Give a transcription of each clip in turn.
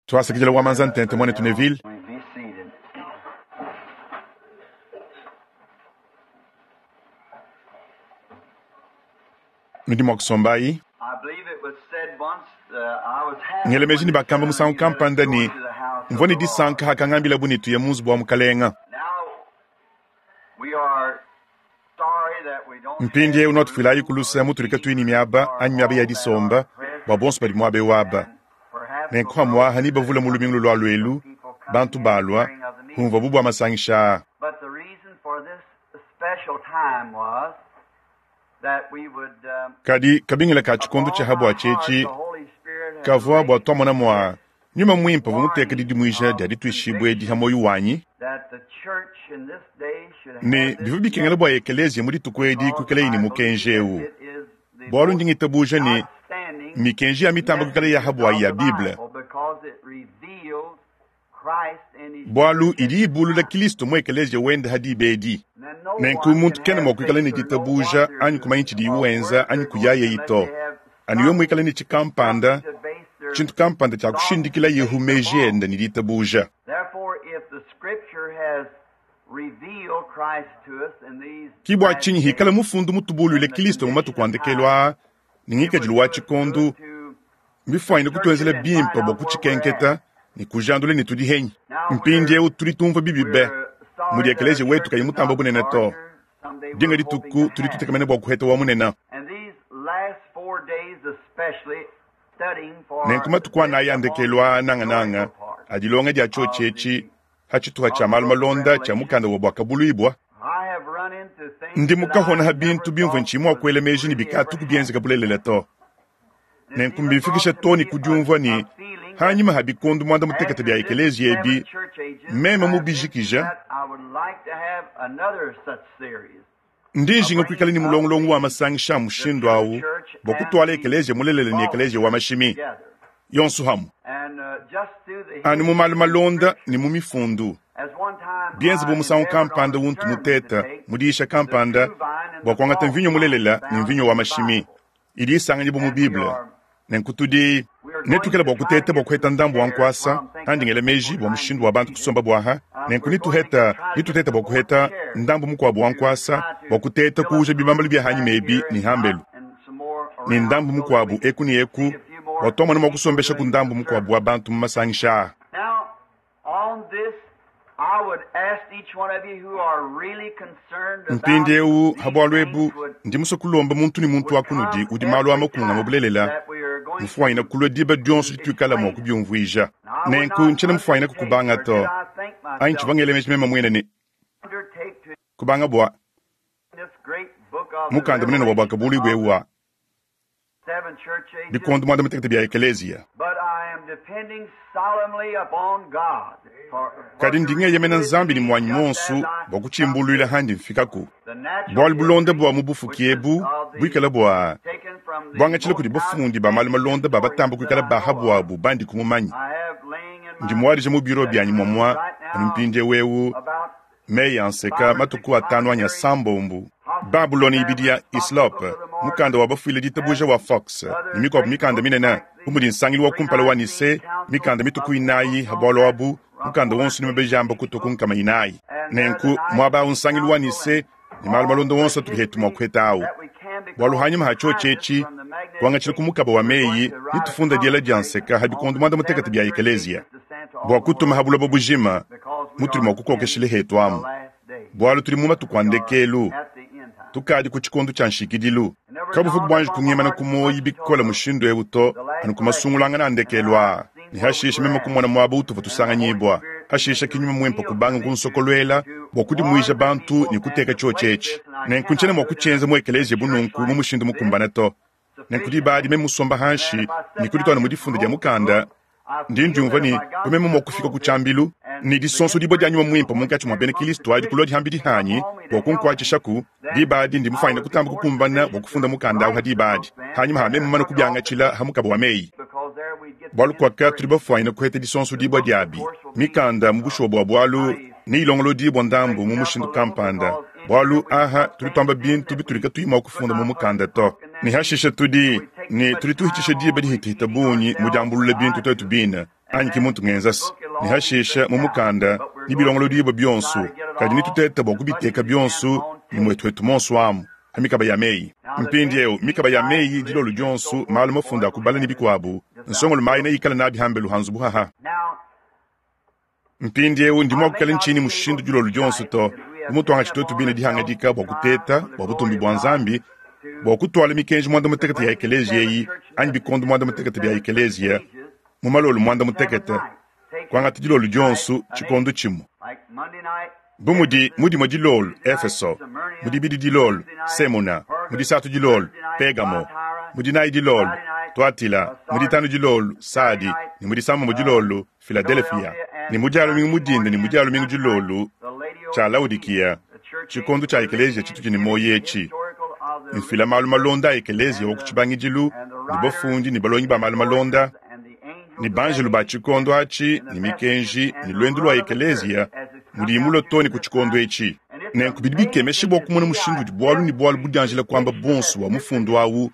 Tuasakidila wa manza ntente muanetu Neville. Nudi mua kusombayi. Ngela meji ne bakamba musangu kampanda ne, mvua ne disanka hakangambilabu ne tuye mu nzubu wa Mukalenga. Mpindieu nuatufuilayi ku luse mutudi katuyi ne miaba anyi miaba ya disomba bua bonso badi muaba eu aba. Nenku pamu'apa nebavule mu lumingu lulua luelu bantu balua humvuabu bua masangisha aa. Kadi kabingila ka tshikondo tshia ha buatshi etshi kavua bua tuamona mua Nyuma Muimpe uvua muteke didimuija dia dituishibua edi ha muoyo wanyi, ne bivua bikengela bua ekeleziya mu dituku edi kuikalayi ne mukenji eu, bualu ndi ngitabuja ne, mikenji ya mitamba kuikala ya ha buayi ya Bible, bualu idi ibulula Kilisto mu ekeleziya wende ha diba edi. Nenku muntu kena mua kuikala ne ditabuja anyi kumanya tshidiye wenza anyi kuyayeyi to, anu yeye muikale ne tshikampanda, tshintu kampanda tshia kushindikila Yehu meji ende ne ditabuja. Ki bua tshinyi hikala mufundu mutubuluile Kilisto mu matuku a ndekelu aa ne ngikadilu wa tshikondu, mbifuanyine kutuenzela bimpe bua kutshikenketa ne kujandula ne tudi henyi. Mpindieu tudi tumvua bibi be mudi ekeleziya wetu kayi mutamba bunene to. Dinga dituku tudi tutekemena bua kuheta wa munene. Nenku matuku anayi a ndekelu aa nangananga a dilonga dia tshiotshi etshi ha tshituha tshia malu malonda tshia mukanda wa Buakabuluibua, ndi mukahona ha bintu bimvua ntshiyi mua kuela meji ne bikatuku bienzeka bulelela to. Nenku mbimfikisha too ne ku diumvua ne, hanyima ha bikondo muanda mutekete bia ekeleziya ebi, meme mubijikija, ndi njinga kuikala ne mulongolongo wa masangisha a mushindu au bua kutuala ekeleziya mulelela ne ekeleziya wa mashimi yonso hamue, anu mu malu malonda ne mu mifundu, bienze bu musangu kampanda untu muteta mu diyisha kampanda bua kuangata mvinyo mulelela ne mvinyo wa mashimi idi isanganyibua mu Bible. Nenku tudi netuikale bua kuteta bua kuheta ndambu wa nkuasa andi ngela meji bua mushindu wa bantu kusomba buaha. Nenku nituheta nituteta bua kuheta ndambu mukuabu wa nkuasa bua kuteta kuuja bibambalu bia hanyima ebi ne hambelu ne ndambu mukuabu eku ne eku bua tuamona mua kusombeshaku ndambu mukuabu wa bantu mu masangisha aa. Mpindieu ha bualu ebu ndi musue kulomba muntu ne muntu wa kunudi udi malu a makunga mu bulelela mufuanyine kulua diba dionso dituikala mua kubiumvuija. Nenku ntshiena mufuanyine kukubanga to, anyi tshivua ngela meji meme muine ne kubanga bua mukanda munene wa Buakabuluibua eu wa bikondo muanda mutekete bia ekeleziya. Kadi ndi ngeyemena Nzambi ne muanyi muonso bua kutshimbuluila handi mfikaku. Bualu bulonda bua mu bufuki ebu buikala bua buangatshila kudi bafundi ba malu malonda ba batamba kuikala ba ha buabu bandi kumumanya. Ndi muadija mu biro bianyi muamua anu mpindieu eu Meyi a nseka matuku atanu anyi asambombu. Babulona ibidi ya Hislop, mukanda wa bafuile ditabuja wa Fox, ne mikuabu mikanda minene bu mudi Nsangilu wa kumpala wa Nicee, mikanda mitue ku inayi ha bualu abu, mukanda wonso ne mabeji amba kutua ku 400. Nenku muaba au Nsangilu wa Nicee ne malu malonda wonso atudi hetu mua kuheta au. Bualu hanyima ha tshiotshi etshi, kuangatshila ku mukaba wa meyi ne tufunda diela dia nseka ha bikondo muanda mutekete bia ekeleziya, bua kutuma ha buloba bujima mutudi mua kukokeshila hetu amu, bualu tudi mu matuku a ndekelu, tukadi ku tshikondo tshia nshikidilu. Kabuvua buanji kungimana ku muoyo bikole mushindu eu to, anu ku masungulangana a ndekelu aa, ne hashishe meme kumona muaba utuvua tusanganyibua. Hashishe ki Nyuma Muimpe kubanga kunsokoluela bua kudimuija bantu ne kuteka tshiotshi etshi. Nenku ntshiena mua kutshienza mu ekeleziya bu nunku mu mushindu mukumbane to. Nenku diba adi meme musomba hanshi ne kudituana mu difunda dia mukanda, ndi ndiumvua ne, bu meme mua kufika ku tshiambilu ne disonsodibua dia Nyuma Muimpe munkatshi mua bena Kilisto adi kulua dihambidi hanyi bua kunkuatshishaku, diba adi ndi mufuanyine kutamba kukumbana bua kufunda mukanda au ha diba adi, hanyima ha meme mumane kubiangatshila ha mukaba wa meyi. Bualu kuaka tudi bafuanyine kuheta disonsodibua diabi mikanda mu bushuwa bua bualu neyilongolodibua ndambu mu mushindu kampanda, bualu aha tudi tuamba bintu bitudi katuyi mua kufunda mu mukanda to, ne hashishe tudi ne tudi tuhitshisha diba dihitahita bungi mu diambulula bintu tuetu bine. Anyi ki muntu ngenzase ne hashisha mu mukanda ne bilongolodibua bionso, kadi netutete bua kubiteka bionso ne muetuetu monso amu ha mikaba ya meyi. Mpindieu mikaba ya meyi dilolo dionso, malu mafunda a kubala ne bikuabu, nsongolo mayi neikale nabi hambelu ha nzubu haha. Mpindieu ndi mua kuikala ntshinyi mushindu dilolo dionso to, bu mutuangatshi tuetu bine dihangadika bua kuteta bua butumbi bua Nzambi, bua kutuala mikenji muanda mutekete ya ekeleziya eyi anyi bikondo muanda mutekete bia ekeleziya mu malolo muanda mutekete, kuangata dilolo dionso tshikondo tshimue. Bu mudi mu dimue dilolo Efeso, mu dibidi dilolo Semuna, mu disatu dilolo Pegamo, mu dinayi dilolo Tuatila, mu ditanu dilolo Sadi, ne mu disambombo dilolo Filadelefia, ne mu dia lumingu mu dinda ne mu dia lumingu dilolo tshia Laodikiya, tshikondo tshia ekeleziya tshitudi ne muoyo etshi. Mfila malu malonda a ekeleziya wa ku tshibangidilu ne bafundi ne balongi ba malu malonda ne banjelu ba tshikondo atshi ne mikenji ne luendu lua ekeleziya mudiyi mulue too ne ku tshikondo etshi. Nenku bidi bikemesha bua kumona mushindu udi bualu ne bualu budianjila kuamba buonso bua mufundu au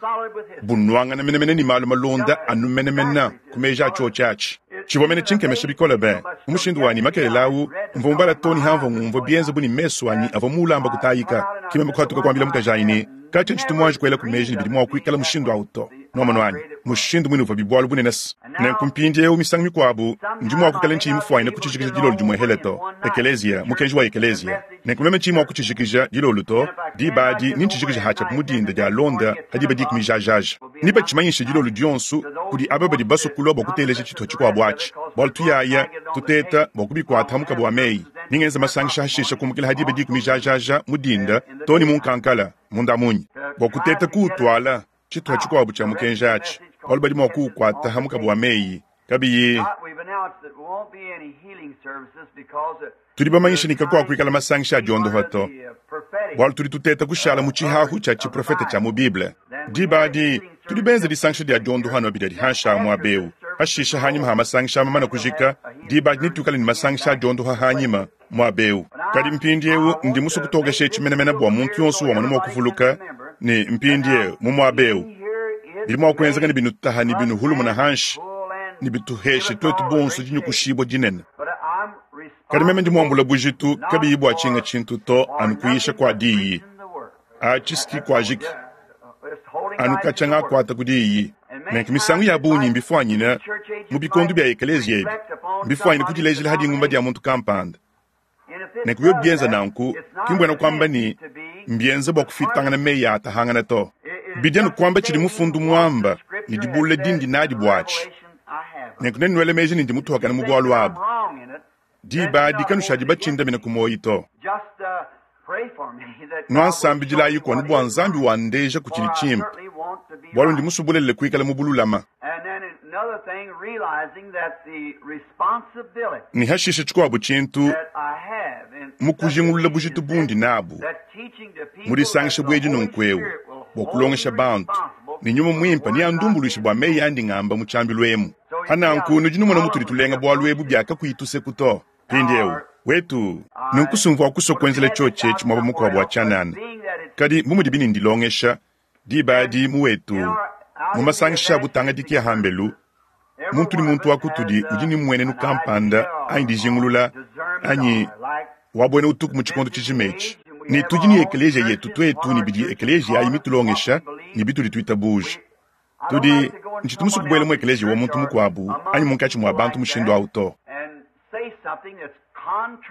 bunuangana menemene ne malu malonda anu menemene ku meji a tshiotshi atshi. Tshivua mene tshinkemesha bikole be mu mushindu wanyi makelela au, mvua mubala too ne hamvua ngumvua bienze bu ne mesu anyi avua muulamba kutayika. Ke meme kuhatuka kuambila mukajanyi ne, Katshia ntshitu muanji kuelaku meji ne bidi mua kuikala mushindu au to. Nuamonu anyi? Mushindu muine uvuabi bualu bunene se. Nenku mpindieu misangu mikuabu ndi mua kuikala ntshiyi mufuanyine kutshijikija dilolo dimue hele to, ekeleziya, mukenji wa ekeleziya. Nenku meme ntshiyi mua kutshijikija dilolo to, diba adi nentshijikije hatshiapu mu dinda dialonda ha diba dikumi jajaja. Nebatshimanyishe dilolo dionso kudi aba badi basue kulua bua kuteleja tshituha tshikuabu atshi, bualu tuyaya tuteta bua kubikuata ha mukaba wa meyi. Ningenze masangisha hashisha kumukila ha diba dikumi jajaja mu dinda to ne mu nkankala munda munyi bua kuteta kuutuala tshituha tshikuabu tshia mukenji atshi, bualu badi mua kuukuata ha mukaba wa meyi kabiyi. Tudi bamanyishe ne kakuakuikala masangisha a diondopa to, bualu tudi tuteta kushala mu tshihahu tshia tshiprofete tshia mu Bible. Diba adi tudi benze disangisha dia diondoha anu abidi adi hanshi a muaba eu. Hashisha hanyima ha masangisha mamana kujika, diba adi netuikale ne masangisha a diondoha hanyima muaba eu. Kadi mpindieu ndi musue kutokesha etshi menemene bua muntu yonso wamona mua kuvuluka ne mpindieu mu muaba eu bidi mua kuenzeka ne binutaha ne binuhulumuna hanshi ne bituheshe tuetu bonso dinyukushibua dinene. Kadi meme ndi muambula bujitu kabiyi bua tshinga tshintu to anu kuyisha kua diyi. Atshi ski kuajiki anu katshia ngakuata ku diyi. Nenku misangu ya bungi mbifuanyine mu bikondo bia ekeleziya ebi, mbifuanyine kudilejela ha dingumba dia muntu kampanda. Nenku biobi bienza nanku, ki mbuena kuamba ne mbienza bua kufitangana meyi a atahangana to. Bidi anu kuamba tshidi mufundu muamba ne dibulula dindi nadi buatshi. Nenku nenuele meji ne ndi mutuakane mu bualu abu. Diba adi kanushadi batshindamine ku muoyo to. Nuansambidilayiku anu bua Nzambi wandeja ku tshidi tshimpe, bualu ndi musue bulelela kuikala mu bululama. Ne hashisha tshikuabu tshintu, mu kujingulula bujitu bundi nabu mu disangisha buedi nunku'eu bua kulongesha bantu, ne Nyuma Muimpe neandumbuluishe bua meyi andi ngamba mu tshiambilu emu. Pa nanku nudi numona mutudi tulenga bualu ebu bia kakuyi tuseku to. Mpindieu, wetu, nunku sumvua kusua kuenzela tshiotshi etshi muaba mukuabu wa tshianana, kadi bu mudibi ne ndilongesha, diba adi mu wetu, mu masangisha a butangadiki a hambelu, muntu ne muntu wa kutudi udi ne mmuenenu kampanda anyi dijingulula anyi wa buena utuku mu tshikondo tshijima etshi. Ne tudi ne ekeleziya yetu tuetu ne bidi ekeleziya ayi mitulongesha ne bitudi tuitabuja. Tudi, ntshitu musue kubuela mu ekeleziya wa muntu mukuabu anyi munkatshi mua bantu mushindu au to,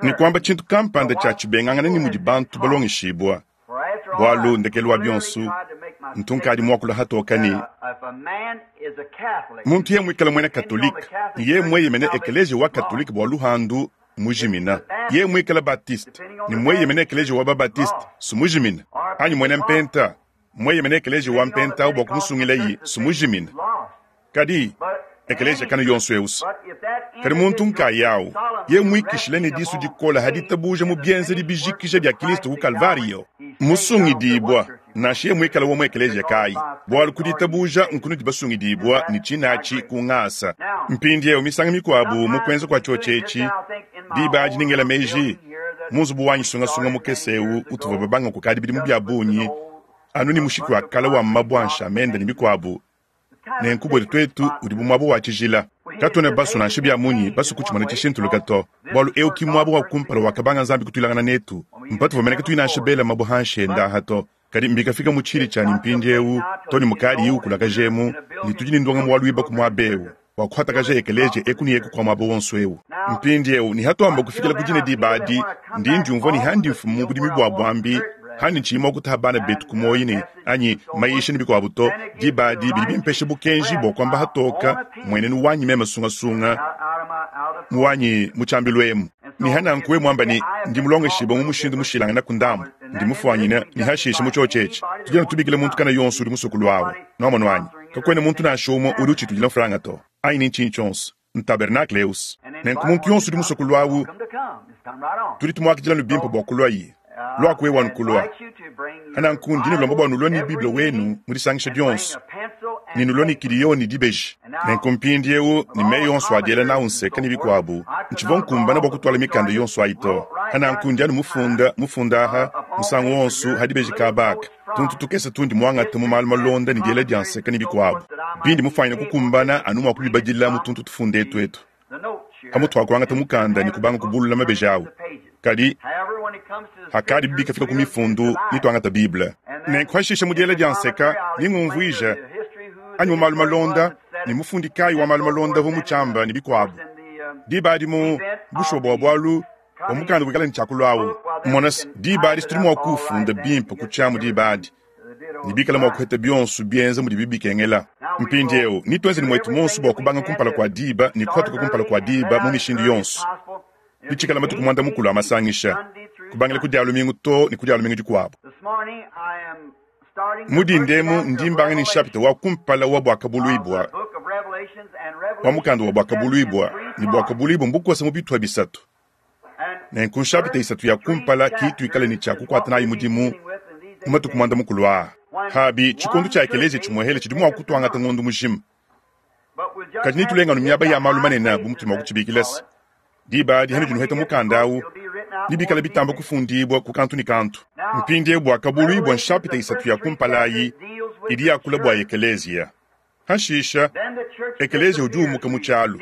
ne kuamba tshintu kampanda tshia tshibengangana ne mudi bantu balongeshibua, bualu ndekelu wa bionso ntu nkadi muakula hatoka ne muntu yeye muikale muena Katolike ne yeye mueyemene ekeleziya wa Katolike bua luhandu mujimina, yeye muikale Baptiste ne mueyemene ekeleziya wa ba-Baptiste sumujimina, anyi muena Mpenta mueyemene ekeleziya wa Mpenta au bua kumusungilayi sumujimina. Kadi ekeleziya kanu yonso eu se kadi muntu nkayawu yeye muikishile ne disu dikola ha ditabuja mu bienzedi bijikija bia Kristo ku Kalvario, musungidibua nansha yeye muikale wa mu ekeleziya kayi, bualu ku ditabuja nkunudi basungidibua ne tshinatshi ku ngasa. Mpindieu misangu mikuabu mu kuenza kua tshiotshi etshi, diba adi ningela meji mu nzubu wanyi sungasunga mukese eu utuvua babanga kukadi bidimu bia bungi anu ne mushiki wa kale wa mabua a nshamende ne bikuabu, nenku buetu tuetu udi bu muaba wa tshijila. Katuena basue nansha bia munyi basue kutshimona tshishintuluka to, bualu eu ki mmuaba wa kumpala wakabanga Nzambi kutuilangana netu. Mpatuvua mene katuyi nansha bela mabue hanshi ende aha to. Kadi mbikafika mu tshili tshianyi mpindieu to ne mukadiyi ukulakajemu, ne tudi ne ndongamu wa luibaku muaba eu bua kuhatakaja ekeleziya eku ne eku kua muaba wonso eu. Mpindieu ne hatuamba kufikila ku dine diba adi, ndi ndiumvua ne handi mfumu mu budimi bua buambi, handi ntshiyi mua kutaha bana betu ku muoyo ne anyi mayisha ne bikuabu to, diba adi bidi bimpesha bukenji bua kuamba hatoka mmuenenu wanyi meme sungasunga mu wanyi mu tshiambilu emu. Ne hananku we muamba ne, Ndi mulongeshibue mu mushindu mushilangane ku ndambu, ndi mufuanyine, ne hashishe mu tshiotshi etshi, tudi anu tubikila muntu kana yonso udi musue kuluawu. Nuamonu anyi? Kakuena muntu nansha umue udi utshitudila mfranga to, anyi ne ntshinyi tshionso. Ntabernakle eus. Nenku muntu yonso udi musue kuluawu, tudi tumuakidila anu bimpe bua kuluaye. Luaku wewe anu kulua. Hananku ndi nulomba bua nulue ne Bible wenu mu disangisha dionso, ne nulue ne kiliyo ne dibeji. Nenku mpindieu, ne meyi onso a diela nawu nseka ne bikuabu, ntshivua nkumbana bua kutuala mikanda yonso ayi to. Hananku ndi anu mufunda, mufunda aha, musangu wonso ha dibeji kaba aka, tuntu tukese tundi muangate mu malu malonda ne diela dia nseka ne bikuabu, bindi mufuanyine kukumbana anu mua kubibadila mu tuntu tufunda etu etu. Pamutu pa kuangata mukanda ne kubanga kubulula mabeji awu. Kadi hakadibi bikafika ku mifundu, ne tuangata Bible. Nenku hashishe mu diela dia nseka, ne ngumvuija, anyi mu malu malonda, ne mufundi kayi wa malu malonda uvua mutshiamba ne bikuabu. Diba adi mu bushuwa bua bualu bua mukanda buikala ne tshiakulu awu. Mona se, diba adi tudi mua kuwufunda bimpe ku tshiamu diba adi, ne bikala mua kuheta bionso bienza mudibi bikengela. Mpindieu, netuenze ne muetu muonso bua kubanga kumpala kua diba ne kuhatuka kumpala kua diba mu mishindu yonso. Bitshikala matuku muanda-mukulu a masangisha, kubangila ku Dia lumingu too ne ku Dia lumingu dikuabu. Mu dinda emu ndi mbanga ne nshapita wa kumpala wa Buakabuluibua, wa mukanda wa Buakabuluibua, ne Buakabuluibua mbukosa mu bitupa bisatu. Nenku nshapita isatu ya kumpala ki tuikale ne tshia kukuata nayi mudimu mu matuku muanda-mukulu aa. Pabi, tshikondo tshia ekeleziya tshimuehele tshidi mua kutuangata ngondo mujima. Kadi netulenga anu miaba ya malu manene bu mutudi mua kutshibikila se, diba adi hanudi nuheta mukanda au, nebikale bitamba kufundibua ku kantu ne kantu. Mpindieu Buakabuluibua nshapita isatu ya kumpala ayi idi yakula bua ekeleziya. Hashisha, ekeleziya udi umuka mu tshialu.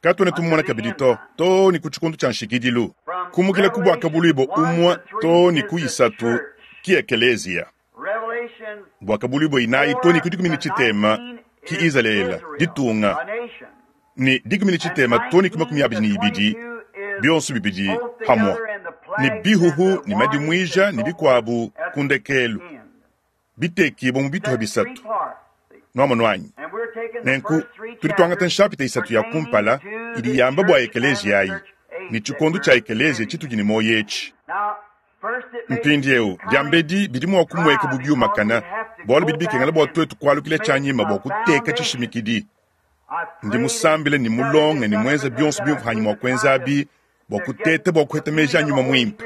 Katuena tumumona kabidi to, too ne ku tshikondo tshia nshikidilu. Kumukila ku Buakabuluibua umue too ne ku isatu ki ekeleziya. Buakabuluibua inayi too ne ku dikumi ne tshitema ki Izalele, ditunga, ne dikumi ne tshitema too ne ku 22, bionso bibidi pamue, ne bihuhu ne madimuija ne bikuabu ku ndekelu, bitekibua mu bituha bisatu. Nuamonu anyi? Nenku tudi tuangata nshapita isatu ya kumpala idi yamba bua ekeleziya ayi ne tshikondo tshia ekeleziya tshitudi ne muoyo etshi. Mpindieu, diambedi bidi mua kumueka bu biumakana, bualu bidi bikengela bua tuetu kualukila tshianyima bua kuteka tshishimikidi. Ndi musambile ne mulonge ne muenze bionso bimvua hanyi mua kuenzabi bua kuteta bua kuheta meji a Nyuma Muimpe.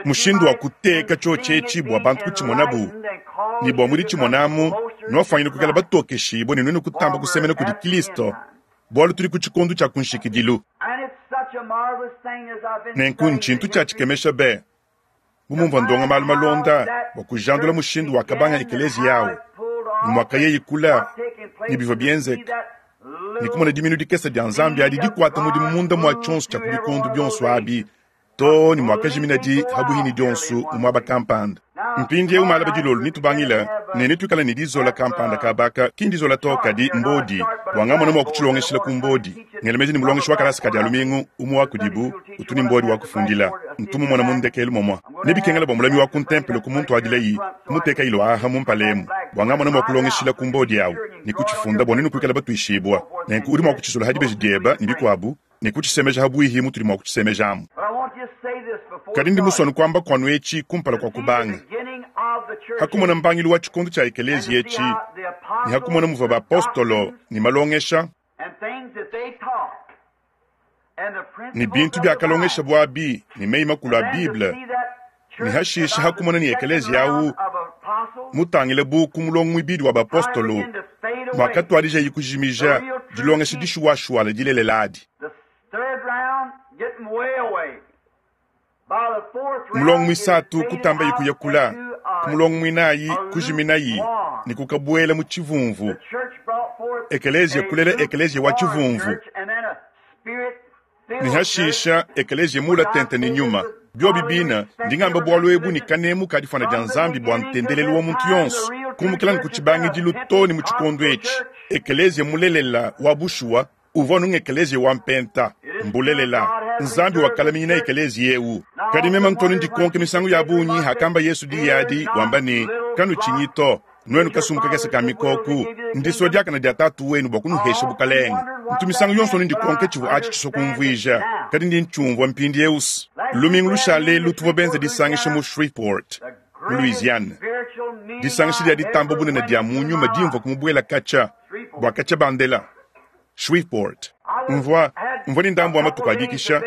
Mushindu wa kuteka tshiotshi etshi bua bantu kutshimonabu ne bua muditshimon'amu, nuafuanyine kuikala batokeshibue ne nuenu kutamba kusemena kudi Kristo, bualu tudi ku tshikondo tshia ku nshikidilu. Nenku ntshintu tshia tshikemesha be, bu mumvua ndonga malu malonda bua kujandula mushindu wakabanga ekeleziya au ne muakayeye kula ne bivua bienzeka, ne kumona diminu dikese dia Nzambi adi dikuata mudimu munda mua tshionso tshia ku bikondo bionso abi, too ne muakajiminadi habuhi ne dionso mu muaba kampanda. Mpindieu malaba dilolo netubangile ne netuikale ne dizola kampanda kabaka, ki ndizola to, kadi mbodi, bua ngamona mua kutshilongeshila ku mbodi. Ngela meji ne mulongeshi wa kalasa ka Dia lumingu, umue wa kudibu, utu ne mbodi wa kufundila. Ntu mumona mu ndekelu momua. Nebikengela bua mulami wa ku ntempelo kumuntuadilayi, kumuteka ilo aha mu mpala emu, bua ngamona mua kulongeshila ku mbodi awu, ne kutshifunda bua nuenu kuikala batuishibua. Nenku udi mua kutshizola ha dibeji dieba ne bikuabu, ne kutshisemeja ha buihi mutudi mua kutshisemejamu. Kadi ndi musue anu kuamba kuanu etshi kumpala kua kubanga. Ha kumona mbangilu wa tshikondo tshia ekeleziya etshi, ne ha kumona muvua bapostolo ne malongesha, ne bintu biakalongeshabo abi ne meyi makulu a Bible, ne hashishe ha kumona ne ekeleziya au mutangile bu ku mulongo muibidi wa bapostolo, muakatuadijayi kujimija dilongesha dishuwashuwala dilelela adi. Mulongo muisatu kutambayi kuya kula, ku ku mulongo mwinayi kujiminayi ne kukabuela mu tshivumvu. Ekeleziya kulela ekeleziya wa tshivumvu, ne hashisha ekeleziya muula tente ne nyuma. Biobi bina, ndi ngamba bualu ebu ne kanemu ka difuana dia Nzambi bua ntendelelu wa muntu yonso, kumukila ne ku tshibangidilu too ne mu tshikondo etshi. Ekeleziya mulelela wa bushuwa uvua anu ng'ekeleziya wa mpenta. Mbulelela, Nzambi wakalaminyina ekeleziya eu. Kadi meme ntonu ndikonke misangu ya bungi hakamba Yesu diyi adi, wamba ne, Kanutshinyi to, nuenu kasumbu kakese ka mikoku, ndisua diakane dia Tatu wenu bua kunuhesha bukalenge. Ntu misangu yonso anu ndikonke tshivua atshi tshisua kumvuija, kadi ndi ntshiumvua mpindieu. Lumingu lushale elu tuvua benze disangisha mu Shreveport, mu Louisiane, disangisha dia ditamba bunene dia mu nyuma dimvua kumubuela katshia bua katshia bandela. Shreveport. Mvua, mvua ne ndambu wa matuku a dikisha,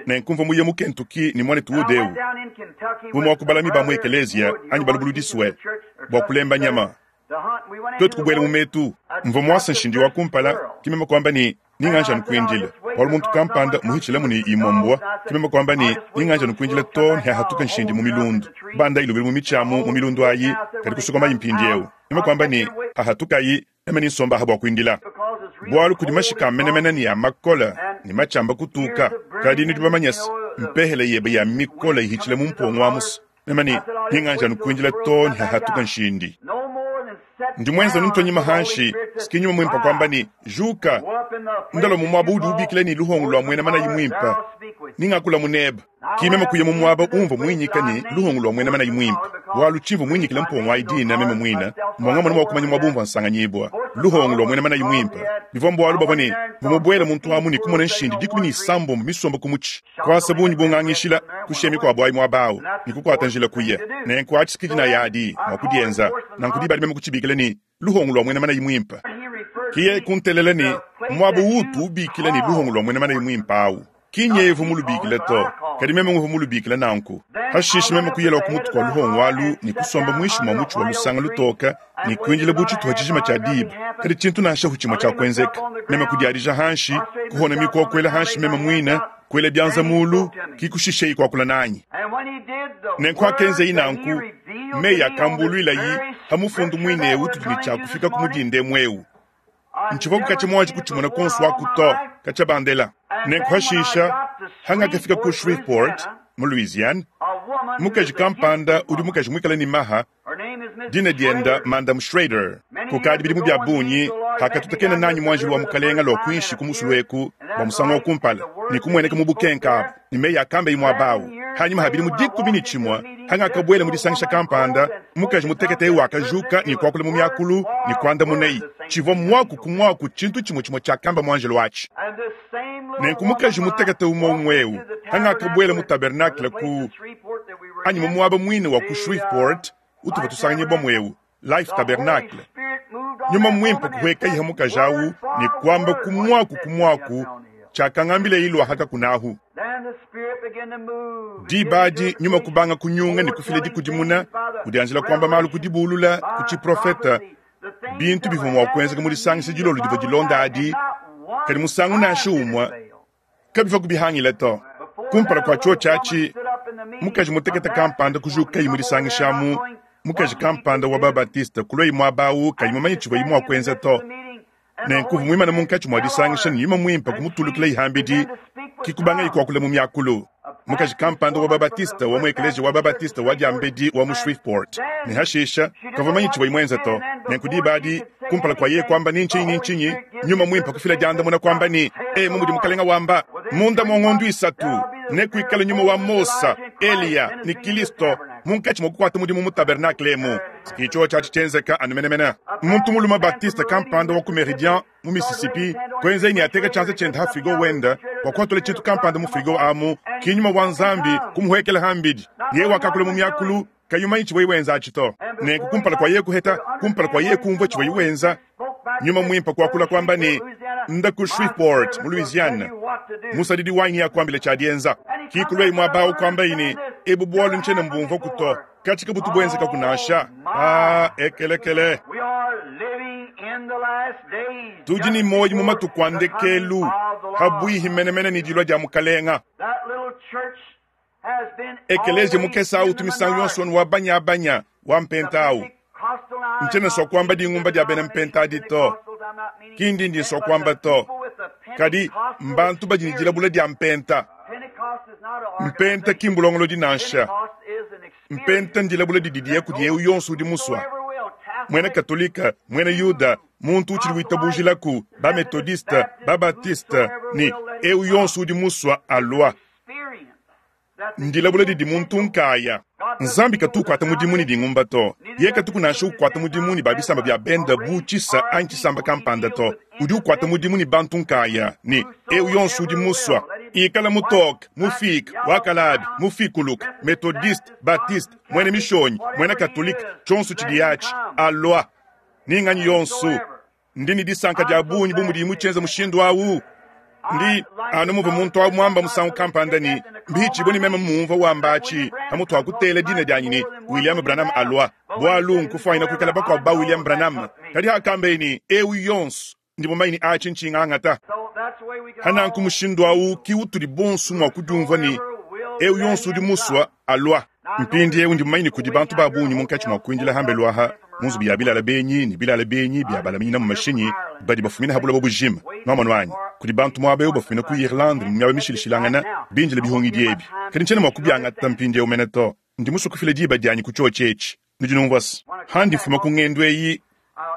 nenku mvua muye mu Kentucky ne muanetu Wood eu, umue wa ku balami ba mu ekeleziya anyi balubuludisue, bua kulemba nyama. Tuetu kubuela mu metu. Mvua muase nshindi wa kumpala, ke meme kuamba ne, Ninganji anu kuindila, bualu muntu kampanda muhitshilamu ne imue mbua, ke meme kuamba ne, Ninganji anu kuindila too ne hahatuka nshindi mu milundu. Bandayi lubilu mu mitshi amu mu milundu ayi, kadi kusokomayi mpindieu. Meme kuamba ne, Hahatukayi, meme ne nsomba aha bua kuindila, bualu kudi mashika a menemene ne a makole ne matshi kutuka. Kadi nudi bamanye se, mpehele yebe ya mikole ihitshila mu mpongo amu se, meme ne ninganji anu kuindila too ne hahatuka nshindi. Ndi muenze anu ntua nyima hanshi, siki nyuma muimpe kuamba ne, Juka, ndalua mu muaba udi ubikila ne luhongo lua muena manayi muimpe, ningakula mu nebe. Ki meme kuya mu muaba umvua muinyika ne luhongo lua muena manayi muimpe, bualu tshivua muinyikile mpongo ayi dina meme muine, mbua ngamona mua kumanya muaba umvua nsanganyibua. Luhongo lua muena manayi muimpe bivua mbualu bavua ne mvua mubuele muntu amu ne kumona nshindi 16 misomba ku mutshi, kuasa bungi bungangishila, kushiya mikuabu ayi muaba awu, ne kukuata njila kuya. Nenku atshi ki dinaya adi mua kudienza. Nanku diba adi meme kutshibikila ne, luhongo lua muena manayi muimpe. Ki yeye kuntelela ne, Muaba uutu ubikila ne luhongo lua muena manayi muimpe awu, ki nyevu mulubikile to, kadi meme nguvua mulubikile nanku. Pashishe meme kuyela ku mutu kua luhongo alu ne kusomba muinshi mua mutshi wa lusanga lutoke ne kuindila bu tshituha tshijima tshia diba, kadi tshintu nansha hu tshimue tshiakuenzeka. Meme kudiadija hanshi, kuhona mikuokuela hanshi meme muine, kuela bianza mulu, ki kushisheyi kuakula nanyi. Nenku hakenzeyi nanku, meyi akambuluilayi ha mufundu muine eu tudi ne tshia kufika ku mudinda emu eu. Ntshivua katshia muanji kutshimona kuonso aku to, katshia bandela. Nenku hashisha, hangakafika ku Shreveport, mu Louisiane, mukaji kampanda udi mukaji muikale ne maha, dina dienda Madam Schrader. Kukadi bidimu bia bungi hakatutakena nanyi muanjelu wa Mukalenga lua kuinshi ku musulu eku bua musangu wa kumpala, ne kumueneka mu bukenka abu ne meyi akamba muaba awu. Hanyima ha bidimu 11 hangakabuela mu disangisha kampanda, mukaji mutekete eu wakajuka ne kuakula mu miakulu ne kuandamunayi tshivua muaku ku muaku tshintu tshimue tshimue tshiakamba muanjelu atshi. Nenku mukaji mutekete umue umue eu hangakabuela mu tabernacle ku anyi mu muaba muine wa ku Shreveport utuvua tusanganyibua muewu, Life Tabernacle, nyuma muimpe kuhuekayiha mukaji awu ne kuamba ku muaku ku muaku tshiakangambila ilua hakakunahu. Diba adi nyuma kubanga kunyunga ne kufila dikudimuna, udianjila kuamba malu ku dibulula ku tshiprofeta, bintu bivua mua kuenzeka mu disangisha dilolo divua dilonda adi, kadi musangu nansha umue kabivua kubihangila to. Kumpala kua tshiotshi atshi, mukaji mutekete kampanda kujukayi mu disangisha amu, mukaji kampanda wa Babatiste kuluayi muaba awu kayi mumanye tshivuaye mua kuenza to. Nenku uvua muimane munkatshi mua disangisha ne nyuma muimpe kumutulukilayi hambidi, ki kubangayi kuakula mu miakulu. Mukaji kampanda wa Babatiste wa mu ekeleziya wa Babatiste wa diambedi wa mu Shreveport, ne hashisha kavua mumanye tshivuaye muenze to. Nenku diba adi, kumpala kua yeye kuamba ni ntshinyi ni ntshinyi, nyuma muimpe kufila diandamuna kuamba ne, Emu mudi Mukalenga wamba, munda mua ngondu isatu nekuikale nyuma wa Mosa, Eliya ne Kilisto munkatshi mua kukuata mudimu mu tabernacle emu. Ki tshiotshi atshi tshienzeka anu menemene. Muntu mulume Baptiste kampanda wa ku Meridian mu Mississippi kuenzaye ne ateka tshianza tshiende ha frigo wende bua kuhatula tshintu kampanda mu frigo amu, ki nyuma wa Nzambi kumuhuekela hambidi. Yeye wakakula mu miakulu kayi umanyi tshivuaye wenza atshi to. Nenku kumpala kua yeye kuheta, kumpala kua yeye kumvua tshivuaye wenza, nyuma muimpe kuakula kuamba ne, Nda ku Shreveport mu Louisiane, musadidi wanyi neakuambile tshiadienza. Ki kuluaye muaba awu kuambaye ne, Ebu bualu ntshiena mbumvuaku to, katshi kabutu buenzekaku nansha. Ah, ekelekele! Tudi ne muoyo mu matuku a ndekelu, pabuihi menemene ne dilua dia Mukalenga. Ekeleziya mukese awu utu misangu yonso anu wa banyabanya, wa mpenta awu. Ntshiena nsua kuamba dingumba dia bena mpenta adi to. Ki ndi ndi nsua kuamba to. Kadi mbantu badi ne dilabula dia mpenta. Mpenta ki mbulongolodi nansha. Mpenta ndilabula didi diya kudi eu yonso udi musua. Muena Katolika, muena Yuda, muntu utshidi witabujilaku, ba-Metodiste, ba-Baptiste, ne eu yonso udi musua alua. Ndilabula didi muntu nkaya. Nzambi katu ukuata mudimu ne dingumba to. Yeye katuku nansha ukuata mudimu ne ba bisamba bia bende bu tshisa anyi tshisamba kampanda to. Udi ukuata mudimu ne bantu nkaya, ne eu yonso udi musua, ikala mutoke, mufiike, wa kalabi, mufikuluke, Metodiste, Baptiste, muena Mishonyi, muena Katolike, tshionso tshidi atshi, alua. Ni nganyi yonso. Ndi ne disanka dia bungi bu mudiyi mutshienza mushindu au. Ndi anu muvua muntu au muamba musangu kampanda ne, mbihitshibue ne meme mumvua wamba atshi pamutu wa kutela dina dianyi ne, William Branham alua, bualu nkufuanyina kuikala bakuabu ba William Branham. Kadi hakambeye ne, eu yonso, ndi mumanye ne atshi ntshingangata. Hananku mushindu au ki utudi bonso mua kudiumvua ne, eu yonso udi musua, alua. Mpindieu ndi mumanye ne kudi bantu ba bungi munkatshi mua kuindila hambelu aha mu nzubu ya bilala benyi ne bilala benyi bia balaminyina mu mashinyi badi bafumina ha buloba bujima. Nuamonu anyi? Kudi bantu muaba eu bafumina ku Irlande ne mu miaba mishilashilangane bindile bihungidi ebi. Kadi ntshiena mua kubiangata mpindieu mene to. Ndi musue kufila diba dianyi ku tshiotshi etshi. Nudi numvua-se? Handi mfuma ku ngendu eyi,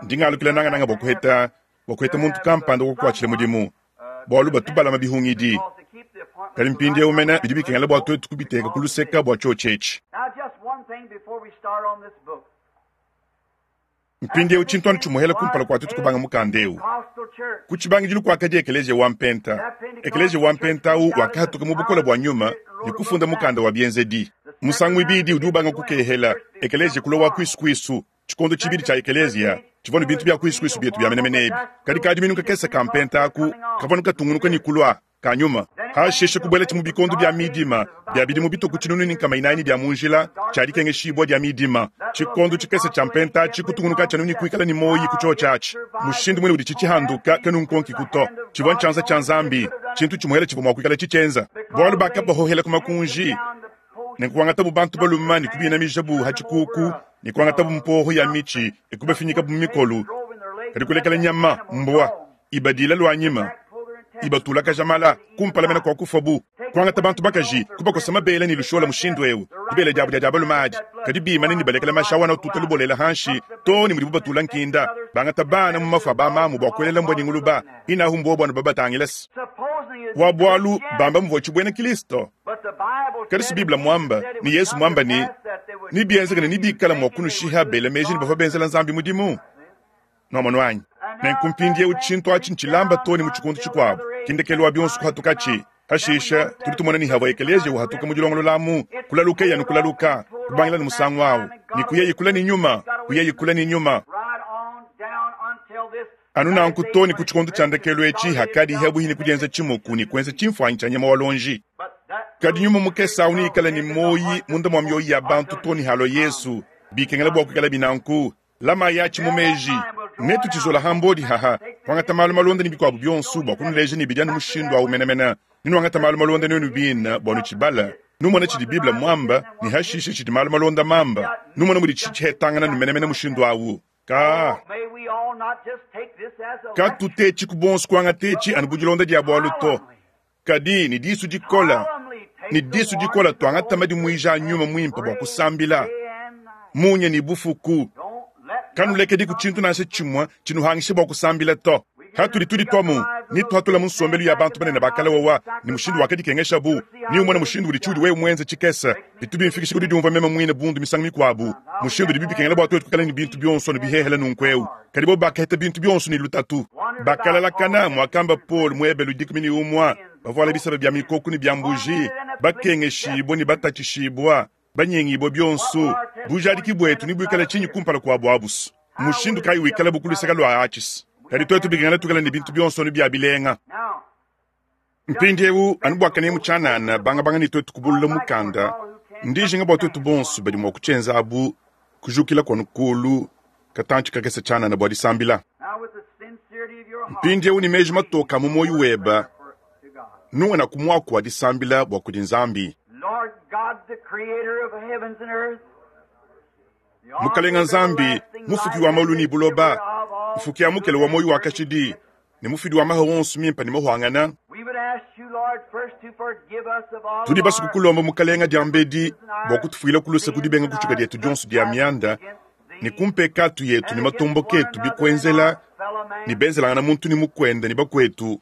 ndi ngalukila nangananga bua kuheta bua kuheta muntu kampanda wa kukuatshila mudimu, bualu batu balama bihungidi. Kadi mpindieu mene bidi bikengela bua tuetu kubiteka ku luseka bua tshiotshi etshi. Mpindieu tshintu anu tshimuhela kumpala kua tuetu kubanga mukanda eu. Ku tshibangidilu kuakadi ekeleziya wa mpenta. Ekeleziya wa mpenta au wakahatuka mu bukole bua nyuma ne kufunda mukanda wa bienzedi. Musangu muibidi udi ubanga kukehela, ekeleziya kulua wa kuisu kuisu. Tshikondo tshibidi tshia ekeleziya tshivua ne bintu bia kuisu kuisu bietu bia menemene ebi. Kadi kadiminu kakese ka mpenta aku kavua anu katungunuka ne kulua ka nyuma. Hashishe kubuelatshi mu bikondo bia midima bia bidimu bitue ku 400 bia mu njila tshia dikengeshibua dia midima. Tshikondo tshikese tshia mpenta atshi kutungunukatshi anu ne kuikala ne muoyi ku tshiotshi atshi. Mushindu muine uditshi tshihanduka kanunkonkiku to. Tshivua ntshianza tshia Nzambi, tshintu tshimuele tshivua mua kuikala tshitshienza. Bualu bakabahohela ku makunji, ne kuangatabu bantu balume ne kubinamijabu ha tshikuku, ne kuangatabu mpoho ya mitshi e kubafinyikabu mu mikolu, kadi kulekela nyama, mbua, ibadila luanyima, ibatulakaja mala kumpala mena kua kufua bu kuangata bantu bakaji kubakosa mabele ne lushola mushindu eu dibele diabu dia dia balume adi kadi bimane ne balekela mashi awana ututa lubolela hanshi to ne mudibu batula nkinda bangata bana mu mafu a bamamu bua kuelela mbua ne nguluba inahu mbua buanu babatangila se wa bualu bamba muvua tshibuena Kristo kadi si Bible muamba ne Yesu muamba ne nibienzeke ne nibikala mua kunushiha bela meji ne bavua benzela Nzambi mudimu. Nwamonu anyi? Nenku mpindiewu tshintu atshi ntshilamba too ne mu tshikondo tshikuabu, ki ndekelu wa bionso kuhatukatshi. Hashisha tudi tumona ne havua ekeleziya uhatuka mu dilongolola amu, kulalukeye anu kulaluka, kubangila ne musangu awu, ne kuyayi kule ne nyuma, kuyayi kule ne nyuma. Anu nanku too ne ku tshikondo tshia ndekelu etshi hakadi hebuhi ne kudienza tshimuku ne kuenza tshimfuanyi tshia nyama wa luonji. Kadi nyuma mukese awu neikale ne muoyi munda mua mioyi ya bantu too ne halua Yesu. Bikengela bua kuikalabi nanku. Lamayi atshi mu meji. Netutshizola ha mbodi haha, kuangata malu malonda ne bikuabu bionso bua kunuleja ne bidi anu mushindu au menemene. Nenuangate malu malonda nuenu bine bua nutshibale, numone tshidi Bible muamba ne hashishe tshidi malu malonda mamba, numone muditshi tshihetangana nu menemene mushindu au. Ka katutetshiku bonso kuangata etshi anu bu dilonda dia bualu to, kadi ne disu dikola, ne disu dikola tuangata madimuija a nyuma muimpe bua kusambila munya ne bufuku. Kanulekediku tshintu nansha tshimue tshinuhangishe bua kusambila to. Hatudi tudituamu ne tuhatula mu nsombelu ya bantu banene ba kale wawa ne mushindu wakadikengeshabu, ne umone mushindu udi tshiudi wewe muenze tshikese, bitu bimfikisha ku didiumvua meme muine bundu misangu mikuabu, mushindu udibi bikengela bua tuetu kuikala ne bintu bionso anu bihehele nunku'eu. Kadi bobu bakaheta bintu bionso ne lutatu. Bakalalakana, muakamba Paulo mu Ebelu 11, bavuala biseba bia mikoko ne bia mbuji, bakengeshibua ne batatshishibua, banyengibua bionso. Bujadiki buetu nebuikale tshinyi kumpala kuabu abusu? Mushindu kayi wikalabu ku luseke lua atshis? Kadi tuetu bikengela tuikale ne bintu bionso anu bia bilenga. Mpindieu, anu bua kanemu tshianana, bangabanga ne tuetu kubulula mukanda, ndi njinga bua tuetu bonso badi mua kutshienza abu kujukila kuanu kulu katantshi kakese tshianana bua disambila. Mpindieu ne meji matoka mu muoyo webe, nungana ku muaku wa disambila bua kudi Nzambi. Mukalenga Nzambi, mufuki wa maulu ne buloba, mfuki ya mukele wa moyo wa kashidi, ne mufidi wa maha wonso mimpe ne mahuangana. Tudi basuku kulomba mukalenga diambedi bua kutufuila kuluse kudibenga kutshuka dietu dionso dia mianda ne kumpekatu yetu ne matombo ketu bikuenzela ne benzelangana muntu ne mukwenda ne bakwetu.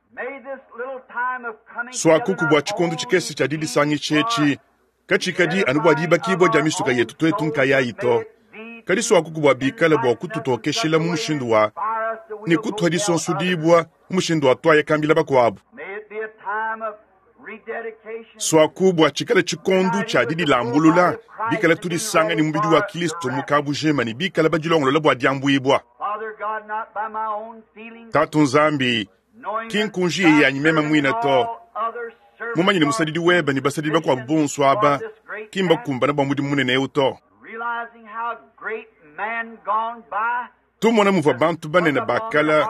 Swakuku bua tshikondo tshikese tshia didisangisha etshi katshikadi anu bua dibakibua dia misuka yetu twetu nkayayi to, kadi swakuku bua bikale bua kututokeshela mu mushindu wa ne kutuha disonsudibua mu mushindu wa twaya kambila bakuabu. Swaku bua tshikale tshikondo tshia didilambulula bikale tudisanga ne mubidi wa Kristo mu kabujima ne bikale badilongolola bua diambuibua. Tatu Nzambi, ki nkunji yanyi meme muine to, mumanye ne musadidi webe ne basadidi bakuabu bonso aba ki mbakumbana bua mudimu munene eu to. Tumona muvua bantu banene bakala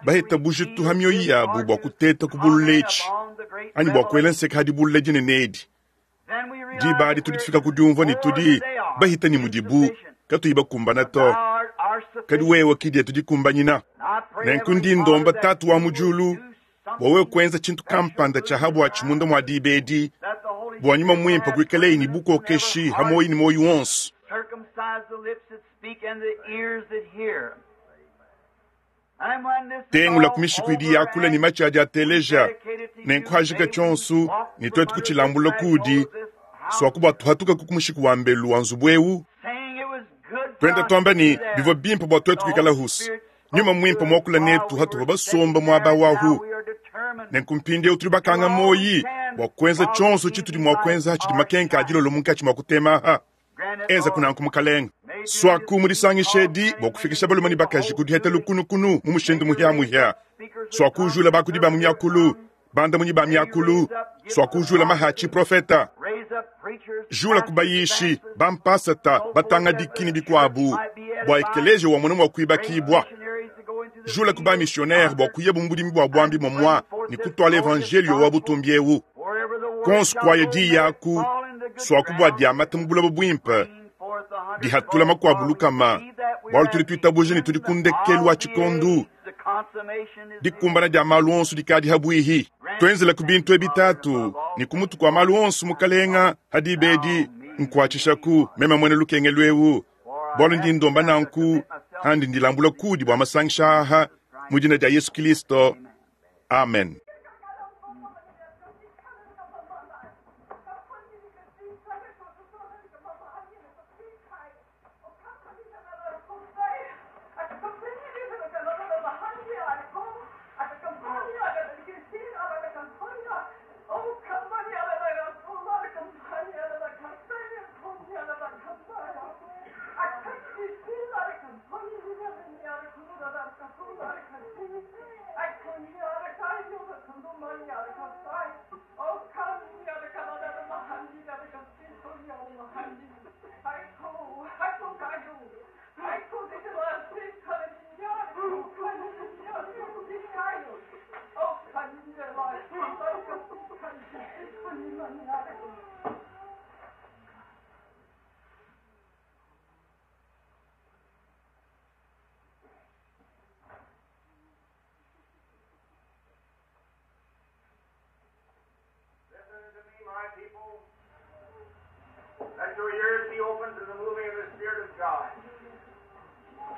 baheta bujitu ha mioyo yabu bua kuteta ku bulula etshi anyi bua kuela nseka hadi bulula dinene edi. Diba adi tudi tufika ku diumvua ne tudi bahita ne mudibu katuyi bakumbana to, kadi wewe ki dietu dikumbanyina. Nenku ndi ndomba Tatu wa mu diulu bua wewe kuenza tshintu kampanda tshia habuatshi munda mua diba edi bua nyuma muimpe kuikaleyi ne bukokeshi ha moyo ne moyo wonso. Tengula ku mishiku idi yakula ne matshi adi ateleja, nenkuhajika tshionso ne twetu kutshilambula kudi swaku bua tuhatuka ku mushiku wa mbelu wa nzubu eu. Twenda twamba ne bivua bimpe bua twetu kuikala husu nyuma muimpe muakula netu hatuva basomba muaba wahu. Nenku mpindieu tudi bakanga moyi bua kuenza tshionso tshitudi mua kuenza tshidi makenka adilolo munkatshi mua kutemaha. Enza kunanku mukalenga swaku mudisangisha edi bua kufikisha balume ne bakaji kudiheta lukunukunu mu mushindu muhiamuhia. Swaku ujula bakudi ba mu miakulu, bandamunyi ba miakulu, swaku ujula mahachi profeta, jula kubayishi bampasata batangadiki ne bikuabu bua ekeleje wa mwana mua kuibakibua. Jula kuba missionnaire bua kuya mu budimi bua bwambi momwa ne kutwala evangelio wa butumbi eu. Konso kwaya di yaku swaku bua diamata mu buloba buimpe dihatula makuabu lukama bualu tudi tuitabuja ne tudi ku ndekelu wa tshikondu dikumbana dia malu onso dikadi habuihi. Twenzela ku bintu ebi tatu ne ku mutu kua malu onso mukalenga hadiba edi nkuatshishaku meme muena lukengelu eu bualu ndi ndomba nanku handi ndilambula kudi bua masangisha aha mu dina dia Yesu Kristo. Amen. Listen to me, my people. Let your ears be open to the moving of the Spirit of God.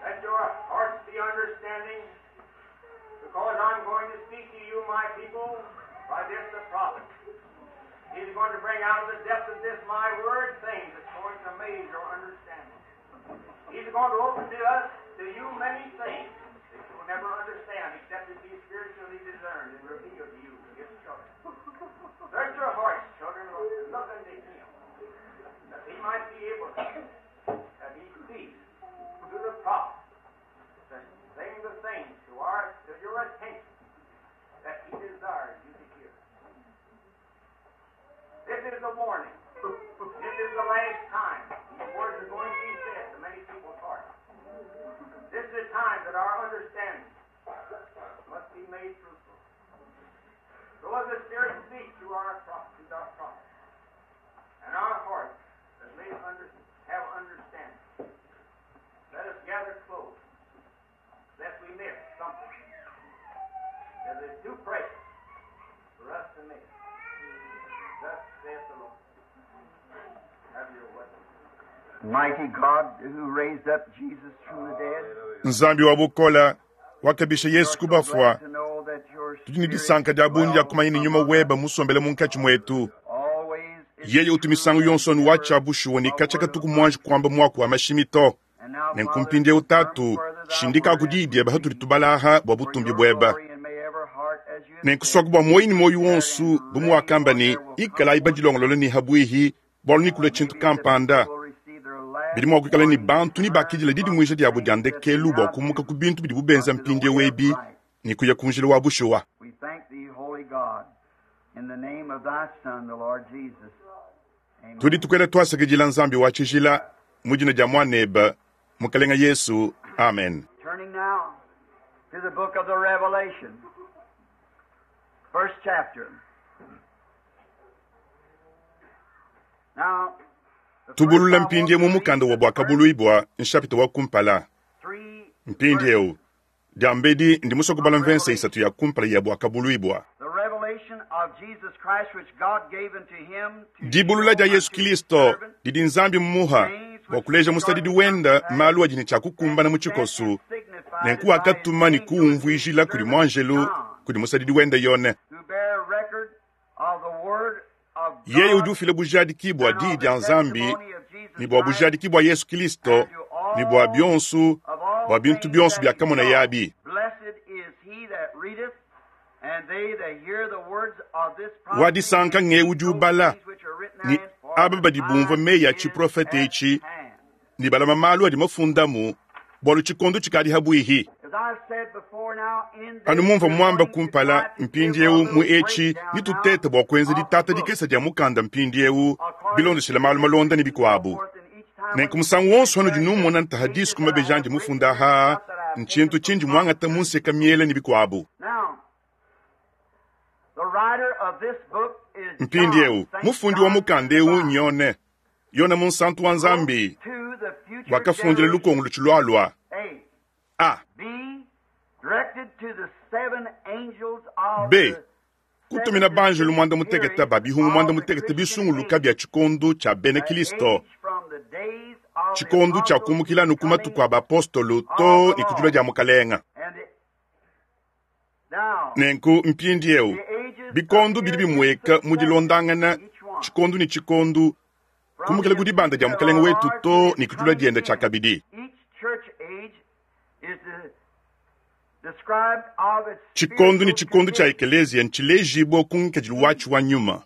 Let your hearts be understanding, because I'm going to speak to you, my people, by this the prophet. He's going to bring out of the depth of this my word things that's going to amaze your understanding. He's going to open to us, to you, many things that you will never understand except it be spiritually discerned and revealed to you, his children. Search your hearts, children, and look unto him, that he might be able to, that he speaks to the prophet, to bring the things to your attention that he desires you to hear. This is the warning. This is the last time these words are going to be said to many people's hearts. This is the time that our understanding must be made fruitful. So as the Spirit speaks to our prophet, and our hearts Mighty God who raised up Jesus from the dead. Nzambi wa bukola wakabisha Yesu kubafwa. To know that your Tudi ne disanka dia bungi dia kumanya ne nyuma weba musombele munkatshi muetu. always is Yeye utu misangu yonso nu wacha bushuwa ne kacha katuku muanji kuamba muaku wa mashimi to. And now, Nenku Father, mpindieu confirm tatu further thy shindika word ku as diyi we diebe hatudi read tubalaha bua for butumbi your bueba. glory, and may every heart as you have Nenkuswaku said, bua moyi ne moyi prepare wonsu and bu ready muwakamba for ne there will come ikalayi forth badilongolola ne habwihi bualu nikula tshintu maybe that kampanda. people will receive their last Bidi mua kuikala ne warning to bantu ne turn bakidila from didimuija the diabo dia things that they ndekelu bua now kumuka do ku bintu bidibu benza unto the mpindieu way of ebi right. ne kuya ku njila wa bushuwa. We thank thee, Holy God, in the name of thy Son, the Lord Jesus. Amen. Tudi tukwela twasakidila Nzambi wa tshijila mu dina dia muanebe Mukalenga Yesu. Amen. Turning now to the book of the Revelation, first chapter. Now, the first Tubulula I want mpindieu to mu read mukanda wa the first Bwakabuluibwa nshapita wa kumpala. three verses Mpindieu diambedi ndi musua kubala of mvensa Revelation. isatu ya kumpala ya Bwakabuluibwa. The revelation of Jesus Christ which God gave unto him to Dibulula show dia Yesu unto his Kristo servant didi Nzambi mmuha things bua which kuleja are musadidi to come to wenda pass, malu adi ne tshia kukumbana mu and sent tshikosu and signified nenku it by his wakatuma ne angel unto his kuumvuijila kudi servant muanjelu John, kudi musadidi wenda Yone. who bear record of the word of Yeye udi God ufila bujadiki bua and diyi of dia the Nzambi testimony of Jesus ne bua Christ bujadiki bua Yesu Kristo and to ne bua all bionsu of all bua bintu things bionso that bia he kamona saw. yabi. Blessed is he that readeth, and they that hear the words of this Wa prophecy disanka and nge keep udi those ubala things which are written ne therein, for aba the badi bumvua time meyi a is tshiprofete at etshi hand. ne balama malu adi mafundamu bualu tshikondo tshikadi habwihi. As I've said before now, in Anu this mumvua we're muamba going to try kumpala to give a mpindieu mu little etshi breakdown now nitutete bua kuenza of the ditata book dikesa dia mukanda mpindieu according bilondeshela to malu malonda ne history and so bikuabu. forth. And each time when Nenku you musangu see wonso me hanudi there, the numona ntaha pages disu ku that I mabeji have andi written mufunda and ha stuff that I've taken ntshintu from tshindi muangata scripture. munseka miele ne bikuabu. Now, the writer of this book is John, Mpindieu St. mufundi wa John mukanda the eu Divine, nyone Yona munsantu wa wrote Nzambi to the future wakafundila generation. lukongo lutshilualua. A. A. B. Directed to the seven angels of B. the seven Kutumina banjelu distinct mwanda mutekete periods ba bihungu mwanda of the mutekete Christian bisunguluka age, bya tshikondo tshia bena the Kristo. age from the days of the Tshikondo tshia apostles to kumukila the nu ku matuku coming a bapostolo of to the ne kudilua Lord. dia mukalenga. And the, now, Nenku mpindieu the ages bikondo bidi appear in bimueka mu succession, dilondangana each one, tshikondo ne tshikondo from kumukila the ku dibanda dia ascension of mukalenga our wetu Lord to to his ne kudilua coming dienda tshia again. kabidi. Each church age is the, described of its Tshikondo ne spiritual tshikondo tshia condition. ekelezia ntshilejibua ku ngikadilu E. watshi wa nyuma.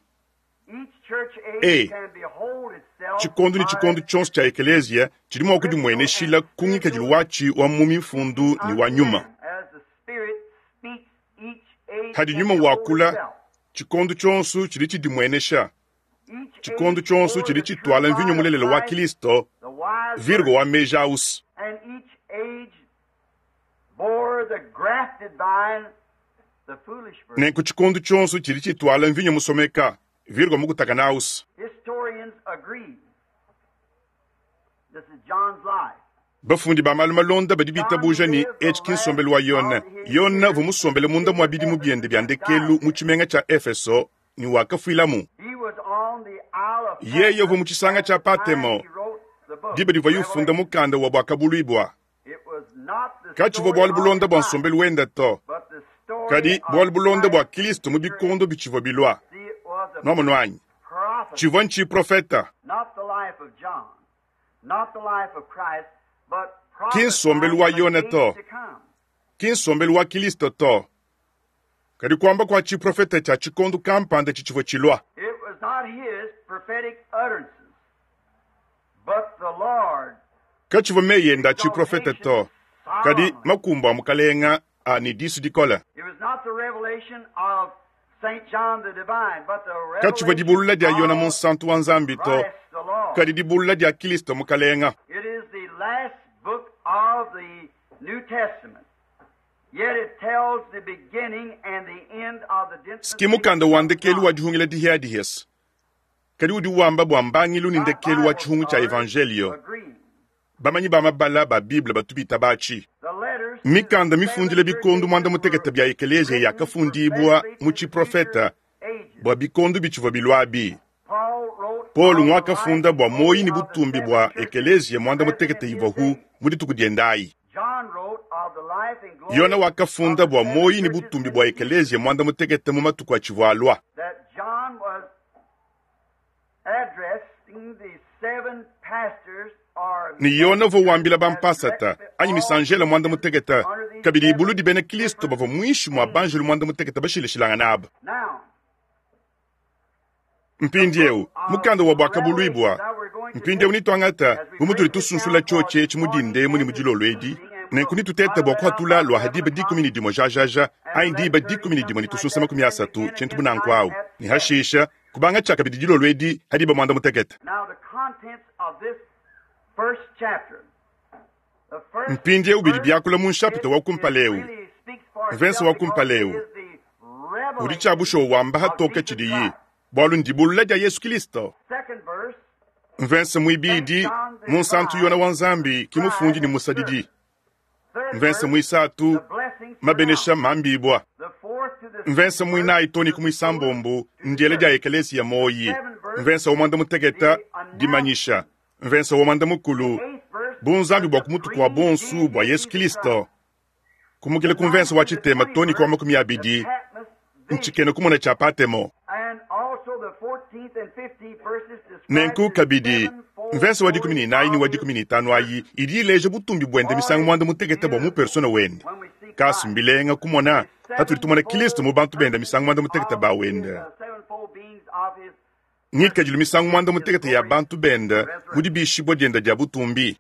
Each church age E. can behold itself Tshikondo ne by tshikondo tshionso tshia ekelezia tshidi mua scriptural and kudimueneshila ku ngikadilu spiritual watshi wa mu mifundu speaking ne wa unto nyuma. them. As the Spirit speaks, each age Hadi can nyuma behold wakula itself. tshikondo tshionso tshidi tshidimuenesha. Each Tshikondo age tshionso bore tshidi the true tshituala mvinyo vine of mulelela wa Christ, Kristo, the wise virgo virgin, wa meji ausi. and each age bore the grafted vine, the foolish virgin. Nenku tshikondo tshionso tshidi tshituala mvinyo musomeka, virgo mukutakana ausi. Historians agree. This is John's life. Bafundi ba malu malonda badi John bitabuja ne lived the etshi ki last nsombelu wa Yone. of his Yone years uvua in musombele the munda city mua of bidimu Ephesus biende bia and died ndekelu mu there. tshimenga tshia Efeso ne wakafuilamu. He was on the Isle of Yeye uvua Patmos mu tshisanga at tshia the time Patemo he wrote the book, diba divuaye ufunda Revelation. mukanda wa Bwakabuluibwa. It was not the Katshivua story bualu of bulonda his bua life, nsombelu wenda to, but the story kadi of bualu bulonda bua Christ in Kristo mu future bikondo ages. bitshivua bilua. See, it was a Nwamonu anyi? prophecy, Tshivua ntshiprofeta. not the life of John, not the life of Christ, but Ki nsombelu prophesying wa of an Yone age to, to come. ki nsombelu wa Kristo to. Kadi kuamba kua tshiprofeta tshia tshikondo kampanda tshitshivua tshilua. It was not his prophetic utterances, but the Lord's Katshivua meyi ende a tshiprofeta exaltation to, kadi solemnly. makumbu a mukalenga a ne disu dikole. It was not the revelation of St. John the Divine, but the Katshivua revelation dibulula dia Yona of munsantu wa Nzambi to, Christ the Lord. kadi dibulula dia Kristo mukalenga. It is the last book of the New Testament. Yet it tells the beginning and the end of the Siki mukanda dispensation wa of ndekelu wa God. dihungila dihiadihesa. Kadi udi wamba bua mbangilu ne By ndekelu wa Bible tshihungu tshia scholars evangelio. agree. Bamanyi ba mabala ba Bible batu bitaba atshi. The letters to the Mikanda seven mifundile church bikondo mwanda ages mutekete were bia ekelezia written yakafundibwa prophetically mu to the future tshiprofeta ages. bua bikondo bitshivua biluabi. Paul wrote Paulo ngwakafunda bua muoyi ne butumbi bua ekeleziya muanda mutekete ivuaku mu dituku diende ayi. Yona wakafunda bua muoyi ne butumbi bua ekeleziya muanda mutekete mu matuku atshivua alua. Ne Yona uvua wambila bampasata anyi misanjela muanda mutekete kabidi buludi bena Kristo bavua muinshi mua banjelu muanda mutekete bashilashilangana aba. Mpindieu mukanda wa Buakabuluibua mpindieu nituangata bu mutudi tusunsula tshiotshi etshi mu dinda emu ne mu dilolo edi, nenku nitutete bua kuhatula lua ha diba 11 jajaja anyi diba 11 ne tusunsa 30 tshintu bu nanku awu, ne hashisha kubanga tshia kabidi dilolo edi ha diba 15. Mpindieu bidi biakula mu nshapita wa kumpala eu, mvensa wa kumpala eu, udi tshia bushuwa wamba hatoke tshidiyi, bualu ndibulula dia Yesu Kristo. Mvensa muibidi, munsantu Yona wa Nzambi ki mufundi ne musadidi. Mvensa muisatu, mabenesha mambibwa. Mvensa muinayi toni ku muisambombo, ndiela dia ekelesia moyi. Mvensa wa muanda muteketa, dimanyisha. Mvensa wa muanda mukulu, bunzambi bua kumutuku wa bonsu bua Yesu Kristo. Kumukila ku mvensa wa tshitema toni kwa 20, ntshikena kumona tshia Patemo. Nenku kabidi mvensa wa 14 ne wa 15 ayi idi ileja butumbi buende misangu muanda mutekete bua mu persona wende. Kasu mbilenga kumona hatudi tumona Kristo mu bantu bende misangu muanda mutekete ba wende. Ngikadilu misangu muanda mutekete ya bantu bende mu dibishibua diende dia butumbi.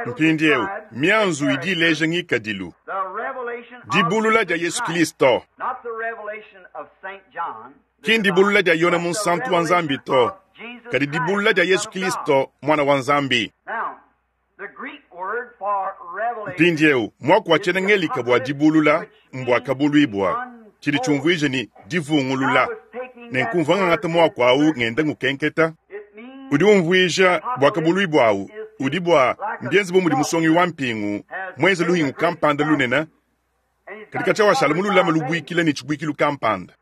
Mpindieu mianzu idi ileja ngikadilu. Dibulula dia Yesu Kristo ki ndibulula dia Yona munsantu wa Nzambi to, kadi dibulula dia Yesu Kristo mwana wa Nzambi. Mpindieu muaku wa tshiena Ngelika bua dibulula mbuakabuluibua, tshidi tshiumvuija ni divungulula. Nenku mvua ngangata muaku au ngenda ngukenketa. Udi umvuija buakabuluibua au udi bua mbienze bu mudi musongi wa mpingu muenze luhingu kampanda lunene, kadi katshia washala mululame lubuikila ne tshibuikilu kampanda.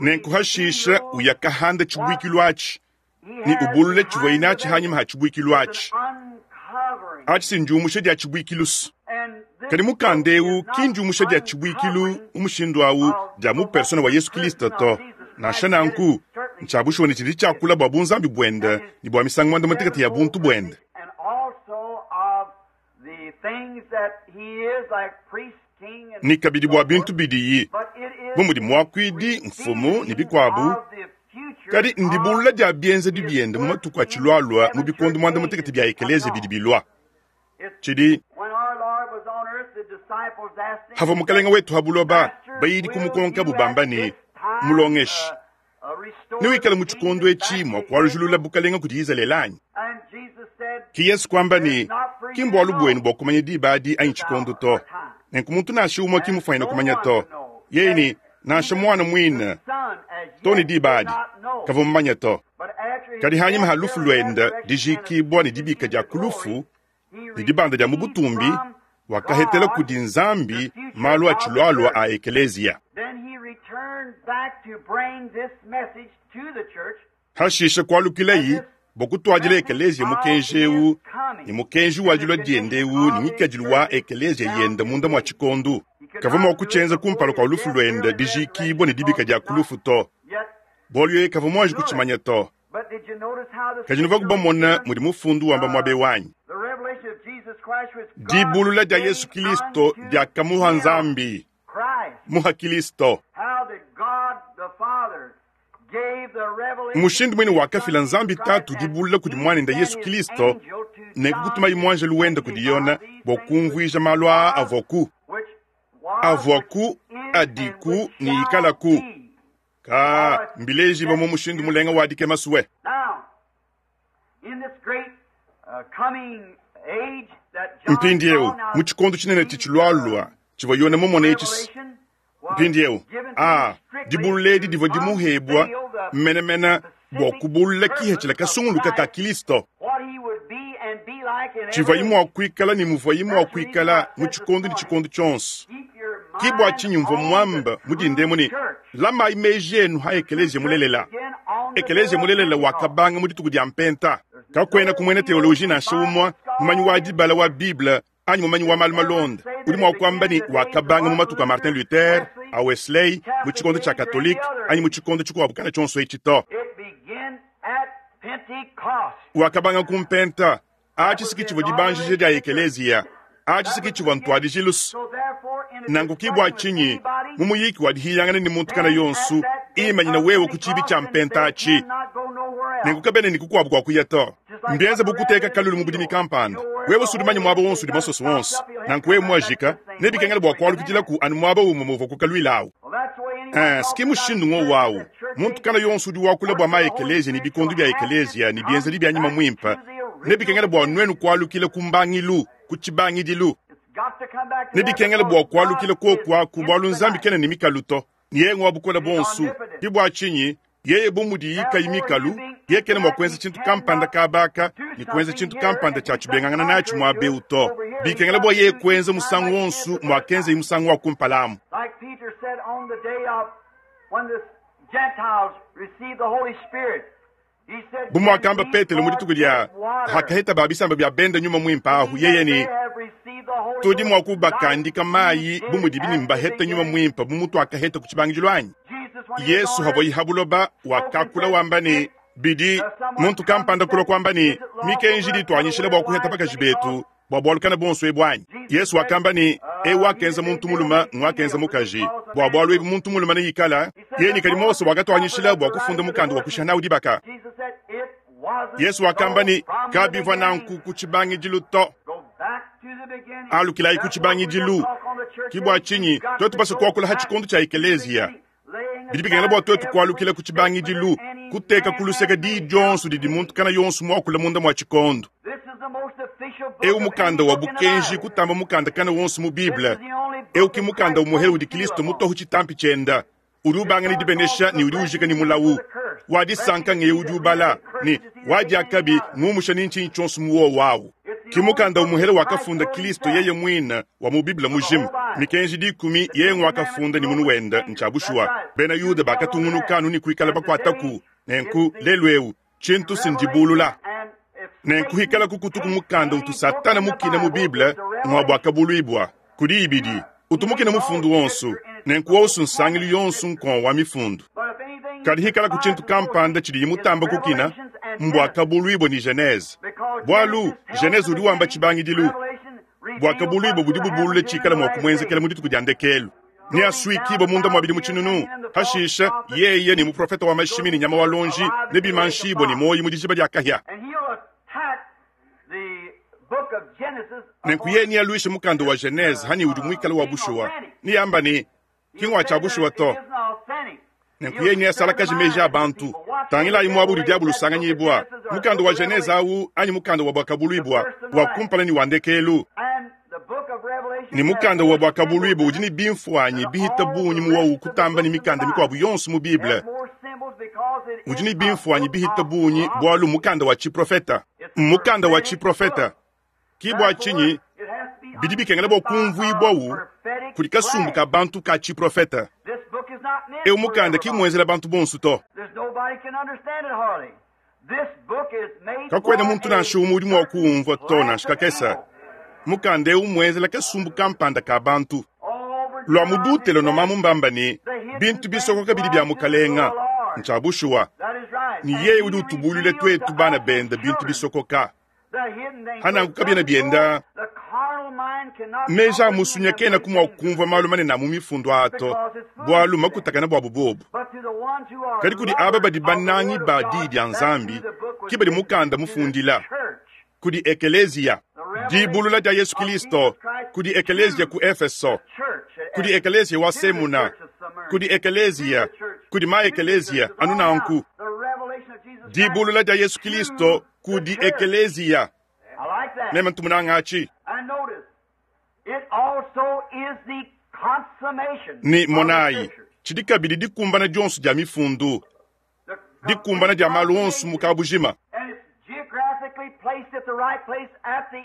Nenku hashisha uyakahanda tshibuikilu atshi ne ubulule tshivua inatshi hanyima ha tshibuikilu atshi. Atshi si ndiumusha dia tshibuikilu. Kadi mukanda eu ki ndiumusha dia tshibuikilu mu mushindu au dia mu persona wa Yesu Kristo to. Nansha nanku ntshia bushuwa ne tshidi tshiakula bua bunzambi buende ne bua misangu muanda mutekete ya buntu buende. Ne kabidi bua bintu bidiyi bu mudi muakuidi, mfumu ne bikuabu, kadi ndibulula dia bienzedi biende mu matuku atshilualua mu bikondo muanda mutekete bia ekeleziya bidi bilua. Tshidi havua mukalenga wetu ha buloba bayidi kumukonka bubamba ne, Mulongeshi, newikale mu tshikondo etshi mua kualujulula bukalenga kudi Izalele anyi? Ki Yesu kuamba ne, ki mbualu buenu bua kumanya diba adi anyi tshikondo to. Nenku muntu nansha umue ki mufuanyine kumanya to. Yeye ne, nansha mwana muine to ne diba adi kavua mumanye to. Kadi hanyima ha lufu luende dijikibua ne dibika dia ku lufu ne dibanda dia mu butumbi, wakahetela kudi Nzambi malu atshilualua a ekeleziya. Hashisha kualukilayi bua kutuadila ekeleziya mukenji eu ne mukenji wa dilua diende eu ne ngikadilu wa ekeleziya yende munda mua tshikondo. Kavua mua kutshienza kumpala kua lufu luende dijikibua ne dibika dia ku lufu to, bualu yeye kavua muanji kutshimanya to. Kadi nuvua kubamona mudi mufundu wamba muabe wanyi. Dibulula dia Yesu Kristo diakamuha Nzambi, muha Kristo. Mushindu muine wakafila Nzambi Tatu dibulula kudi muanende Yesu Kristo ne kutumayi muanjelu wende kudi Yona bua kumvuija malu aa avuaku, adiku ne ikalaku. Ka mbileji mu mushindu mulenga wa dikema suwe. Mpindieu mu tshikondo tshinene tshitshilualua tshivua Yona mumone etshi. Mpindieu dibulula edi divua dimuhebua menemene bua kubulula kihetshila kasunguluka ka Kristo. Tshivuayi mua kuikala ne muvuayi mua kuikala mu tshikondo ne tshikondo tshionso. Ki bua tshinyi mvua muambe mu dinda emu ne, Lamayi meji enu ha ekeleziya mulelela. Ekeleziya mulelela wakabanga mu dituku dia Mpenta. Kakuenaku muena teoloji nansha umue, mumanyi wa dibala wa Bible anyi mumanyi wa malu malonda udi mua kuamba ne, wakabanga mu matuku a Martin Luther, a Wesley, mu tshikondo tshia Katolike anyi mu tshikondo tshikuabu kana tshionso etshi to. Wakabanga ku Mpenta. Atshi si ke tshivua dibanjija dia ekeleziya. Atshi si ke tshivua ntuadijilu. Nanku ki bua tshinyi mu muyiki wa dihiyangana ne muntu kana yonso, imanyina wewe ku tshiibi tshia mpenta atshi. Nenku kabena ne kukuabu kua kuya to. Mbienze bu kuteka kalulu mu budimi kampanda. Wewe si udi manye muaba wonso udi masoso onso. Nanku wewe muajika, nebikengele bua kualukidilaku anu muaba umue muuvua kukaluila awu. Ee, si ke mushindu ngowu awu. Muntu kana yonso udi wakula bua ma-ekeleziya ne bikondo bia ekeleziya ne bienzedi bia nyuma muimpe, nebikengele bua nuenu kualukila ku mbangilu, ku tshibangidilu. Nebikengele bua kualukila kuoku aku, bualu Nzambi kena ne mikalu to. Yeye ngwa bukole buonso. Ke bua tshinyi yeye bu mudiyi kayi mikalu, yeye kena mua kuenza tshintu kampanda kaba aka ne kuenza tshintu kampanda tshia tshibengangana natshi muaba eu to. Bikengela bua yeye kuenza musangu wonso muakenzaye musangu wa kumpala amu. Bu muakamba Petelo mu dituku dia hakaheta ba bisamba bia bende Nyuma Muimpe ahu, yeye ne, Tudi mua kubakandika mayi bu mudibi ne mbahete Nyuma Muimpe bu mutuakaheta ku tshibangidilu anyi? Yesu havuaye ha buloba wakakula wamba ne, Bidi muntu kampanda kulua kuamba ne, Mikenji idi ituanyishila bua kuheta bakaji betu bua bualu kana buonso ebu anyi? Yesu wakamba ne, Eu wakenza muntu mulume nguakenza mukaji. Bua bualu ebu muntu mulume neikala yeye ne kadi Mose wakatuanyishila bua kufunda mukanda wa kushiha nawu dibaka. Yesu wakamba ne, Kabivua nanku ku tshibangidilu to. Alukilayi ku tshibangidilu. Ki bua tshinyi tuetu basue kuakula ha tshikondo tshia ekeleziya, Bidi bikengela bua tuetu kualukila ku tshibangidilu, kuteka ku luseke diyi dionso didi muntu kana yonso muakule munda mua tshikondo. Eu mukanda wa bukenji kutamba mukanda kana wonso mu Bible. Eu ki mukanda umuhele udi Kristo mutohu tshitampi tshienda, udi ubanga ne dibenesha ne udi ujika ne mulawu. Wa disanka ngeye udi ubala, ne wa diakabi ngumusha ne ntshinyi tshionso mu wowo awu. Ki mukanda umuhele wakafunda Kristo yeye muine wa mu Bible mujima. Mikenji dikumi yeye nguakafunda ne munu wende. Ntshia bushuwa, bena Yuda bakatungunuka anu ne kuikala bakuataku. Nenku lelu'eu tshintu si ndibulula. Nenku hikalaku kutuku mukanda utu Satana mukine mu Bible ngua Buakabuluibua. Kudi ibidi utu mukine mufundu wonso, nenku wonso nsangilu yonso nkon wa mifundu. Kadi hikalaku tshintu kampanda tshidiye mutamba kukina, mBuakabuluibua ne Genese. Bualu Genese udi wamba tshibangidilu, Buakabuluibua budi bubulula tshikala mua kumuenzekela mu dituku dia ndekelu. Neasuikibue munda mua bidimu tshinunu. Pashishe, yeye ne muprofete wa mashimi ne nyama wa luonji nebimanshibue ne muoyo mu dijiba dia kahia. Nenku yeye nealuishe mukanda wa Genese hanyi udi muikale wa bushuwa, neamba ne, ki ngua tshia bushuwa to. Nenku yeye neasalakaje meji a bantu. Tangilayi muaba udi diabolo usanganyibua, mukanda wa Genese au anyi mukanda wa Buakabuluibua, wa kumpala ne wa ndekelu. Ne mukanda wa Buakabuluibua udi ne bimfuanyi bihita bungi mu wowu kutamba ne mikanda mikuabu yonso mu Bible. Udi ne bimfuanyi bihita bungi bualu mukanda wa tshiprofeta. Mmukanda wa tshiprofeta. Ki bua tshinyi bidi bikengela bua kumvuibuawu kudi kasumbu ka bantu ka tshiprofete. Eu mukanda ki mmuenzela bantu bonso to. Kakuena muntu nansha umue udi mua kuwumvua to, nansha kakese. Mukanda eu mmuenzela kasumbu kampanda ka bantu. Lua mu Dutelonoma mbamba ne, bintu bisokoka bidi bia Mukalenga. Ntshia bushuwa, ne yeye udi utubuluila tuetu bana bende bintu bisokoka. Hananku kabiena bienda meji a musunya kenaku mua kumvua malu manene a mu mifundu aa to, bualu makutakane buabu buobu. Kadi kudi aba badi banangi ba Diyi dia Nzambi ke badi mukanda mufundila, kudi ekeleziya. Dibulula dia Yesu Kilisto kudi ekeleziya ku Efeso, kudi ekeleziya wa Semuna, kudi ekeleziya, kudi ma-ekeleziya, anu nanku. Dibulula dia Yesu Kilisto kudi ekeleziya. Meme ntu munanga atshi. Ne monayi, tshidi kabidi dikumbana dionso dia mifundu, dikumbana dia malu onso mu kabujima.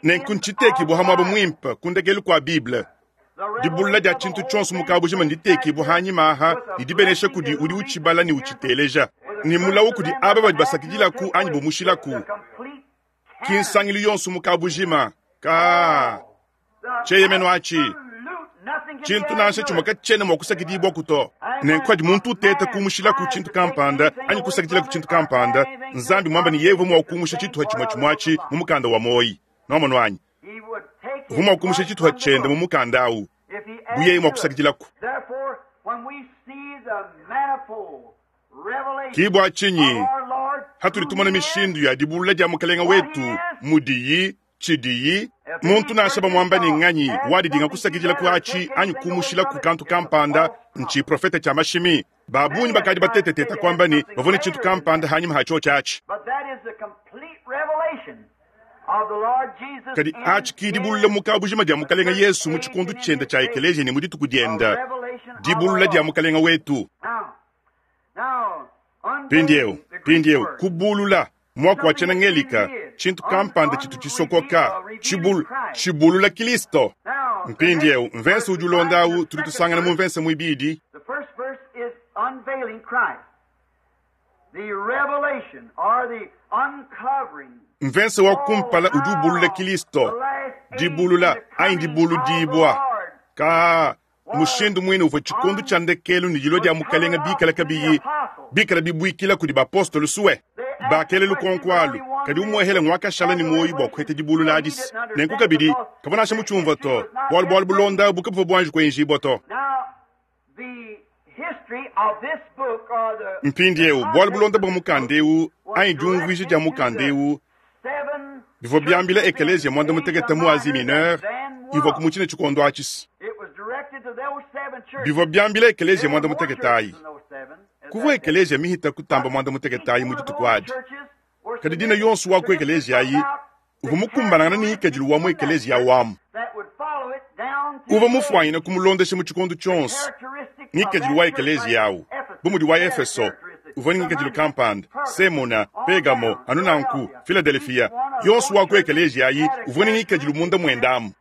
Nenku ntshitekibua ha muaba muimpe ku ndekelu kua Bible. Dibulula dia tshintu tshionso mu kabujima nditekibua hanyima aha ne dibenesha kudi udi utshibala ne utshiteleja, ne mulawu kudi aba badi basakidilaku anyi bumushilaku. Ki nsangilu yonso mu kabujima ka tshieyemenu atshi. Tshintu nansha tshimue katshiena mua kusakidibuaku to. Nenku padi muntu uteta kumushilaku tshintu kampanda anyi kusakidilaku tshintu kampanda, Nzambi muambe ne yeye uvua mua kumusha tshituha tshimue tshimue atshi mu mukanda wa muoyi. Nwamonu anyi? Uvua mua kumusha tshituha tshiende mu mukanda au bu yeye mua kusakidilaku. Ki bua tshinyi hatudi tumona mishindu ya dibulula dia Mukalenga wetu mudiyi, tshidiyi, muntu nansha bamuamba ne nganyi wadidinga kusakidila ku atshi anyi kumushilaku kantu kampanda, ntshiprofete tshia mashimi. Ba bungi bakadi bateteteta kuamba ne bavua ne tshintu kampanda hanyima ha tshiotshi atshi. Kadi atshi ki dibulula mu kabujima dia Mukalenga Yesu mu tshikondo tshiende tshia ekeleziya ne mu dituku diende, dibulula dia Mukalenga wetu. Mpindieu, mpindieu, kubulula, muaku wa tshiena-Ngelika, tshintu kampanda tshitu tshisokoka, tshibul, tshibulula Kilisto. Mpindieu, mvese udi ulonda au tudi tusangana mu mvese muibidi. Mvese wa kumpala udi ubulula Kilisto, dibulula anyi dibuludibua. Ka mushindu muine uvua tshikondo tshia ndekelu ne dilua dia Mukalenga bikala kabiyi bikala bibuikila kudi bapostolo sue. Bakela lukonko alu, kadi umuehele nguakashala ne muoyo bua kuheta dibulula adisi. Nenku kabidi kavua nansha mutshiumvua to, bualu bualu bulonda bu kabuvua buanji kuenjibua to. Mpindieu bualu bulonda bua mukanda eu anyi diumvuija dia mukanda eu bivua biambila ekeleziya muanda mutekete mu Asie Mineure ivua ku mutshine tshikondo atshi. Bivua biambila ekeleziya muanda mutekete ayi. Kuvua ekeleziya mihita kutamba muanda mutekete ayi mu dituku adi. Kadi dina yonso wa ku ekeleziya ayi uvua mukumbanangana ne ngikadilu wa mu ekeleziya wamu. Uvua mufuanyine kumulondesha mu tshikondo tshionso. Ngikadilu wa ekeleziya awu, bu mudi wa Efeso, uvua ne ngikadilu kampanda, Semuna, Pegamo, anu nanku, Filadelefia, yonso wa ku ekeleziya ayi uvua ne ngikadilu munda muende amu.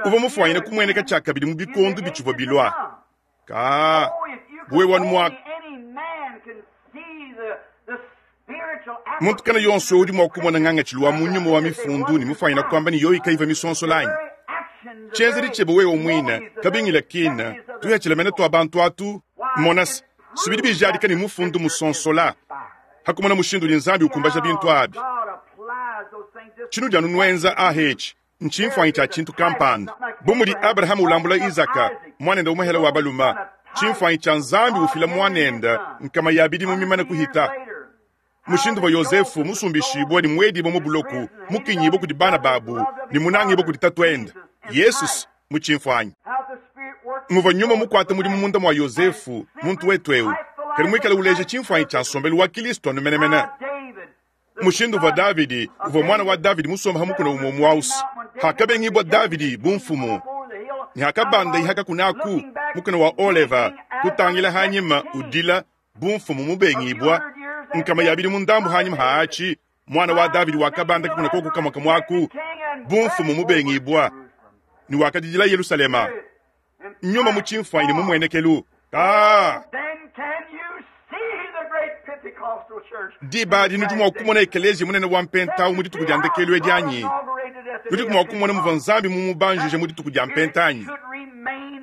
Uvua mufuanyine kumueneka tshiakabidi mu bikondo bitshivua bilua. Ka buwe wanu mua muntu kana yonso udi mua kumona ngangatshilu wa mu nyuma wa mifundu ne mufuanyina kuamba ne yoyi kayiva misonsola anyi tshienzedi tshiebe wewe muine kabingila kina tuyatshila mene tua bantu atu monase sibidi bijadika ne mufundu musonsola hakumona mushindu udi Nzambi ukumbaja bintu abi. Tshinudi anu nuenza ahetshi ntshimfuanyi tshia tshintu kampanda. Bu mudi Abrahama ulambula Izaka, muanende umuehele wa baluma, tshimfuanyi tshia Nzambi ufila muanende nkama ya bidimu mimane kuhita. Mushindu wa Yozefu musumbishibue ne muedibue mu buloko, mukinyibue kudi bana babu ne munangibue kudi tatuende, Yesus mu tshimfuanyi. Muvua nyuma mukuate mudimu munda mua Yozefu, muntu wetu eu, kadi muikale uleja tshimfuanyi tshia nsombelu wa Kilisto anu menemene. Mushindu uvua Davidi, uvua muana wa Davidi, musombe ha mukuna umue umue ausi. Hakabengibua Davidi bu mfumu, ne hakabanda kakuna aku mukuna wa Oleva, kutangila hanyima udila bu mfumu mubengibua, nkama ya bidimu ndambu hanyima ha atshi, muana wa Davidi wakabanda kakuna koku kamue kamue aku bu mfumu mubengibua, ne wakadidila Yelusalema. Nyuma mu tshimfuanyi ne mu muenekelu. Ka diba adi nudi mua kumona ekeleziya munene wa mpenta mu dituku dia ndekelu edi anyi? Nudiku mua kumona muvua Nzambi mumubanjije mu dituku dia mpenta anyi?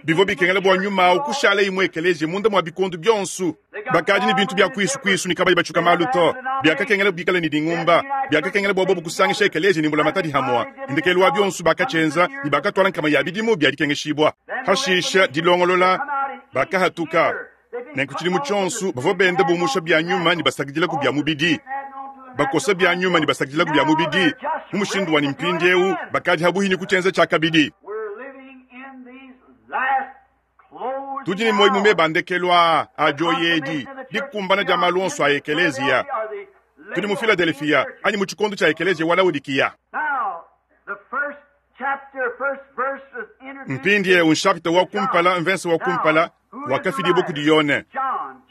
Bivua bikengela bua nyuma au kushala imue ekeleziya munda mua bikondo bionso. Bakadi ne bintu bia kuisu kuisu ne kabayi batshuka malu to. Biakakengela bikale ne dingumba. Biakakengela bua bobu kusangisha ekeleziya ne mbulamatadi hamua. Ndekelu wa bionso bakatshienza ne bakatuala nkama ya bidimu bia dikengeshibua. Hashisha dilongolola bakahatuka. Nenku tshidimu tshionso bavua benda bumusha bia nyuma ne basakidilaku bia mubidi, bakosa bia nyuma ne basakidilaku bia mubidi, mu mushindu wa ne mpindieu bakadi habuhi ne kutshienza tshiakabidi. Tudi ne muoyo mu meba a ndekelu aa a dioyi edi, dikumbana dia malu onso a ekeleziya. Tudi mu Filadelefia anyi mu tshikondo tshia ekeleziya wa Laodikiya. Mpindieu nshapita wa kumpala, mvese wa kumpala wakafidibua kudi Yone.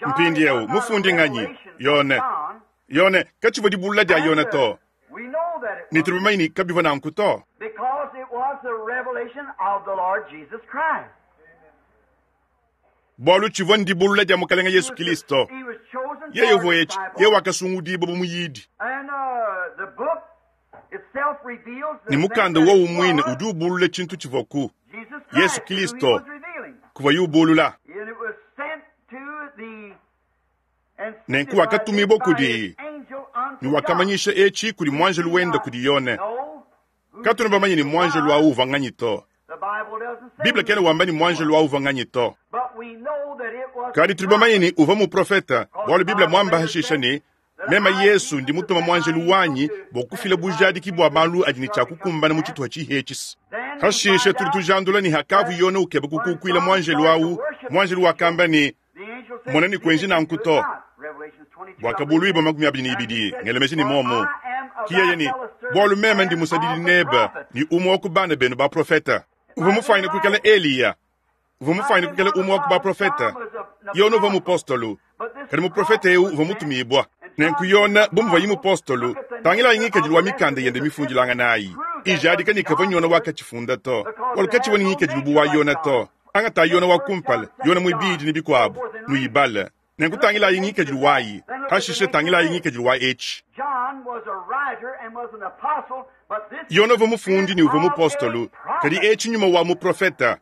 Mpindieu mufundi nganyi? Yone. Yone katshivua dibulula dia Yone to, ne tudi bamanye ne kabivua nanku to. Bualu tshivua ndibulula dia Mukalenge Yesu Kilisto. Yeye uvua etshi, yeye wakasungudibua bu muyidi. Ne mukanda wowu muine udi ubulula tshintu tshivuaku, Yesu Kilisto, kuvuaye ubulula. Nenku wakatumibua kudi, ne wakamanyisha etshi kudi muanjelu wende kudi Yone. Katuena bamanye ne muanjelu au uvua nganyi to. Bible kena wamba ne muanjelu au uvua nganyi to. Kadi tudi bamanye ne uvua muprofete, bualu Bible muamba hashisha ne, Meme Yesu ndi mutuma muanjelu wanyi bua kufila bujadiki bua malu adi ne tshia kukumbana mu tshituha tshihi etshi. Hashishe tudi tujandula ne hakavu Yone ukeba kukukuila muanjelu au, muanjelu wakamba ne, Mona ne kuenji nanku to. Buakabuluibua 22 ngela meji ne momu. Ki yeye ne, bualu meme ndi musadidi nebe ne umue wa ku bana benu baprofete. Uvua mufuanyine kuikala Eliya, uvua mufuanyine kuikala umue wa ku baprofete. Yone uvua mupostolo, kadi muprofete eu uvua mutumibua. Nenku Yone, bu muvuaye mupostolo, tangilayi ngikadilu wa mikanda yende mifundilanganayi ijadika ne kavua Yone wakatshifunda to, bualu katshivua ne ngikadilu bu wa Yone to. Angatayi Yone wa kumpala, Yone muibidi ne bikuabu, nuyibale. Nenku tangilayi ngikadilu wayi, hashishe tangilayi ngikadilu wa etshi. Yone uvua mufundi ne uvua mupostolo, kadi etshi nyuma wa muprofete,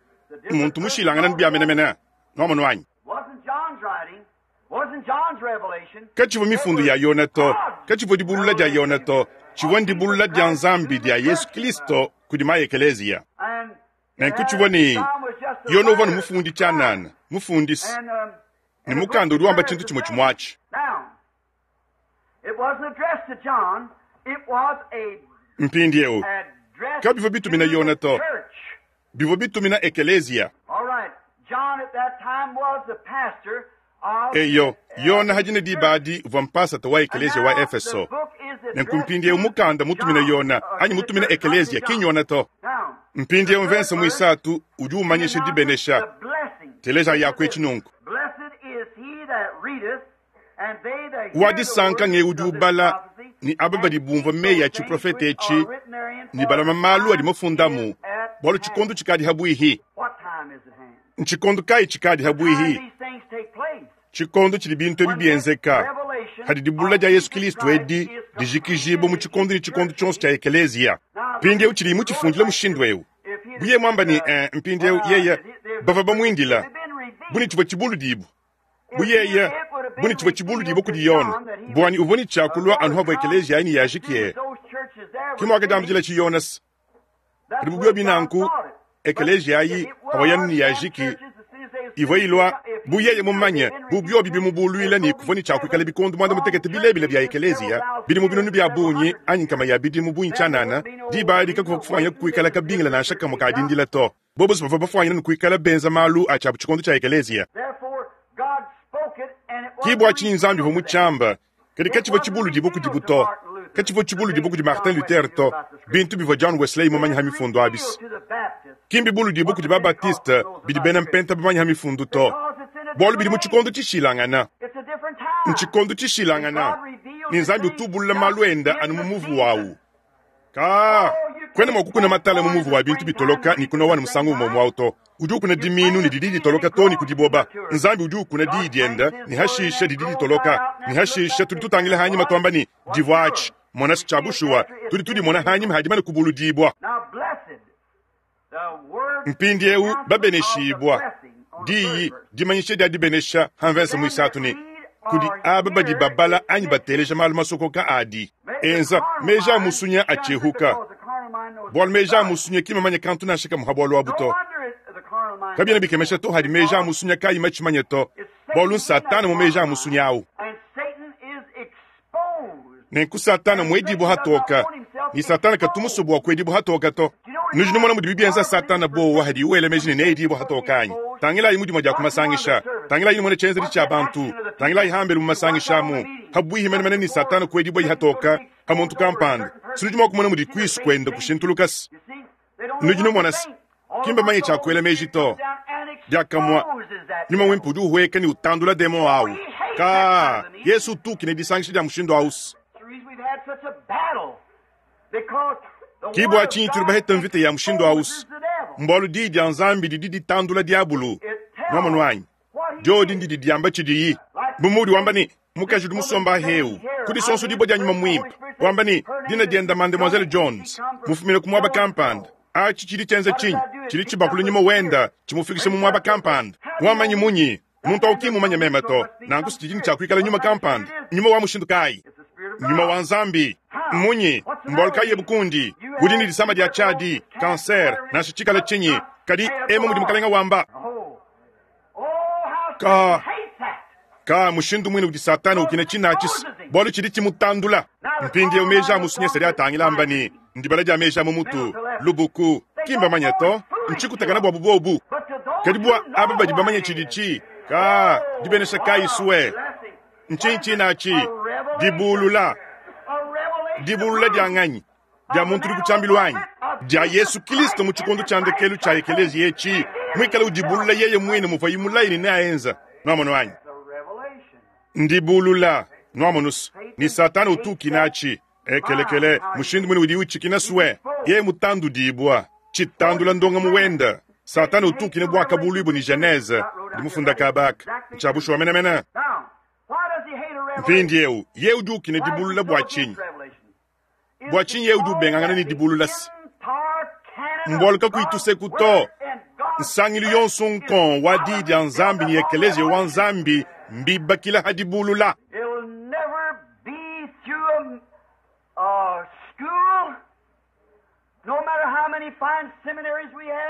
muntu mushilangane ne bia menemene. Nuamonu anyi? Katshivua mifundu ya Yone to, katshivua dibulula dia Yone to, tshivua ndibulula dia Nzambi dia Yesu Kristo kudi maekeleziya. Nenku tshivua ne Yone uvua ne mufundi tshianana, mufundisi, ne mukanda udi wamba tshintu tshimue tshimue atshi. Mpindieu, kabivua bitumina Yone to, bivua bitumina ekeleziya. Eyo, Yone hadi ne diba adi uvua mpasata wa ekeleziya wa Efeso. Nenku mpindieu mukanda mutumina Yone anyi mutumina ekeleziya ki n'Yone to. Mpindieu mvensa muisatu udi umanyisha dibenesha. Teleja yaku etshi nunku. Wa disanka nge udi ubala ne aba badi bumvua meyi a tshiprofete etshi ne balama malu adi mafundamu, bualu tshikondo tshikadi habuihi. Ntshikondo kayi tshikadi habuihi? Tshikondo tshidi bintu ebi bienzeka, hadi dibulula dia Yesu Kristo edi dijikijibua mu tshikondo ne tshikondo tshionso tshia ekeleziya. Mpindieu tshidi mutshifundila mushindu eu. Buye muamba ne mpindieu yeye bavua bamuindila bu ne tshivua tshibuludibu. Bu yeye bu ne tshivua tshibuludibu kudi Yone, buani uvua ne tshiakulua anu havua ekeleziya ayi ne yajikiye. Ke muakadiambidila tshi Yonase. Kadi bu biobi nanku, ekeleziya ayi avua yanu ne yajiki ivua ilua bu yeye mumanye, bu biobi bimubuluila ne kuvua ne tshiakuikala bikondo muanda mutekete bilebile bia ekeleziya bidimu binunu bia bungi anyi nkama ya bidimu bungi tshianana, diba adi kakuvua kufuanyina kuikala kabingila nansha kamue ka dindila to. Bobo bavua bafuanyina ne kuikala benza malu a tshiabu tshikondo tshia ekeleziya. Ki bua tshinyi Nzambi uvua mutshiamba, kadi katshivua tshibuludibu kudibu to. Katshivua tshibuludibu kudi Martin Luther to, bintu bivua John Wesley mumanye ha mifundu abisi. Ki mbibuludibu kudi Babatiste bidi bena mpenta bamanye ha mifundu to, bualu bidi mu tshikondo tshishilangana. Ntshikondo tshishilangana, ne Nzambi utu ubulula malu enda anu mu muvu wawu. Ka kuena mua kukuna matala mu muvu wa bintu bitoloka ne kunowa ne musangu umue umue to. Udi ukuna diminu ne didi ditoloka to ne ku diboba. Nzambi udi ukuna diyi diende ne hashisha didi ditoloka. Ne hashisha tudi tutangila hanyima tuamba ne divua atshi. Mona tshia bushuwa, tudi tudimona hanyima hadimane kubuludibua. Mpindieu babeneshibua. Diyi dimanyisha dia dibenesha ha mvese muisatu ne kudi aba badi babala anyi bateleja malu masokoka adi enza meji a musunya atshiehuka, bualu meji a musunya ki mamanye kantu nansha kamue ha bualu abu to. Kabiena bikemesha to hadi meji a musunya kayi matshimanye to, bualu n'Satana mu meji a musunya au. Nenku Satana muedibua hatoka, ne Satana katu musue bua kuedibua hatoka to. Nudi numona mudibi bienza Satana bowa hadi wela meji ne needibua hatoka anyi? Tangilayi mu dimue dia ku masangisha, tangilayi numone tshienzedi tshia bantu, tangilayi hambelu mu masangisha amu, habuihi menemene ne Satana kuedibua hatoka ha muntu kampanda. Sinudi mua kumona mudi kuisu kuenda kushintulukasi. Nudi numona se, ki mbamanye tshia kuela meji to. Diakamue, nyuma muimpe udi uhueka ne utandula demon au. Ka Yesu utukine disangisha dia mushindu ausi. Ki bua tshinyi tudi bahete mvita ya mushindu ausi, mbualu diyi dia Nzambi didi ditandula diabulu. Nuamonu anyi? Dyodi ndidi dyamba cidiyi. Bu muudi wamba ne, Mukaji udi musomba ahewu, ku disonsodibwa dya Nyuma Mwimpe, wamba ne, Dina dyenda Mademoiselle Jones, mufumine ku mwaba kampanda. Aci cidi cyenza cinyi? Cidi cibakula nyuma wenda, cimufikisha mu mwaba kampanda. Wamanyi munyi? Muntu awu ki mmumanye meme to. Nanku s'cidi ne cya kwikala nyuma kampanda. Nyuma wa mushindu kaayi? Nyuma wa Nzambi. Mmunyi? Mbwalu kaayi ebu kundi? Udi ne disama dya cyadi, cancer, nansha cikala cinyi. Kadi, emu mudi Mukalenga wamba. Kaa, kaa, mushindu mwine udi Satana ukina cinaci's, bwalu cidi cimutandula. Mpindyewu meeji a musunyese adi atangila amba ne, Ndibala dya meeji a mu mutu, lubuku. Ki mbamanye to. Ncikutakana bwabo bobu. Kadi bwa aba badi bamanye cidici, kaa, dibenesha kaayi swe! Ncinyi cinaci? Dibuulula. Dibuulula dya nganyi? Dya muntu udi ku cyambilu anyi? Dya Yesu Kilisto mu cikondo cya ndekelu cya ekeleziya eci, mwikale udibulula Yeye mwine muvwayi mulaye ne neaenza. Nwamonu anyi? Ndibulula. Nwamonu's, ne Sataana utu ukina aci. Ekelekele, mushindu mwine udiyi ucikina swe, yeye mutandudibwa, citandula ndongamu wende. Sataana utu ukina Bwakabulwibwa ne Genese, ndi mufunda kaaba aka. Ncya bushuwa menemene. Mpindyewu, yeye udi ukina dibulula bwa cinyi? Bua tshinyi yeye udi ubengangana ne dibulula se mbualu kakuyi tuseku to? Nsangilu yonso nkong wa Diyi dia Nzambi ne Ekeleziya wa Nzambi mbibakila ha dibulula.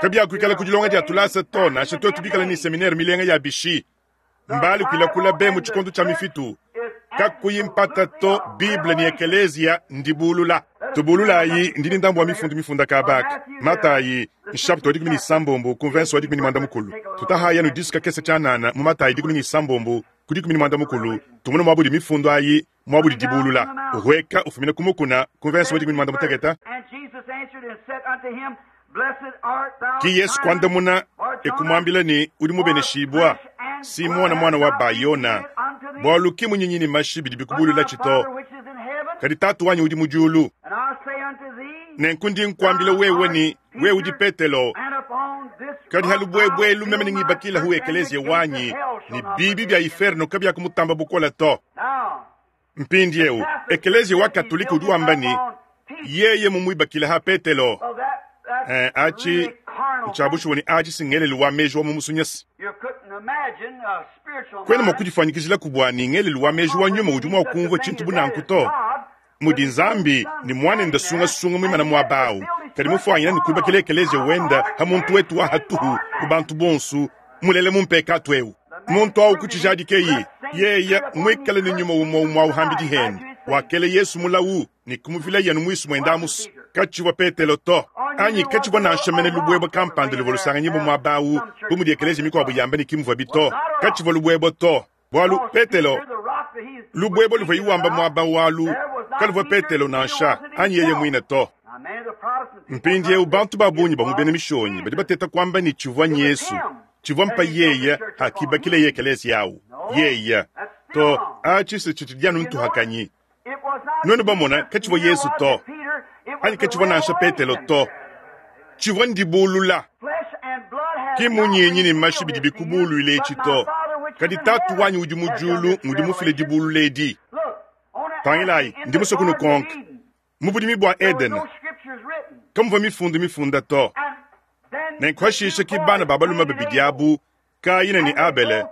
Kabiakuikala ku dilonga dia tulasa to, nansha tuetu bikale ne seminere milenga ya bishi. Mbale kuilakula be mu tshikondo tshia mifitu. Kakuyi mpata to, Bible ne Ekeleziya ndibulula. Tubululayi, ndi ne ndambu wa mifundu mifunda kaba aka. Matayi, nshapita wa 16 ku mvense wa 11. Tutahayi anu disu kakese tshianana mu Matayi 16 ku 11, tumone muaba udi mifundu ayi, muaba udi dibulula. Uhueka ufumina ku mukuna, ku mvense wa 16. Ki Yesu kuandamuna e kumuambila ne, Udi mubeneshibua, Simona muana wa Ba-Yona, bualu ki munyinyi ne mashi bidi bikubululatshi to, kadi Tatu wanyi udi mu diulu. Nenku ndi nkuambila wewe ne, wewe udi Petelo, kadi ha lubuebue elu meme nengibakilahu ekeleziya wanyi, ne bibi bia iferno kabiakumutamba bukole to. Mpindiewu, ekeleziya wa Katolike udi wamba ne, Yeye mumuibakile ha Petelo. Eh, aci ncya bushuwa ne aci si ngelelu wa meji wa mu musunyasi. Kwena mwa kudifwanyikijilaku bwa ne ngelelu wa meji wa nyuma udi mwa kumvwa cintu bu nanku to, mudi Nzambi ne Mwanende sungasunga mwimana mwaba awu, kadi mufwanyina ne kwibakila ekeleziya wende ha muntu wetu wa hatuhu ku bantu bonsu, mulela mu mpekatu ewu. Muntu awu kucijadikeyi, yeye mwikale ne nyuma umwe umwe awu hambidi hende, wakela Yesu mulawu ne kumuvilaye anu mwisu mwende amusu. Kacivwa Petelo to, anyi kacivwa nansha mene lubwebwe kampanda luvwa lusanganyibwa mwaba awu, bu mudi ekeleziya mikwabo yamba ne ki muvwabi to. Kacivwa lubwebwe to, bwalu Petelo, lubwebwe luvwayi wamba mwaba awu alu, kaluvwa Petelo nansha, anyi yeye mwine to. Mpindyewu, bantu ba bungi ba mu bena Mishonyi badi bateta kwamba ne civwa n'Yesu, civwa mpa yeye hakibakileye ekeleziya awu. Yeye to. Aci se cicidi anu ntuhakanyi. Nwenu bamona, kacivwa Yesu to, anyi kacivwa nansha Petelo to. Civwa ndibulula. Ki munyinyi ne mashi bidi bikubulwile eci to, kadi Taatu wanyi udi mu dyulu ngudi mufile dibulula edi. Tangilayi, ndi muswe kunukonka. Mu budimi bua Edene, kamuvua mifundu mifunda to. Nenku hashishe ki bana ba balume babidi abu, Kayina ne Abele,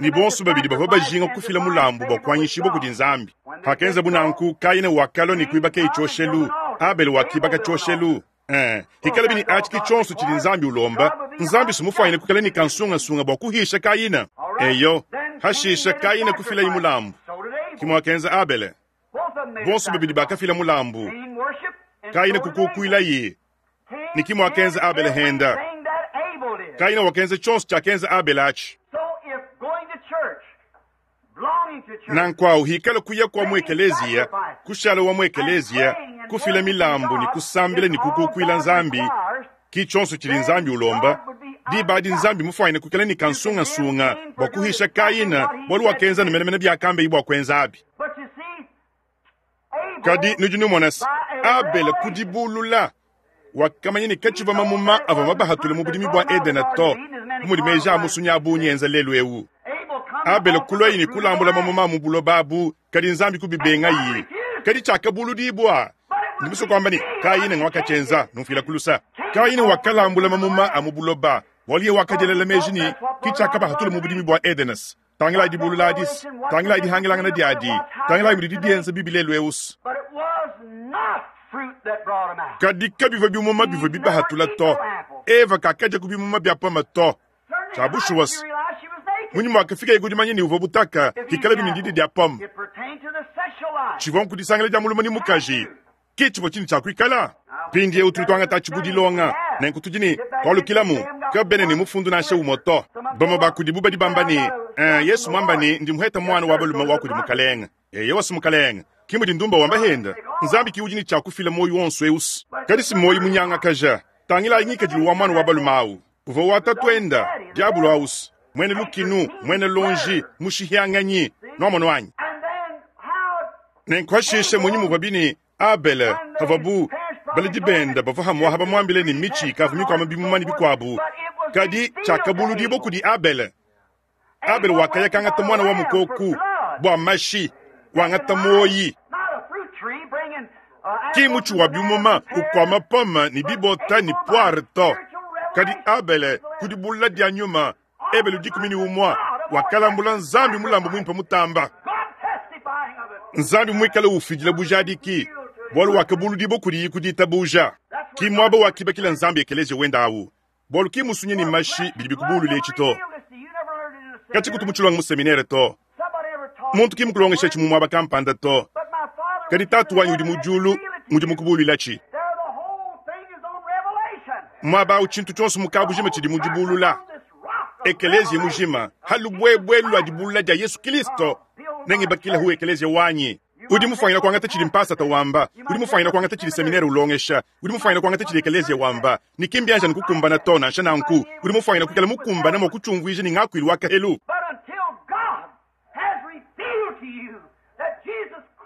ne bonso babidi bavua bajinga kufila mulambu bua kuanyishibua kudi Nzambi. Pakenzabu nanku, Kayina wakalua ne kuibakaye tshioshelu, Abele wakibaka tshioshelu. Ee, hikalabi ne atshi ki tshionso tshidi Nzambi ulomba, Nzambi si mufuanyine kuikala ne kansungasunga bua kuhisha Kayina. Eyo, hashishe Kayina kufilaye mulambu, ki muakenza Abele. Bonso babidi bakafila mulambu. Kayina kukukuilaye, ne ki muakenza Abele henda. Kayina wakenza tshionso tshiakenza Abele atshi. Nanku awu hikala kuya kua mu ekeleziya, kushala wa mu ekeleziya, kufila milambu ne kusambila ne kukukuila Nzambi, ki tshionso tshidi Nzambi ulomba. Diba adi Nzambi mufuanyine kuikala ne kansungasunga bua kuhisha Kayina bualu wakenza anu menemene biakambeyi bua kuenza abi. Kadi nudi numona se, Abele ku dibulula wakamanya ne katshivua mamuma avua mabahatule mu budimi bua Edene to, bu mudi meji a musunyi a bungi enza lelu eu. Abele kuluaye ne kulambula mamuma a mu buloba abu, kadi Nzambi kubibengaye. Kadi tshiakabuludibua. Ndi musue kuamba ne, Kayine ngwakatshienza, numfuila ku lusa. Kayine wakalambula mamuma a mu buloba, bualu yeye wakadielela meji ne, ke tshiakabahatula mu budimi bua Edenes. Tangilayi dibulula adis, tangilayi dihangilangana diadi, tangilayi mudidi dienza bibi lelu eus. Kadi kabivua bimuma bivua bibahatula to. Eva kakadia ku bimuma bia pome to. Tshia bushuwa se, munyi muakafikaye ku dimanya ne uvua butaka, pikalabi ne didia dia pome tshivua nku disangila dia mulume ne mukaji, ke tshivua tshine tshia kuikala? Mpindieu tudi tuangata atshi bu dilonga, nenku tudi ne kualukilamu. Kabena ne mufundu nansha umue to. Bamue ba kudibu badi bamba ne, Eh, Yesu muamba ne, ndi muheta muana wa balume wa kudi Mukalenge. Eyowa, si Mukalenge. Ki mudi ndumba wamba henda. Nzambi ki udi ne tshia kufila muoyo wonso eu. Kadi si muoyo munyangakaja. Tangilayi ngikadilu wa muana wa balume au. Uvua wa tatuenda, diabolo aus, muena lukinu, muena lonji, mushihianganyi. Nuamonu anyi? Nenku hashishe munyi muvua ne Abele, pavuabu baledi bende bavua hamuaha bamuambile ne mitshi ikavua mikuama bimuma ne bikuabu, kadi tshiakabuludibua kudi Abele. Abele wakaya kangata muana wa mukoku bua mashi, wangata muoyi. Ki mutshi wa bimuma ukuama pome ne bibota ne poire to. Kadi Abele, ku dibulula dia nyuma, Ebele 11, wakalambula Nzambi mulambu muimpe mutamba. Nzambi muikale ufidila bujadiki, bualu wakabuludibua kudiyi ku ditabuja. Ki muaba wakibakila Nzambi ekeleziya wende awu, bualu ki musunyi ne mashi bidi bikubulula etshi to. Katshikutu mutshilonga mu seminere to. Muntu ki mukulongeshatshi mu muaba kampanda to. Kadi Tatu wanyi udi mu diulu ngudi mukubuluilatshi. Muaba awu tshintu tshionso mu kabujima tshidi mu dibulula. Ekeleziya mujima ha lubuebue lua dibulula dia Yesu Kilisto, nengibakilehu ekeleziya wanyi. Udi mufuanyina kuangata tshidi mpasata wamba, udi mufuanyina kuangata tshidi seminere ulongesha, udi mufuanyina kuangata tshidi ekeleziya wamba, ne ki mbianji anu kukumbana to. Nansha nanku, udi mufuanyina kuikala mukumbane mua kutshiumvuija ne ngakuilu wa kahelu.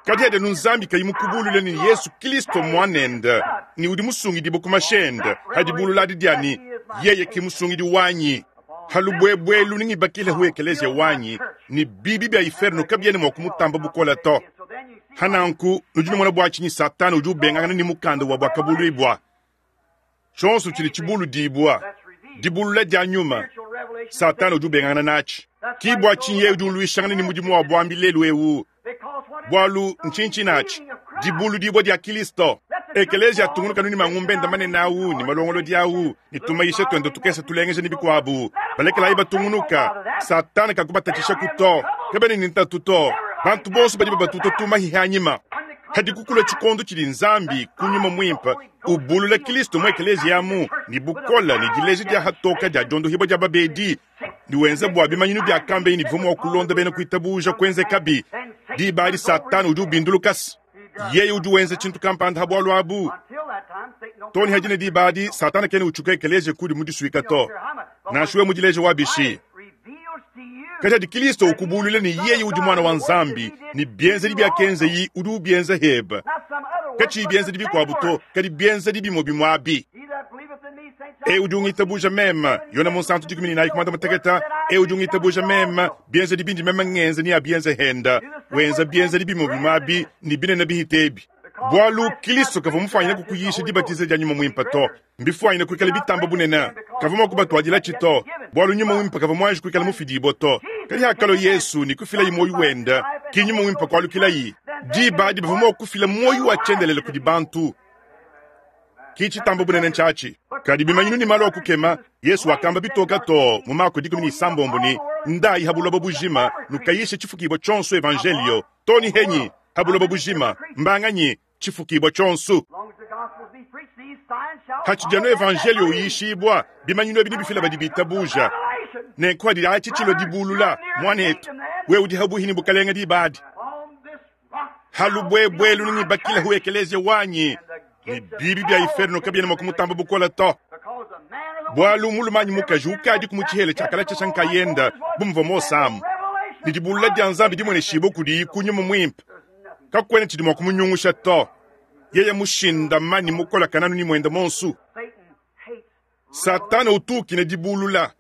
Kadi adi anu Nzambi kayi mukubulule ne Yesu Kilisto Muanende ne udi musungidibue ku mashi ende, ha dibulula adi dia ne, Yeye ke Musungidi wanyi. Ha lubuebue elu nengibakilehu ekeleziya wanyi, ne bibi bia iferno kabiena mua kumutamba bukole to. Ha nanku nudi numona bua tshinyi Satana udi ubengangana ne mukanda wa Buakabuluibua. Tshionso tshidi tshibuludibua, dibulula dia nyuma, Satana udi ubengangana natshi. Ki bua tshinyi yeye udi uluishangana ne mudimu wa buambi lelu eu, bualu ntshinyi natshi? Dibuludibua dia Kilisto. Ekeleziya atungunuka ne mangumba ende manene au ne malongolodi au ne tumayisha tuende tukese tulengeja ne bikuabu. Balekelayi batungunuka. Satana kakubatatshishaku to. Kabena ne ntatu to. Bantu bonso badi babatuta tumahi anyima. Hadi kukula tshikondo tshidi Nzambi ku nyuma muimpe ubulula Kilisto mu ekeleziya amu ne bukole ne dileja dia hatoka dia diondohibua dia babedi ne wenza bua bimanyinu bia kambenyi ne bivua mua kulonda bena kuitabuja kuenzekabi. Diba adi Satana udi ubindulukasa. Yeye udi wenza tshintu kampanda ha bualu abu. Too ne hadi ne diba adi, Satana kena utshuka ekeleziya kudi mudisuika to, nansha wewe mudileje wa bishi. Kadi hadi Kilisto ukubuluila ne yeye udi Muana wa Nzambi, ne bienzedi biakenzeyi udi ubienza hebe, katshiyi bienzedi bikuabu to, kadi bienzedi bimue bimue abi. E udi ungitabuja meme, Yone Munsantu 14 ku muanda-mutekete, e udi ungitabuja meme, bienzedi bindi meme ngenza neabienze henda, wenza bienzedi bimue bimue abi ne binene bihite ebi. Bualu Kilisto kavua mufuanyine kukuyisha dibatiza dia Nyuma Muimpe to, mbifuanyine kuikala bitamba bunene. Kavua mua kubatuadilatshi to, bualu Nyuma Muimpe kavua muanji kuikala mufidibue to. Kadi hakalua Yesu ne kufilayi muoyo wende, ki Nyuma Muimpe kualukilayi. Diba adi bavua mua kufila muoyo wa tshiendelele kudi bantu. Ki tshitamba bunene ntshiatshi. Kadi bimanyinu ne malu a kukema, Yesu wakamba bitoka too mu Mako 16 ne, Ndayi ha buloba bujima, nukayishe tshifukibua tshionso evanjelio. Too ne henyi ha buloba bujima, mbanganyi? Tshifukibua tshionso. Hatshidi anu evanjelio uyishibua, bimanyinu ebi nebifila badi bitabuja. Nenku hadi atshi tshilua dibulula, muanetu, wewe udi habuhi ne bukalenge diba adi. Ha lubuebue elu nengibakilehu ekeleziya wanyi, ne bibi bia iferno kabiena mua kumutamba bukole to. Bualu mulume anyi mukaji ukadiku mu tshihela tshia kalatshiasha nkayende, bu muvua Mose amu, ne dibulula dia Nzambi dimueneshibue kudiyi ku Nyuma Muimpe, kakuena tshidi mua kumunyungusha to. Yeye mushindama ne mukolakana anu ne muende muonso. Satana utu ukina dibulula,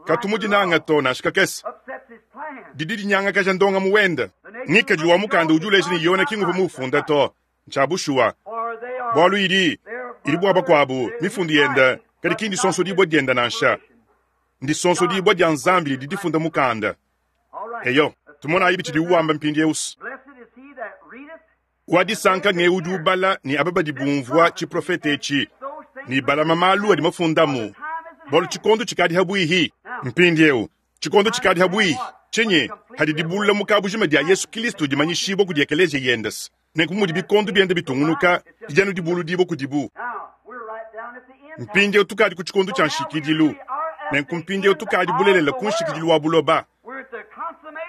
katu mudinanga to nansha kakese. Didi dinyangakaja ndongamu wende. Ngikadilu wa mukanda udi uleja ne, Yona ki nguvua muwufunde to. Ntshia bushuwa, bualu idi idi bua bakuabu mifundu yende, kadi ki ndisonsodibua diende nansha. Ndisonsodibua dia Nzambi didi difunda mukanda. Eyo, tumonayi bitshidiwu wamba mpindieu. Wa disanka ng'eu udi ubala ne aba badi bumvua tshiprofete etshi ne balama malu adi mafundamu, bualu tshikondo tshikadi habuihi. Mpindieu tshikondo tshikadi habuihi tshinyi? Hadi dibulula mu kabujima dia Yesu Kilisto dimanyishibua kudi ekeleziya yende, nenku mudi bikondo biende bitungunuka, didi anu dibuludibua kudibu. Mpindieu tukadi ku tshikondo tshia nshikidilu, nenku mpindieu tukadi bulelela ku nshikidilu wa buloba.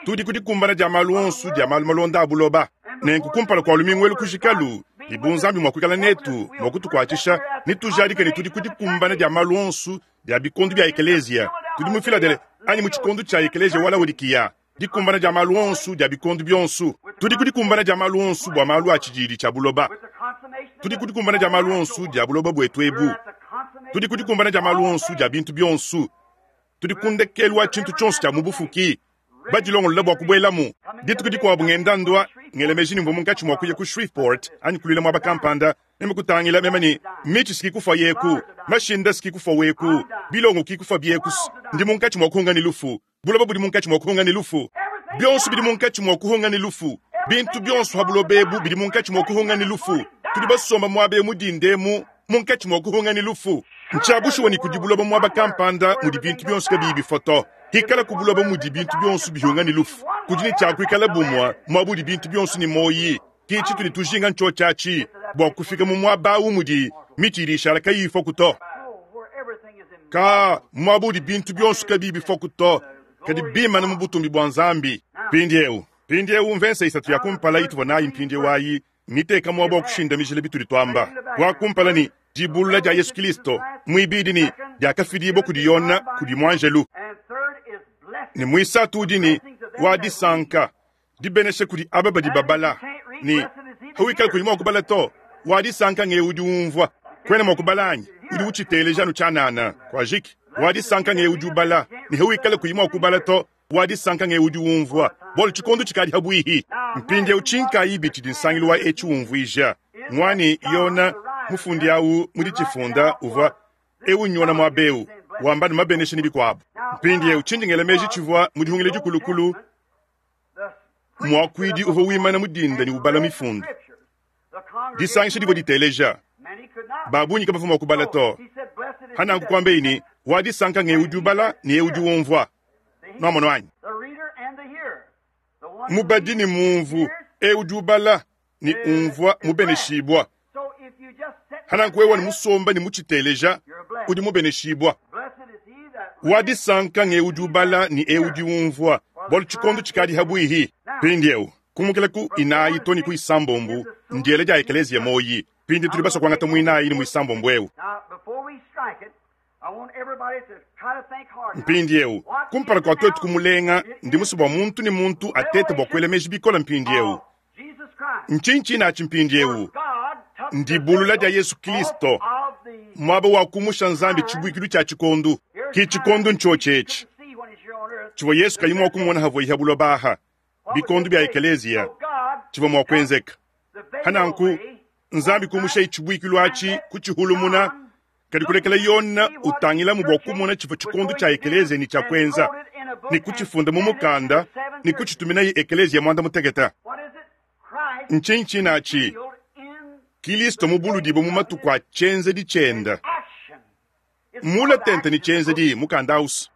Tudi ku dikumbana dia malu onso dia malu malonda a buloba. Nenku kumpala kua lumingu elu kujikalu, ne bu Nzambi mua kuikala netu mua kutukuatshisha, netujadike ne tudi ku dikumbana dia malu onso dia bikondo bia ekeleziya. Tudi mu Filadele anyi mu tshikondo tshia ekeleziya wa Laodikiya, dikumbana dia malu onso dia bikondo bionso. Tudi ku dikumbana dia malu onso bua malu a tshididi tshia buloba. Tudi ku dikumbana dia malu onso dia buloba buetu ebu. Tudi ku dikumbana dia malu onso dia bintu bionso. Tudi ku ndekelu wa tshintu tshionso tshia mu bufuki, badilongolola bua kubuelamu. Dituku dikuabu ngenda ndua, ngela meji ne mvua munkatshi mua kuya ku Shreveport anyi kuluila muaba kampanda, meme kutangila meme ne mitshi siki kufua yeku, mashinda siki kufua weku, bilongo ki kufua bieku, ndi munkatshi mua kuhunga ne lufu. Buloba budi munkatshi mua kuhunga ne lufu. Bionso bidi munkatshi mua kuhunga ne lufu. Bintu bionso ha buloba ebu bidi munkatshi mua kuhunga ne lufu. Tudi basomba muaba eu mu dinda emu munkatshi mua kuhunga ne lufu. Ntshia bushuwa ne kudi buloba muaba kampanda mudi bintu bionso kabiyi bifua to. Hikala ku buloba mudi bintu bionso bihunga ne lufu, kudi ne tshia kuikala bumue muaba udi bintu bionso ne muoyi. Ke tshitudi tujinga ntshiotshi atshi, bua kufika mu muaba au mudi mitshi idi ishala kayiyi ifuaku to. Ka muaba udi bintu bionso kabiyi bifuaku to, kadi bimana mu butumbi bua Nzambi. Mpindieu, mpindieu mvese isatu ya kumpala ituvua nayi mpindieu ayi mmiteka muaba wa kushindamijila bitudi tuamba. Wa kumpala ne dibulula dia Yesu Kilisto, muibidi ne diakafidibua kudi Yona kudi muanjelu, ne muisatu udi ne wa disanka dibenesha kudi aba badi babala ne hawikala kuyi mua kubala to, wa disanka ngewu udi umvua. Kuena mua kubala anyi? Udi utshiteleja anu tshianana. Kuajiki. Wa disanka ngewu udi ubala ne hawikala kuyi mua kubala to, wa disanka ngewu udi umvua, bualu tshikondo tshikadi habuihi. Mpindieu tshinkayibi tshidi nsangilu wa etshi umvuija ngua ne, Yona mufundi au mu ditshifunda uvua eu nyona muaba eu wamba ne mabenesha ne bikuabu. Mpindieu tshindi ngela meji tshivua mu dihungila dikulukulu muakuidi uvua wimana mu dinda ne ubala mifundu. Disangisha divua diteleja. Ba bungi kabavua mua kubala to. Hananku kuambeyi ne, wa disanka ng'eu udi ubala ne eu udi umvua. Nuamono anyi? Mubadi ne mumvu, eu udi ubala ne umvua mubeneshibua. Hananku wewe ne musomba ne mutshiteleja, udi mubeneshibua. Wa disanka ng'eu udi ubala ne eu udi umvua, bualu tshikondo tshikadi habuihi. Mpindieu, kumukila ku inayi to ne ku isambombu ndiela dia ekeleziya moyi. Mpindieu tudi basue kuangata muinayi ne muisambombu eu. Mpindieu, kumpala kua tuetu kumulenga, ndi musue bua muntu ne muntu atete bua kuela meji bikole mpindieu. Ntshinyi tshinatshi mpindieu? Ndibulula dia Yesu Kristo, muaba wa kumusha Nzambi tshibuikilu tshia tshikondo. Ki tshikondo ntshiotshi etshi tshivua Yesu kayi mua kumona havuaye ha buloba aha, bikondo bia ekeleziya, tshivua mua kuenzeka. Hananku Nzambi kumushaye tshibuikilu atshi kutshihulumuna, kadi kulekela Yona utangilamu bua kumona tshivua tshikondo tshia ekeleziya ne tshia kuenza, ne kutshifunda mu mukanda ne kutshituminaye ekeleziya muanda mutekete. Ntshinyi tshinatshi? Kilisto mubuludibue mu matuku a tshienzedi tshiende, mule tente ne tshienzedi, mukanda ausu.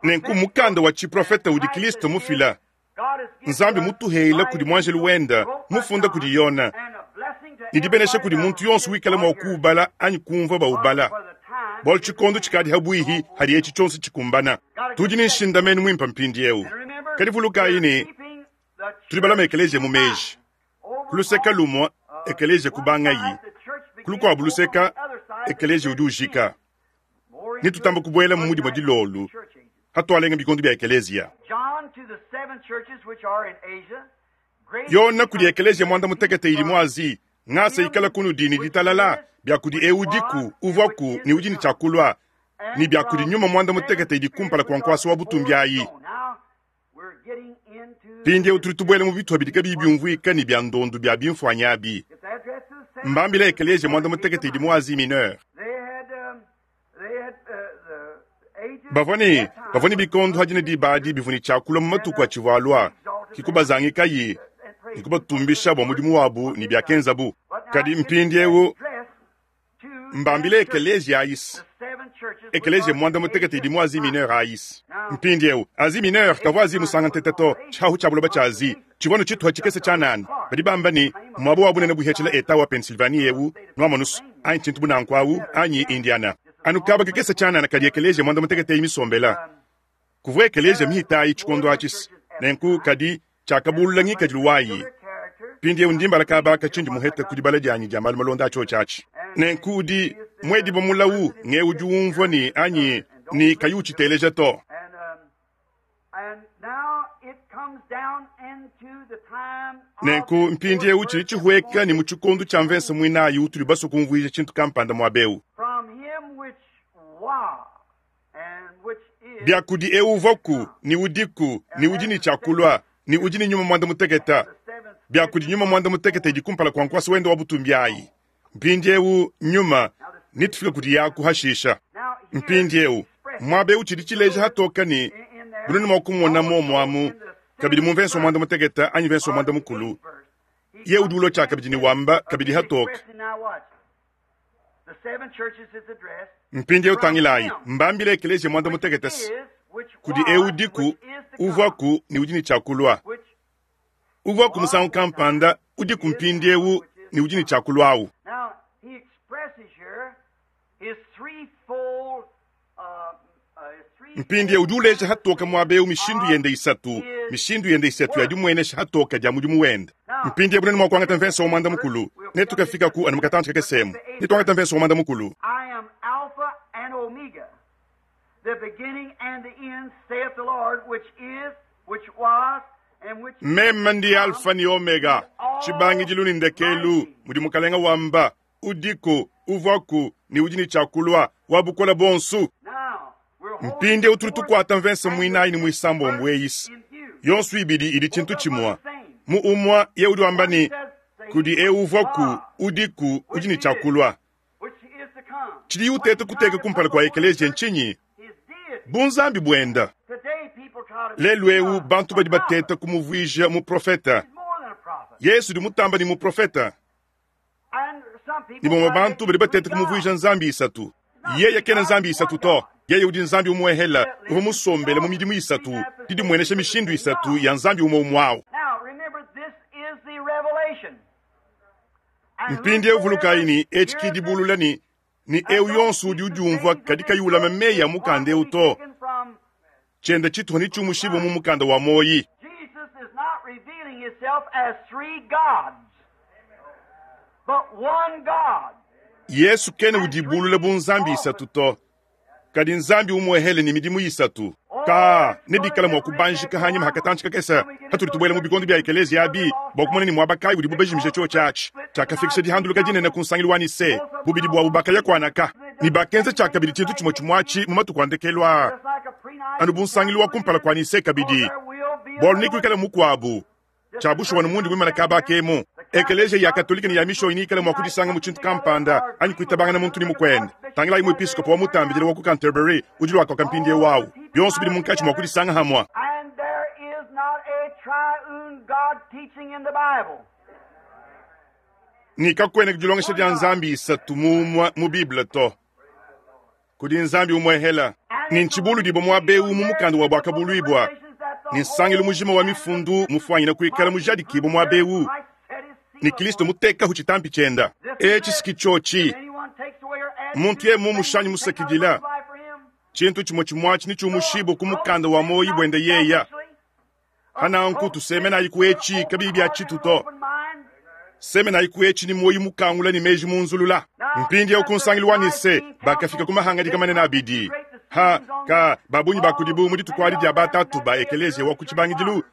Nenku mukanda wa tshiprofete udi Kilisto mufila, Nzambi mutuhela kudi muanjelu wende, mufunda kudi Yona, ne dibenesha kudi muntu yonso wikala mua kuubala anyi kumvua baubala, bualu tshikondo tshikadi habuihi hadi etshi tshionso tshikumbana. Tudi ne nshindamenu muimpe mpindieu. Kadi vulukayi ne, tudi balama ekeleziya mu meji. Ku luseke lumue ekeleziya kubangayi, ku lukuabu luseka ekeleziya udi ujika. Netutamba kubuela mu dimue dilolu hatualenga bikondo bia ekeleziya. Yona kudi ekeleziya muanda mutekete idi mu Azi, ngasa ikala kunudi ne ditalala bia kudi eu udiku, uvuaku ne udi ne tshia kulua, ne bia kudi nyuma muanda mutekete idi kumpala kua nkuasa wa butumbi ayi. Mpindieu tudi tubuela mu bitupa bidi kabiyi biumvuika ne bia ndondu bia bimfuanyi abi. Mbambila ekeleziya muanda-mutekete idi mu Asie Mineure. Bavua ne, bavua ne bikondo adi ne diba adi bivua ne tshia kulua mu matuku atshivua alua, ke kubazangikayi ne kubatumbisha bua mudimu wabu ne biakenzabu. Kadi mpindieu mbambile ekeleziya ayis, ekeleziya muanda-mutekete idi mu Asie Mineure ayis. Mpindieu, Asie Mineure kavua Asie musanga ntete to, tshihahu tshia buloba tshia Asie tshivua nu tshituha tshikese tshianana. Badi bamba ne, muaba wa bunene buihetshila Etat wa Pennsylvanie eu, nuamonu's, anyi tshintu bu nanku awu, anyi Indiana. Anu kaba kakese tshianana kadi ekeleziya muanda-mutekete eyi misombela. Kuvua ekeleziya mihita ayi tshikondo atshis, nenku kadi tshiakabulula ngikadilu wayi. Mpindieu ndi mbala kaba aka tshindi muhete ku dibala dianyi dia malu malonda a tshiotshi atshi. Nenku udi muedibua mulawu ng'eu udi umvua ne anyi ne kayi utshiteleja to. Nenku mpindieu tshidi tshihueka ne mu tshikondo tshia mvese muinayi utudi basue kumvuija tshintu kampanda muaba eu. Bia kudi eu uvuaku, ne udiku, ne udi ne tshia kulua, ne udi ne nyuma muanda-mutekete, bia kudi nyuma muanda-mutekete idi kumpala kua nkuasa wende wa butumbi ayi. Mpindieu nyuma, netufike kudi yaku hashisha. Mpindieu muaba eu tshidi tshileja hatoka ne bunene mua kumona muomu amu kabidi mu mvese wa muanda-mutekete anyi mvese wa muanda-mukulu, ye udi ulua tshiakabidi ne wamba kabidi hatoka. Mpindieu tangilayi, mbambile ekeleziya muanda-mutekete se, kudi eu udiku, uvuaku ne udi ne tshia kulua. Uvuaku musangu kampanda, udiku mpindieu ne udi ne tshia kulua awu. Mpindieu udi uleja hatoke muaba eu mishindu yende isatu, mishindu yende isatu ya dimuenesha hatoke dia mudimu wende. Mpindieu bunene mua kuangata mvese wa muanda mukulu, ne tukafikaku anu mu katantshi kakese emu, ne tuangata mvese wa muanda mukulu. I am Alpha and Omega, the beginning and the end, saith the Lord, which is, which was, and which is Meme ndi to come, Alfa ne Omega, tshibangidilu ne ndekelu, mudi Mukalenga wamba, udiku, uvuaku, ne udi ne tshia kulua, wa bukole buonso. Now, we're holding Mpindieu tudi the fourth tukuata mvese and the muinayi ne fifth muisambombo verse eyi. in view. Yonso ibidi idi tshintu Both of them tshimue. are the same. Mu umue ye udi wamba One ne, says to him kudi eu which uvuaku, was, udiku, udi which ne tshia is, kulua. which is to come. Tshidiye What uteta he's trying kuteka to kumpala put kua before the ekeleziya church, ntshinyi? his deity. Bunzambi buenda. Today people try to Lelu make eu him bantu a badi prophet. bateta kumuvuija muprofeta. He's more than a prophet. Yesu udi mutamba ne muprofeta. And some Ne people bamue try to make bantu badi him three bateta kumuvuija gods. nzambi isatu. He's not Yeye three kena gods, nzambi he's isatu one to. God. Yeye udi nzambi umuehela, That uvua lives in musombele mu God. midimu Three isatu, manifestations didimuenesha of the mishindu same isatu God. ya nzambi umue umue awu. Now remember, this is the revelation. And Mpindieu vulukayi whosoever ne etshi heareth ki it dibulula ne ne and eu don't yonso udi keep the udiumvua sayings of kadi this kayi ulama book, meyi a his mukanda heart eu will be to, taken from tshienda tshituha ne tshiumushibua mu life. mukanda wa muoyi. Jesus is not revealing himself as three gods, but one God Yesu kena and three udibulula bu nzambi isatu offices. to, kadi nzambi umuehele ne midimu isatu. Ka Oh, it's ne going to bikala mua get rich kubanjika after a hanyima while hakatantshi kakese when we get hatudi into those tubuela mu churches bikondo bia ekeleziya where they abi lost bua that kumona ne muaba kayi udibu they bajimija caused the tshiotshi great atshi split in the tshiakafikisha Nicene dihanduluka dinene Council. ku nsangilu wa Nise Both of them bubidi went buabu off on bakaya Jesus. kuanaka They ne done the bakenza same thing tshiakabidi just tshintu like tshimue they tshimue atshi did, mu matuku a ndekelu aa just like a anu pre-Nicene bu nsangilu wa council kumpala again. kua Nise Oh, kabidi there will be bualu another one. nekuikale mukuabu Just tshia the bushuwa church ne mundi muimana comes kaba down here, kemu the Catholic ekeleziya ya Church, katolika ne ya mishonyi ikale mua unite kudisanga mu something tshintu together kampanda or anyi agree with kuitabangana one muntu ne another, the mukuende archbishop tangilayi Canterbury muepiskopo wa over mutambidile now. wa ku Canterbury udi luakoka mpindieu All awu the people bionso bidi unite munkatshi mua together, kudisanga hamua and there is not a triune God teaching in the Bible. ne kakuena dilongesha One dia God. nzambi isatu mumue mu Bible to. Kudi nzambi umuehela And ne it's ntshibuludibua muaba eu revealed mu here mukanda wa in the book of Buakabuluibua Revelations that ne the nsangilu whole mujima wa canon of mifundu Scriptures mufuanyina kuikala might be mujadikibua proved muaba here. eu Christ set his ne seal Kristo upon it. mutekahu tshitampi tshienda. This is Etshi it. siki If tshiotshi anyone takes away or adds muntu to ye this mu thing, mushanyi will be taken out of the book musakidila of life for him. tshintu tshimue tshimue atshi ne So tshiumushibua ku approach mukanda wa this muoyi not buende yeya. selfishly. Hananku Approach tusemenayi this ku with an etshi open kabiyi bia heart and tshitu an to. open mind. Semenayi ku etshi ne muoyi mukangula ne meji munzulula. Now, Mpindieu at ku the nsangilu wa Nise Nicene bakafika Council, ku mahangadika they manene come to abidi. great Ha decisions on ka this. babunyi Oh, bakudibu mu dituku many adi of dia them in batatu that ba day of the ekeleziya wa early ku church tshibangidilu fathers,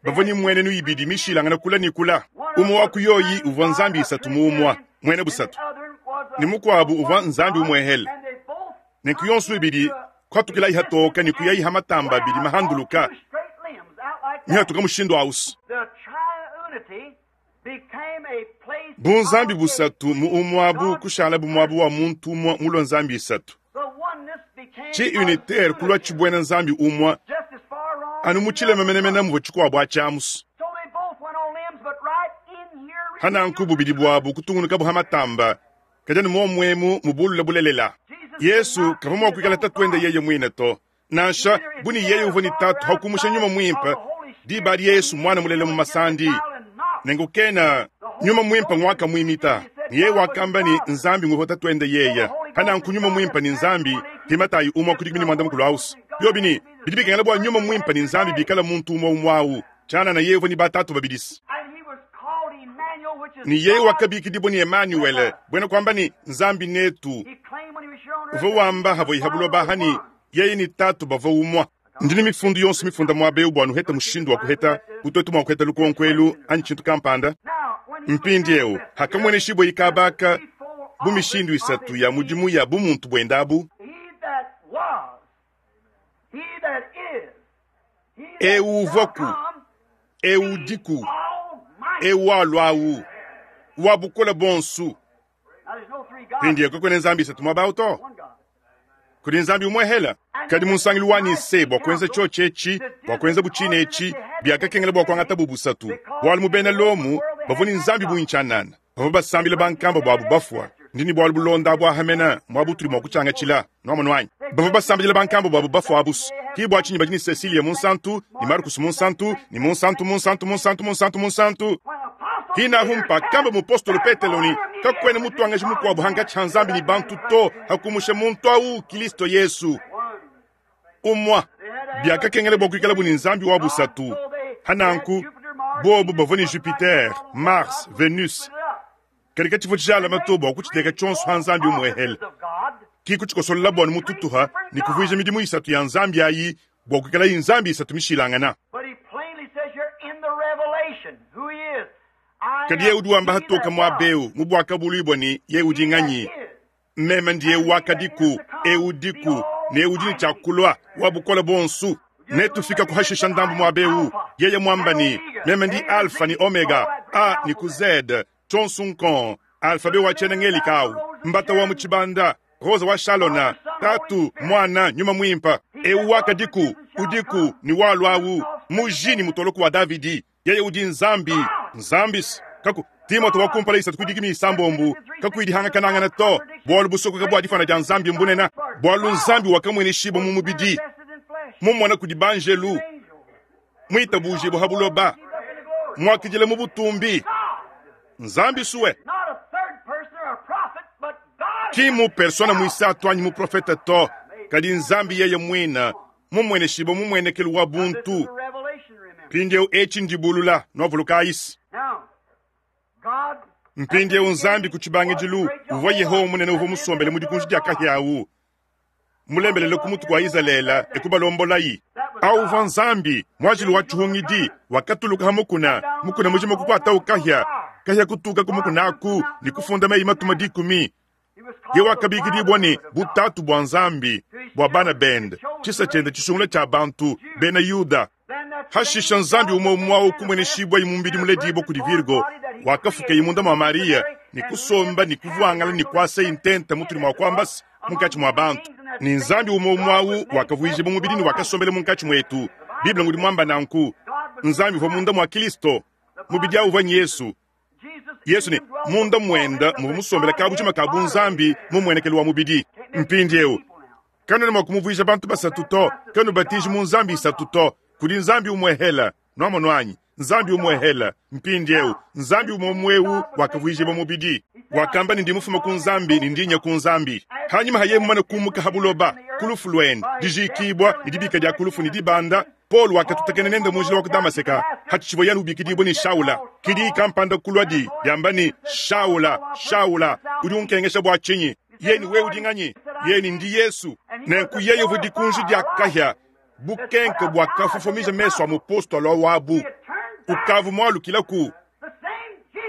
they bavua had ne two mmuenenu ibidi three views. mishilangane kula ne kula. One of Umue them wa was ku yoyi triune uvua God, nzambi a isatu mu umue Trinitarian, muena and the busatu other was ne a, mukuabu a uvua one nzambi God, umuehele. and they both Nenku come yonso ibidi into kuatukilayi existence hatoka ne kuyayi and ha matamba went abidi out on mahanduluka two straight limbs, out like Mihatuka mushindu ausi. Bunzambi busatu mu umwabu kushala bumwabu wa muntu umwa mulwa nzambi isatu. Ci unitaire kulwa cibwena nzambi umwa anu mu cilema menemene muvua cikuabu aciamusu. Hananku bubidi bwabu kutungunukabu ha matamba kadi anu momwemu mubulula bulelela. Yesu kavua mua kuikala tatuende yeye muine to, nansha bu ne yeye uvua ne tatu ha kumusha nyuma muimpe diba adi Yesu mwana mulela mu masandi. Nenku kena nyuma muimpe ngwakamuimita ne yeye wakamba ne Nzambi nguvua tatuende yeye. Hananku nyuma muimpe ne Nzambi ti Matayi umua ku dikumi ne muanda mukulu ausu. Biobi ne bidi bikengela bua nyuma muimpe ne Nzambi bikala muntu umue umue au tshianana yeye uvua ne batatu babidisi. Ne yeye wakabikidibua ne Emanuele, buena kuamba ne Nzambi netu. Uvua wamba havua iha buloba aha ne yeye ne tatu bavua umua. Ndi ne mifundu yonso mifunda muaba eu bua nuheta mushindu wa kuheta kutuetu mua kuheta lukonko elu anyi tshintu kampanda. Mpindieu hakamueneshibua ikabaka bu mishindu isatu ya mudimu ya bumuntu buende abu. Eu uvuaku, eu udiku, eu walua wa bukole bonsu. Mpindieu kakuena nzambi isatu muaba au to. Kudi nzambi umue hela. Kadi mu nsangilu wa Nise bua kuenza tshiotshi etshi, bua kuenza butshina etshi, biakakengela bua kuangata bu busatu. Bualu mu bena Lomo bavua ne nzambi bungi tshianana, bavua basambila bankamba buabu bafua. Ndi ne bualu bulonda bua hamena muabu tudi mua kutshiangatshila nuamonu anyi. Bavua basambila bankamba buabu bafua abusu. Ki bua tshinyi badi ne Cecilia Munsantu ne Marcus Munsantu ne Munsantu Munsantu Munsantu Munsantu Munsantu. Hinahu mpakamba mupostolo Petelo ne kakuena mutuangaji mukuabu hangatshi ha Nzambi ne bantu to hakumusha muntu au Kristo Yesu. Umua biakakengela bua kuikala bu ne Nzambi wa busatu. Hananku bobu bavua ne Jupiter, Mars, Venus. Kadi katshivua tshijalama to bua kutshiteka tshionso ha Nzambi umuehele. Ki kutshikosolola bua mututuha ne kuvuija midimu isatu ya Nzambi ayi bua kuikala nzambi isatu mishilangana. Kadi yeye udi wamba hatoka muaba eu mu buakabuluibua ne yeye udi nganyi? Meme ndiye wakadiku, eu udiku, ne udi ne tshiakulua wa bukole bonsu. Netufika kuhashisha ndambu muaba eu. Yeye mwamba ne meme ndi Alpha ni Omega, A ni ku Z, tshonsu nkon, alfabe wa tshiena ngelika au, mbata wa mu tshibanda, Rosa wa Shalona, tatu, mwana, nyuma muimpa. Eu wakadiku, udiku, ni walua au, muji ni mutoloko wa Davidi. Yeye udi nzambi, nzambis. Kaku, Timote wa kumpala isatu kudikimi isambombu, kakuidihangakanangana to, bualu busokoka bua difana dia nzambi mbunena, bualu nzambi wakamweneshiba mu mubidi, mumona kudi banjelu, mwitabujibu ha buloba, mwakidila mu butumbi. Nzambi suwe. Ki mu persona muisatu anyi mu profeta to, kadi nzambi yeye muina, mumweneshiba mumwenekelu wa buntu. Mpindieu etshi ndibulula nuavuluka ayisi. Mpindieu nzambi ku tshibangidilu uvua Yehowa munene uvua musombele mu dikunji dia kahia awu, mulembelele ku mutu kua Izalele ekubalombolayi. Awu uvua nzambi muajili wa tshihungidi wakatuluka ha mukuna, mukuna mujima kukuatawu kahia, kahia kutuka ku mukuna aku ne kufunda meyi matuma dikumi. Ye wakabikidibua ne butatu bua nzambi bua bana bende, tshisa tshiende tshisungula tshia bantu bena Yuda. Hashisha nzambi umue umue au kumweneshibua imumbidi muledibua kudi Virgo wakafuka imunda mua Maria ne kusomba ne kuvuangala ne kuasa intenta mutudi mua kuambasa munkatshi mua bantu. Ne nzambi umue umue au wakavuijibua mubidi ne wakasombela munkatshi muetu. Bible ngudi muamba nanku, nzambi uvua munda mua Kristo, mubidi au uvua Yesu. Yesu ne munda muenda muvua musombela kabujima ka bunzambi mu muenekelu wa mubidi. Mpindieu kanuena mua kumuvuija bantu basatu to, kanubatiji mu nzambi isatu to, kudi nzambi umue hela. Nuamonu anyi? Nzambi umue hela. Mpindieu nzambi umue umue wakavuijibua mubidi. Wakamba ne ndi mufuma ku nzambi ne ndi nya ku nzambi. Hanyuma haye mumane kumuka ha buloba, ku lufu luende, dijikibua ne dibika dia ku lufu ne dibanda, Paul wakatutakena nende mu njila wa ku Damaseka, hatshivua yanu ubikidibua ne Shaula. Kidi kampanda kulua di diamba ne Shaula, Shaula, udi unkengesha bua tshinyi? Yeye ni wewe udi nganyi? Yeye ni ndi Yesu. Nenku yeye uvua dikunji dia kahia, bukenke buakafofomija mesu a mupostolo wabu. Ukavu mualukila ku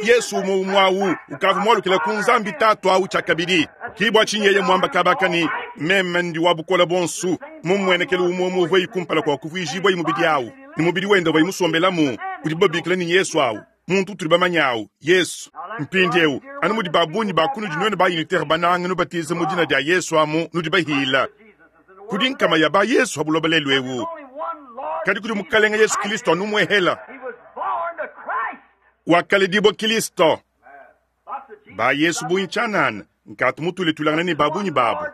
Yesu umue umue au ukavu mualukila ku Nzambi tatu au tshiakabidi. Ki bua tshinyi yeye muamba kabaka ne meme ndi wa bukole bonsu, mumuenekelu umue umue uvua kumpala kua kuvuijibua mubidi au. Ne mubidi wende uvuaye musombelamu, udibu babikila ne Yesu awu, muntu utudi bamanye awu, Yesu. Mpindiewu, anu mudi ba bungi ba kunudi nuenu ba unitaire banange nubatiza mu dina dia Yesu amu, nudi bahila. Kudi nkama ya ba Yesu ha buloba lelu ewu, kadi kudi Mukalenga Yesu Kilisto anu umuehela. Wakaledibua Kilisto. Ba Yesu bungi tshianana, nkatu mutuletulangane ne ba bungi babu.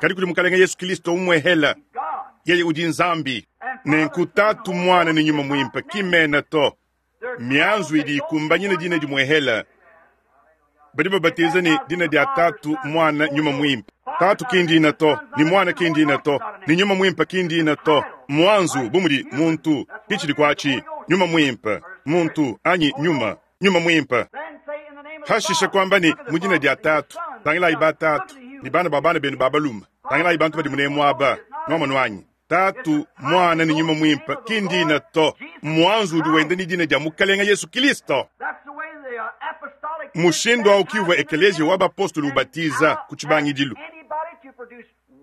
Kadi kudi Mukalenga Yesu Kilisto umuehela, yeye udi Nzambi. Nenku Tatu, Muana ne Nyuma Muimpe ki mena to, mianzu idi ikumbanyina dina dimuehela. Badi babatiza ne dina dia Tatu, Muana, Nyuma Muimpe. Tatu ki ndina to, ne Muana ki ndina to, ne Nyuma Muimpe ki ndina to. Muanzu bu mudi muntu, ki tshidi kuatshi, Nyuma Muimpe, muntu anyi nyuma, Nyuma Muimpe. Hashishe kuamba ne mu dina dia Tatu, tangilayi ba tatu ne bana ba bana benu ba balume, tangilayi bantu badi munemu aba, nuamonu anyi? Tatu, Muana ne Nyuma Muimpe ki ndina to, muanzu udi wenda ne dina dia Mukalenga Yesu Kilisto. Mushindu au ki uvua ekeleziya wa bapostolo ubatiza ku tshibangidilu.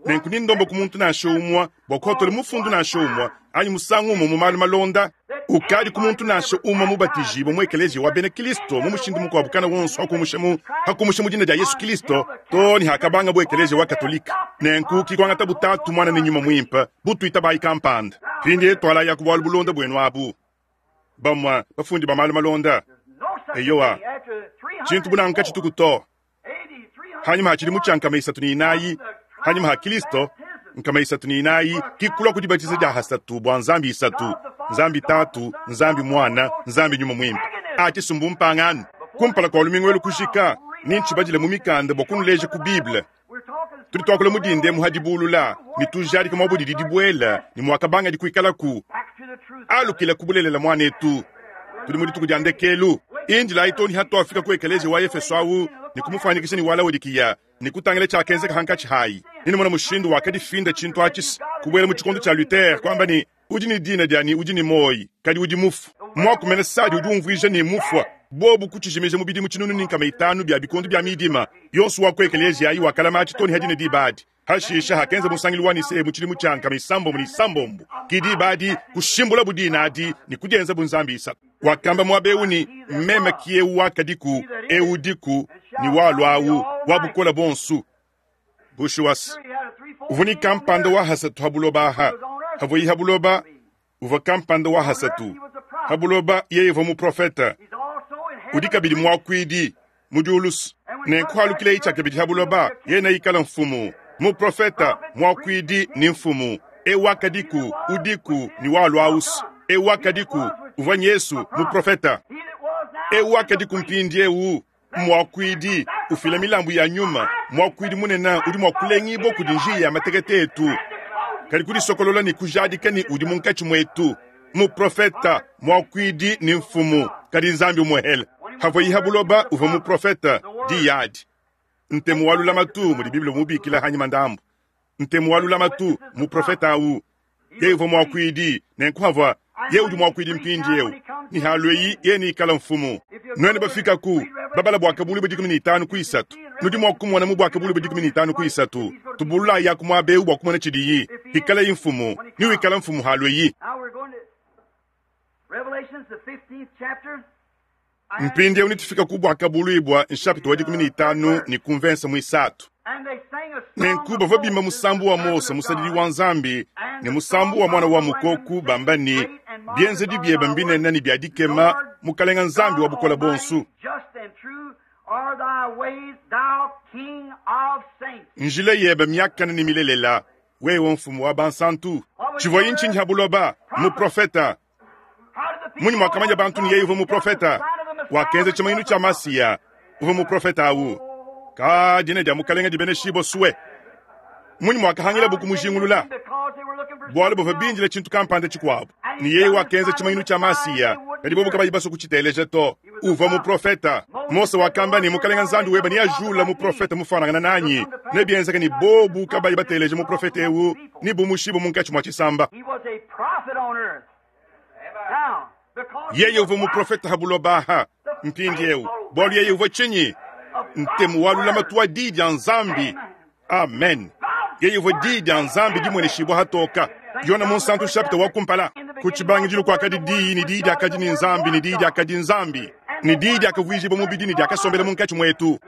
Nenku ni ndomba ku muntu nansha umue bua kuhatola mufundu nansha umue anyi musangu umue mu malu malonda ukadi ku muntu nansha umue mubatijibue mu ekeleziya wa bena Kristo mu mushindu mukuabu kana wonso hakumusha mu hakumusha mu dina dia Yesu Kristo to ne hakabanga bu ekeleziya wa Katolika. Nenku ki kuangata bu Tatu, Muana ne Nyuma Muimpe bu tuitabayi kampanda. Mpindieu tualayi ku bualu bulonda buenu abu. Bamue bafundi ba malu malonda, eyowa, tshintu bu nanku katshituku to. Hanyima ha tshidimu tshia 304 hanyima ha Kilisto, 304 ki kulua ku dibatiza dia hasatu bua Nzambi isatu, Nzambi Tatu, Nzambi Muana, Nzambi Nyuma Muimpe. A tshisumbu mpangano. Kumpala kua lumingu elu kujika, ne ntshibadile mu mikanda bua kunuleja ku Bible. Tudi tuakula mu dinda emu ha dibulula ne tujadika muaba udidi dibuela ne muakabangadi kuikalaku. Alukila ku bulelela muanetu. Tudi mu dituku dia ndekelu. Indilayi too ne hatuafika ku ekeleziya wa Efeso awu ne kumufuanyikisha ne wa Laodikiya ne kutangila tshiakenzeka hankatshi hayi. Nenumona mushindu wakadifinda tshintu atshi kubuela mu tshikondo tshia Luther kuamba ne, Udi ne dina dia ne udi ne muoyi, kadi udi mufue. Muaku mene Sadi udi umvuija ne, mufua. Bobu kutshijimija mu bidimu 1500 bia bikondo bia midima. Yonso wa ku ekeleziya ayi wakalama atshi too ne ha dine diba adi. Hashishe hakenza musangilu wa Nicee mu tshidimu tshia 606, ki diba adi kushimbulabu dina adi ne kudienza bu nzambi isatu. Wakamba muaba eu ne, Meme ki eu wakadiku, eu udiku, ne walua au, wa bukole buonso. Bushuwa, uvua ne kampanda wa hasatu ha buloba aha. Havuaye ha buloba, uvua kampanda wa hasatu ha buloba. Yeye uvua muprofete, udi kabidi muakuidi mu diulu. Nenku halukileye tshiakabidi ha buloba, yeye neikale mfumu, muprofete, muakuidi ne mfumu. Eu wakadiku, udiku, ne walua ausu. Eu wakadiku, uvua Yesu, muprofete. Eu wakadiku mpindieu, muakuidi, ufila milambu ya nyuma. Muakuidi munene udi mua kulengibua kudi njiya ya matekete etu, kadi kudisokolola ne kujadika ne udi munkatshi muetu. Muprofete, muakuidi ne mfumu, kadi Nzambi umuehele. Havuaye ha buloba uvua muprofete, diyi adi ntemu wa lulamatu, mudi Bible umubikila hanyima ndambu. Ntemu wa lulamatu, muprofete au, yeye uvua muakuidi, nenku havua yeye udi muakuidi mpindieu, ne halueyi yeye neikale mfumu. Nuenu bafikaku babala buakabuluibua 15 ku 3, nudi mua kumona mu buakabuluibua 15 ku 3, tubululayi yaku muaba eu bua kumona tshidiyi. Hikalayi mfumu, ne wikala mfumu halueyi. Mpindieu netufika ku buakabuluibua nshapita wa 15 ne ku mvensa muisatu. Nenku bavua bimba musambu wa Mose musadidi wa Nzambi ne musambu wa Muana wa Mukoku, bamba ne, Bienzedi biebe mbinene ne bia dikema, Mukalenga Nzambi wa bukole buonso. Njila yebe miakane ne milelela, wewe mfumu wa bansantu. Tshivuaye ntshinyi ha buloba? Muprofeta. Munyi muakamanya bantu ne yeye uvua muprofeta? Wakenza tshimanyinu tshia Masiya, uvua muprofeta au. Ka dina dia Mukalenga dibeneshibue sue. Munyi muakahangilabu kumujingulula? Bualu bavua bindila tshintu kampanda tshikuabu, ne yeye wakenza tshimanyinu tshia Masiya, kadi bobu kabayi basue kutshiteleja to. Uvua muprofeta. Mose wakamba ne, Mukalenga Nzambi webe neajula muprofeta mufuanangana nanyi. Nebienzeke ne bobu kabayi bateleja muprofeta eu, nebumushibue munkatshi mua tshisamba. Yeye uvua muprofeta ha buloba aha. Mpindieu, bualu yeye uvua tshinyi? Ntemu wa lulamatu wa diyi dia Nzambi. Amen. Yeye uvua diyi dia Nzambi dimueneshibua hatoka. Yona Munsantu nshapita wa kumpala. Ku tshibangidilu kuakadi Diyi, ne Diyi diakadi ne Nzambi, ne Diyi diakadi Nzambi. Ne Diyi diakavuijibua mubidi ne diakasombela munkatshi muetu.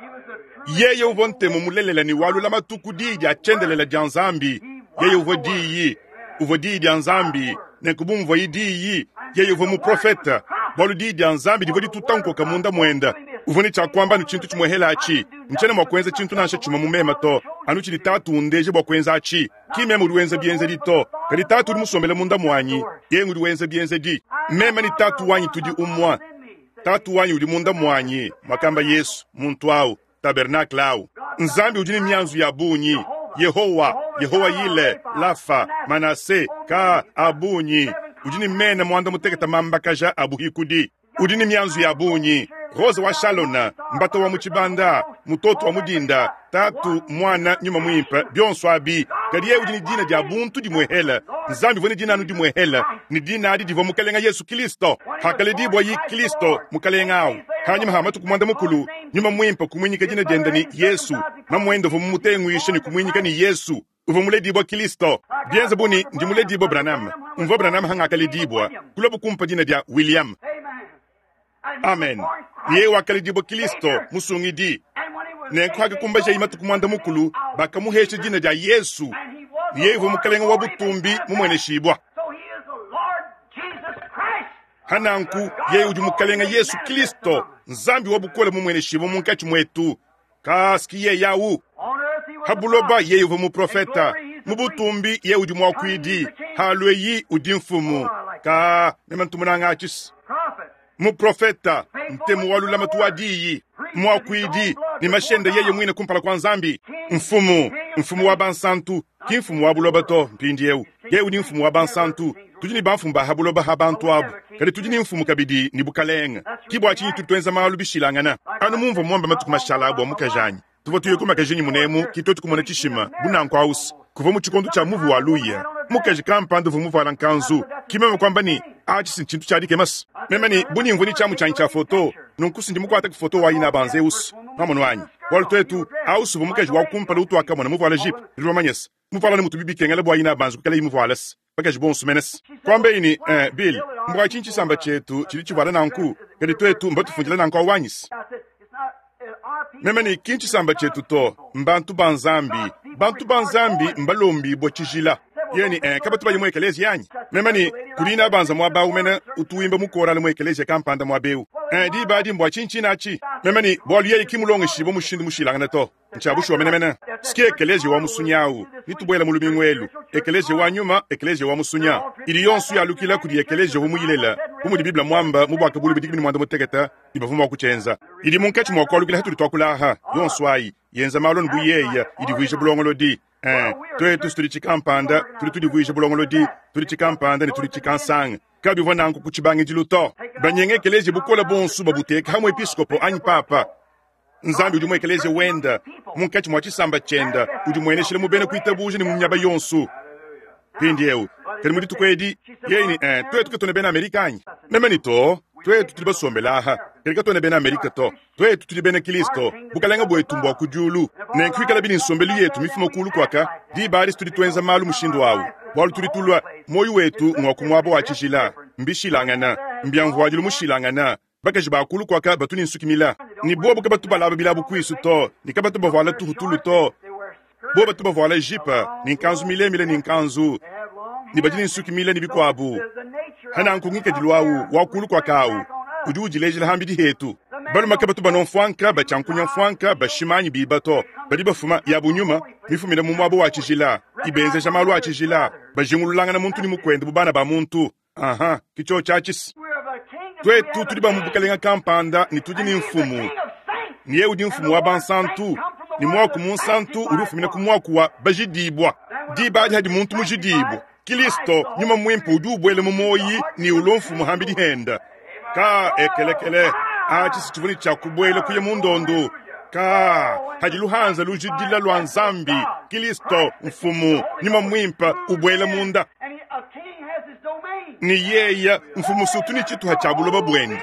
Yeye uvua ntemu mulelela ne wa lulamatu ku Diyi dia tshiendelele dia Nzambi. Yeye uvua Diyi. Uvua Diyi dia Nzambi. Nenku bu muvuaye Diyi, yeye uvua muprofete, bualu Diyi dia Nzambi divua dituta nkoka munda muende. Uvua ne tshia kuamba anu tshintu tshimuehela atshi, Ntshiena mua kuenza tshintu nansha tshimue mu meme to, anu tshidi Tatu undeja bua kuenza atshi. Ki meme udi wenza bienzedi to, kadi Tatu udi musombele munda muanyi, yeye ngudi wenza bienzedi. Meme ne Tatu wanyi tudi umue. Tatu wanyi udi munda muanyi, muakamba Yesu, muntu au, tabernakle au. Nzambi udi ne mianzu ya bungi, Yehowa, Yehowa-Yile, Lafa, Manase, ka a bungi. Udi ne mena muanda-mutekete mambakaja a buhikudi. Udi ne mianzu ya bungi, Rose wa Shalona, Mbata wa mu tshibanda, Mutoto wa mu dinda, Tatu, Muana, Nyuma Muimpe, bionso abi. Kadi yeye udi ne dina dia buntu dimuehele. Nzambi uvua ne dina anu dimuehele, ne dina adi divua Mukelenge Yesu Kilisto. Hakaledibua Kilisto, Mukelenge au, hanyima ha matuku muanda mukulu, Nyuma Muimpe kumuinyika dina diende ne Yesu. Mamuende uvua mumutenguishe ne kumuinyika ne Yesu. Uvua muledibua Kilisto. Bienze bu ne ndi muledibua Branham. Mvua Branham hangakaledibua, kuluabu kumpa dina dia William. Amen. Yeye wakaledibua Kilisto, Musungidi. Nenku hakakumbajaye matuku muanda mukulu, bakamuhesha dina dia Yesu. Ne yeye uvua Mukelenge wa butumbi mumueneshibua. Hananku yeye udi Mukelenge Yesu Kilisto, Nzambi wa bukole mumueneshibua munkatshi muetu. Kaski yeye au. Ha buloba yeye uvua muprofeta, mu butumbi yeye udi muakuidi, ha lueyi udi mfumu. Ka meme ntumunanga atshis. Muprofeta, ntemu wa lulamatu wa diyi, muakuidi, ne mashende yeye muine kumpala kua Nzambi. Mfumu, mfumu wa bansantu, ki mfumu wa buloba to. Mpindieu yeye udi mfumu wa bansantu. Tudi ne bamfumu ba ha buloba ha bantu abu, kadi tudi ne mfumu kabidi ne bukalenge. Ki bua tshinyi tudi tuenza malu bishilangana. Anu mumvua muambe matuku mashala bua mukajanyi, tuvua tuya ku makajinyi munemu, ki tuetu kumona tshishima bu nanku ausi. Kuvua mu tshikondo tshia muvu wa luya, mukaji kampanda uvua muvuala nkanzu. Ki meme kuamba ne, atshi si ntshintu tshia dikemasa. Meme ne, bu nimvua ne tshiamu tshianyi tshia foto, nunku si ndi mukuate ku foto wa ina banze usu. Nwamonu anyi? Bualu tuetu, ausi uvua mukaji wa kumpala utuakamona muvuala jipe, nudi bamanye se, muvuala ne mutubi bikengela bua ina banze kuikalayi muvuala se bakaji bonso mene se. Kuambeyi ne, eh, Bill, mbua tshinyi tshisamba tshietu tshidi tshivuala nanku, kadi tuetu mbatufundile nanku awu anyi se? Meme ne, ki ntshisamba tshietu to, mbantu ba Nzambi. Bantu ba Nzambi mbalombibue tshijila. Yeye ne, eh, kabatu baye mu ekeleziya anyi? Meme ne, kudi ina banza muaba awu mene utu wimba mu korale mu ekeleziya kampanda muaba eu. Eh, diba adi mbua tshinyi tshine atshi? Meme ne, bualu yeye ki mulongeshibue mushindu mushilangane to. Ntshia bushuwa menemene. Ski ekeleziya wa musunya awu, nitubuela mu lumingu elu. Ekeleziya wa nyuma, ekeleziya wa musunya, idi yonso yalukila kudi ekeleziya uvua muyilela, bu mudi Bible muamba mu Buakabuluibua 18, ne bavua mua kutshienza. Idi munkatshi mua kualukila hatudi tuakula aha, yonso ayi, yenza malu anu bu yeya, idivuija bulongolodi. Eh, tuetu tudi tshikampanda, tudi tudivuija bulongolodi, tudi tshikampanda ne tudi tshikansanga. Kabivua nanku ku tshibangidilu to. Banyenga ekeleziya bukole buonso babuteka ha muepiskopo anyi papa. Nzambi udi mu ekeleziya wenda, munkatshi mua tshisamba tshienda, udi mueneshila mu bena kuitabuja ne mu miaba yonso. Mpindieu, kadi mu dituku edi, yeye ne, eh, tuetu katuena bena Amerika anyi? Meme ne, to, tuetu tudi basombele aha, kadi katuena bena Amerika to. Tuetu tudi bena Kristo, bukalenge buetu mbua ku diulu. Nenku ikalabi ne nsombelu yetu mifuma kuulu kuaka, diba adi tudi tuenza malu mushindu au, bualu tudi tulua, muoyo wetu ngua ku muaba wa tshijila. Mbishilangana, mbia mvuadilu mushilangana. Bakaji ba kuulu kuaka batu ne nsuki mila, ne bobu kabatu balaba bilabu kuisu to, ne kabatu bavuala tuhutulu to. Bobu batu bavuala jipe ne nkanzu milemile ne nkanzu, ne badi ne nsuki mile ne bikuabu. Hananku ngikadilu au wa kuulu kuaka au udi udilejela hambidi hetu. Balume kabatu banua mfuanka, batshiankunya mfuanka, bashima anyi biba to. Badi bafuma yabu nyuma mifumina mu muaba wa tshijila, ibenzeja malu a tshijila, bajingululangana muntu ne mukuende bu bana ba muntu. Aha, ki tshiotshi atshi. Tuetu tudi ba mu bukalenga kampanda ne tudi ne mfumu, ne yeye udi mfumu wa bansantu, ne muaku munsantu udi ufumina ku muaku wa bajidibua. Diba adi hadi muntu mujidibua, Kilisto, Nyuma Muimpe udi ubuela mu muoyi ne ulua mfumu hambidi henda. Ka ekelekele, atshi si tshivua ne tshia kubuela kuya mu ndondo. Ka hadi luhanza lujidila lua Nzambi, Kilisto, mfumu, Nyuma Muimpe ubuela munda. Ne yeya mfumu sutu ne tshituha tshia buloba buende.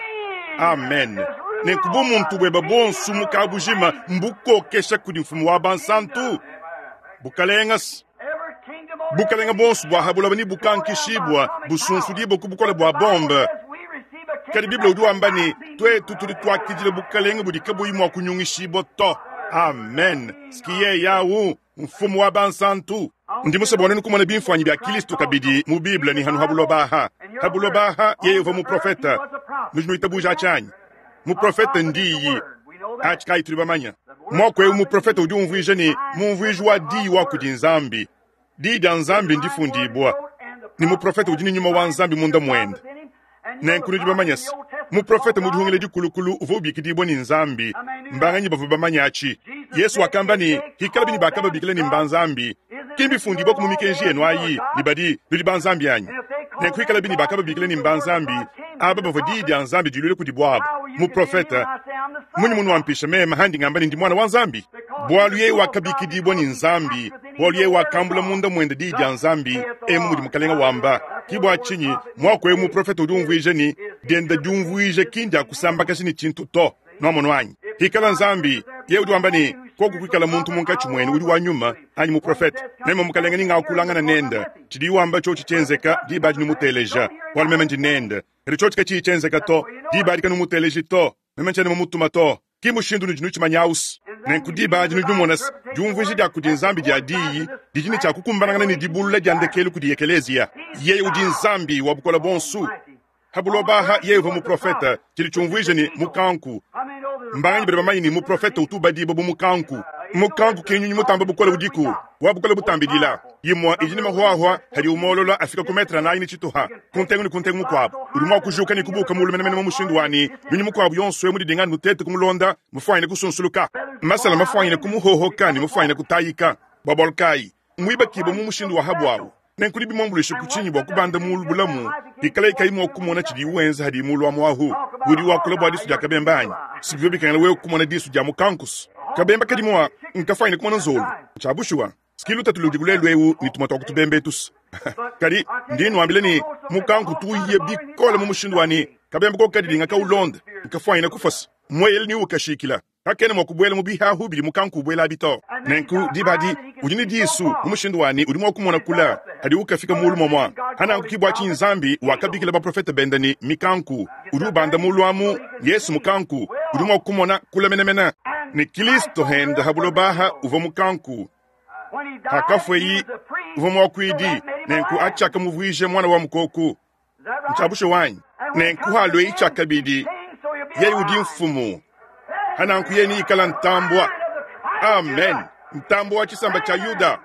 Amen. Nenku bumuntu bueba buonso mu kabujima mbukokesha kudi mfumu wa bansantu. Bukalenga. Bukalenga buonso bua ha buloba nebukankishibua, busunsudibua ku bukole bua bombe. Kadi Bible udi wamba ne, tuetu tudi tuakidila bukalenge budi kabuyi mua kunyungishibua to. Amen. Ski yeye mfumu wa bansantu. Ndi musue bua nuenu kumona bimfuanyi bia Kilisto kabidi mu Bible ne hanu ha buloba aha. Ha buloba aha yeye uvua muprofeta. Nudi nuitabuja tshianyi? Muprofeta ndiyi. Atshi kayi tudi bamanya. Muaku eu muprofeta udi umvuija ne mumvuiji wa diyi wa kudi Nzambi. Diyi dia Nzambi ndifundibua. Ne muprofeta udi ne nyuma wa Nzambi munda muende. Nenku nudi bamanya se, muprofeta mu dihungila dikulukulu uvua ubikidibua ne Nzambi. Mbanganyi bavua bamanya atshi? Yesu wakamba ne, hikala bini bakababikila ne mba Nzambi, ki mbifundibua ku mu mikenji yenu ayi ne badi nudi ba Nzambi anyi? Nenku hikala bini bakababikila ne mba Nzambi, aba bavua diyi dia Nzambi diluile kudi buabu. Muprofeta, munyi munuampisha meme handi ngamba ne ndi mwana wa Nzambi? Bualu yeye wakabikidibua ne Nzambi, bualu yeye wakambula munda muende diyi dia Nzambi, emu mudi mukalenga wamba. Ki bua tshinyi muaku eu muprofeta udi umvuija ne dienda diumvuija ki ndia kusambakaja ne tshintu to. Nuamono anyi? Hikala Nzambi, yeye udi wamba ne koku kuikala muntu munkatshi muenu udi wa nyuma anyi muprofeta, meme mukalenga ni ngakulangana nende, tshidi wamba tshiotshi tshienzeka diba adi numuteleja, bualu meme ndi nende. Kadi tshiotshi katshiyi tshienzeka to, diba adi kanumuteleji to, meme ntshiena mumutuma to. Ki mushindu nudi nutshimanya ausi. Nenku diba adi nudi numona se, diumvuija dia kudi Nzambi dia diyi didi ne tshia kukumbanangana ne dibulula dia ndekelu kudi ekeleziya. Yeye udi Nzambi wa bukole buonso. Ha buloba aha yeye uvua muprofeta, tshidi tshiumvuija ne mukanku. Mbanganyi badi bamanye ne muprofeta utu ubadibua bu mukanku. Mukanku ki nyunyi mutamba bukole udiku, wa bukole butambidila. Imua idi ne mahuahua hadi umolola afika ku metre anayi ne tshituha ku ntengu ne ku ntengu mukuabu. Udi mua kujuka ne kubuka mulu menemene mu mushindu wa ne nyunyi mukuabu yonso emu didinga nutete kumulonda, mufuanyine kusunsuluka. Masala mafuanyine kumuhohoka ne mufuanyine kutayika. Bua bualu kayi muibakibue mu mushindu wa habuawu? Nenku bimuambuluishe ku tshinyi bua kubanda mulu bulamu ikala kayi mua kumona tshidi wenza hadi mulu wa muahu? Udi wakula bua disu dia kabemba anyi? Sibivyo bikengela wewe kumona disu dia mukankusu. Kabemba kadi mua nkafanyine kumona nzolu. Tshia bushuwa, skilu tatu ludi kulelu eu ni tumwa twa kutubemba etusu. Kadi ndi nuambile ne mukanku tuiye bikole mu mushindu wa ne kabemba ko kadilinga kaulonda nkafanyine kufasa mweyele ni ukashikila. Kakena mua kubuela mu bihahu bidi mukanku ubuela abi to. Nenku diba adi udi ne disu mu mushindu wa ne udi mua kumona kula hadi ukafika mulu momua. Hananku ki bua tshinyi Nzambi wakabikila baprofete bende ne mikanku. Udi ubanda mulu amu Yesu mukanku udi mua kumona kula menemene. Ne Kristo henda ha buloba aha uvua mukanku. Hakafweyi uvua muakuidi, nenku atshaka muvuije mwana wa mukoku. Ntshiabushe wanyi. Nenku halwei tshiakabidi yeye udi mfumu. Hananku yeye ni ikala ntambua. Amen. Ntambua wa tshisamba tshia Yuda.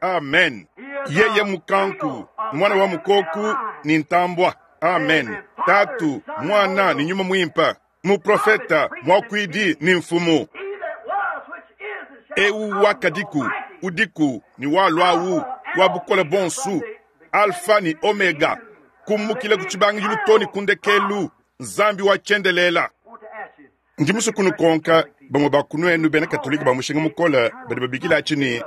Amen. Yeye mukanku, mwana wa mukoku ni ntambua. Amen. Tatu, mwana ni nyuma mwimpa. Muprofeta, mwakuidi ni mfumu. Eu wakadiku, udiku ni walwawu wa bukole bonsu, Alpha ni Omega. Kumukila ku tshibangidilu to ni kundekelu, Nzambi wa tshiendelela. Ndi musue kunukonka bamue ba kunuenu bena Katolika ba mushinga mukole badi babikila atshi ne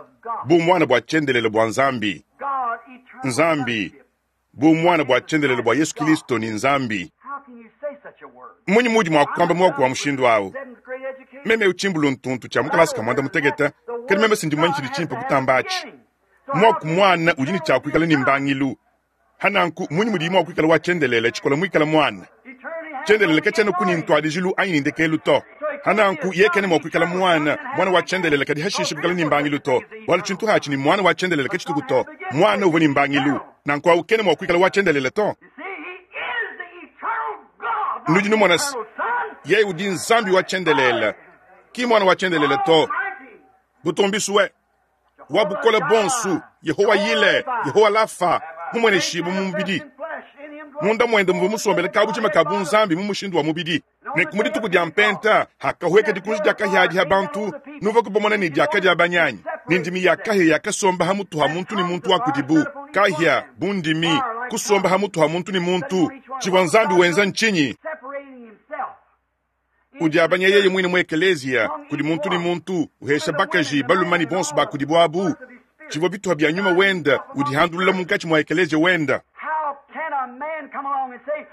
bu mwana bua tshiendelele bua Nzambi. Nzambi bu mwana bua tshiendelele bua Yesu Kristo ni Nzambi. Munyi mudi mua kuamba muaku wa mushindu awu? Meme utshimbulu ntuntu tshia mukalasa ka mwanda mutekete, kadi meme sindi mumanyi tshidi tshimpe kutamba atshi. Muaku mwana udi ne tshia kuikala ne mbangilu. Hananku munyi mudi mua kuikala wa tshiendelele tshikola muikala mwana? Tshiendelele katshiena ku ni ntuadijilu anyi ni ndekelu to. Hananku yeye kena mua kuikala mwana, mwana wa tshiendelele kadi hashishe kuikala ni mbangilu to. Bualu tshintu hatshi ni mwana wa tshiendelele katshituku to. Mwana uvua ni mbangilu, nanku awu kena mua kuikala wa tshiendelele to. Nudi numona se, yeye udi Nzambi wa tshiendelele, ki mwana wa tshiendelele to. Butumbiswe wa bukole bonsu, Yehowa Yile, Yehowa Lafa, mumueneshibu mu mubidi. Munda muende muvua musombele kabujima ka bunzambi mu mushindu wa mubidi. Nenku mu dituku dia mpenta hakahueka dikunji dia kahia adi ha bantu, nuvua kubamona ne diaka dia banyanyi, ne ndimi ya kahia yakasomba ha mutu ha muntu ne muntu wa kudibu. Kahia bu ndimi kusomba ha mutu ha muntu ne muntu. Tshivua Nzambi wenza ntshinyi? Udi abanya yeye mwine mu ekeleziya kudi muntu ne muntu, uhesha bakaji balume ne bonso ba kudibu abu. Tshivua bituha bia nyuma wenda udihandulula munkatshi mua ekeleziya wenda.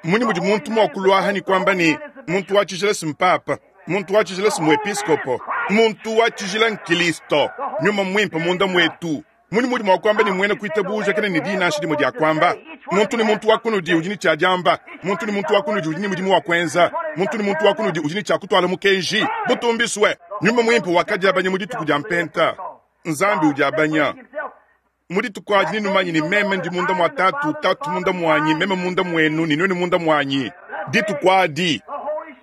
Munyi mudi muntu mua kuluaha ne kuamba ne muntu wa tshijila si mpapa, muntu wa tshijila si muepiskopo, muntu wa tshijila nkilisto, nyuma mwimpe munda mwetu. Mmunyi muudi mua kuamba ne, muena kuitabuja kena ne diyi nansha dimue dia kuamba? Muntu ne muntu wa kunudi udi ne tshia diamba, muntu ne muntu wa kunudi udi ne mudimu wa kuenza, muntu ne muntu wa kunudi udi ne tshia kutuala mukenji. Butumbisue! Nyuma Muimpe wakadiabanya mu dituku dia Mpenta. Nzambi udiabanya mu dituku adi, nenumanye ne, meme ndi munda mua Tatu, Tatu munda muanyi, meme munda muenu, ne nuenu munda muanyi. Dituku adi,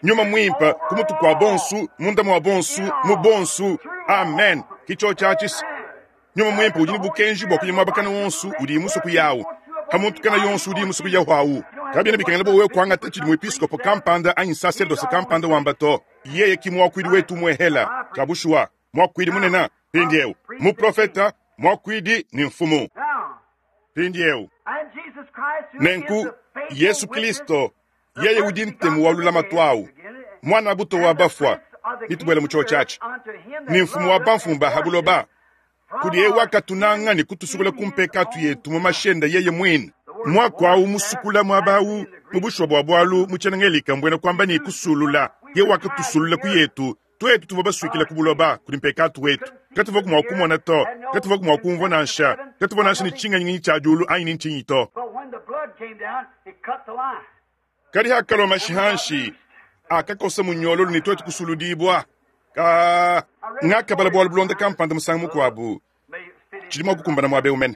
Nyuma Muimpe ku mutu kua bonsu, munda mua bonsu, mu bonsu. Amen. Ki tshiotshi atshi. Nyuma Muimpe udi ne bukenji bua kuya muaba kana wonso udiye musue kuyawu, pa muntu kana yonso udiye musue kuyawu awu. Kabiena bikengela bua wewe kuangata tshidi muepiskopo kampanda anyi nsaserdose kampanda wamba to. Yeye ki muakuidi wetu umuehela. Tshia bushuwa, muakuidi munene, mpindieu, muprofeta, muakuidi ne mfumu. Mpindieu, nenku, Yesu Kristo, yeye udi ntemu wa lulamatu awu, Muan'a-bute wa bafua, netubuele mu tshiotshi atshi, ne mfumu wa bamfumu ba ha buloba, kudi eu wakatunanga ne kutusukula ku mpekatu yetu mu mashi ende yeye muine. Muaku au musukula muaba au mu bushuwa bua bualu mu tshiena-Ngelika mbuena kuamba ne, kusulula. Yeye wakatusulula ku yetu tuetu tuvua basuikila ku buloba kudi mpekatu wetu. Katuvuaku mua kumona to, katuvuaku mua kumvua nansha, katuvua nansha ne tshingenyingenyi tshia diulu anyi ne ntshinyi to. Kadi hakalua mashi hanshi, akakosa munyololu ne tuetu kusuludibua. Ka ngakabala bualu bulonda kampanda musangu mukuabu, tshidi mua kukumbana muaba eu mene.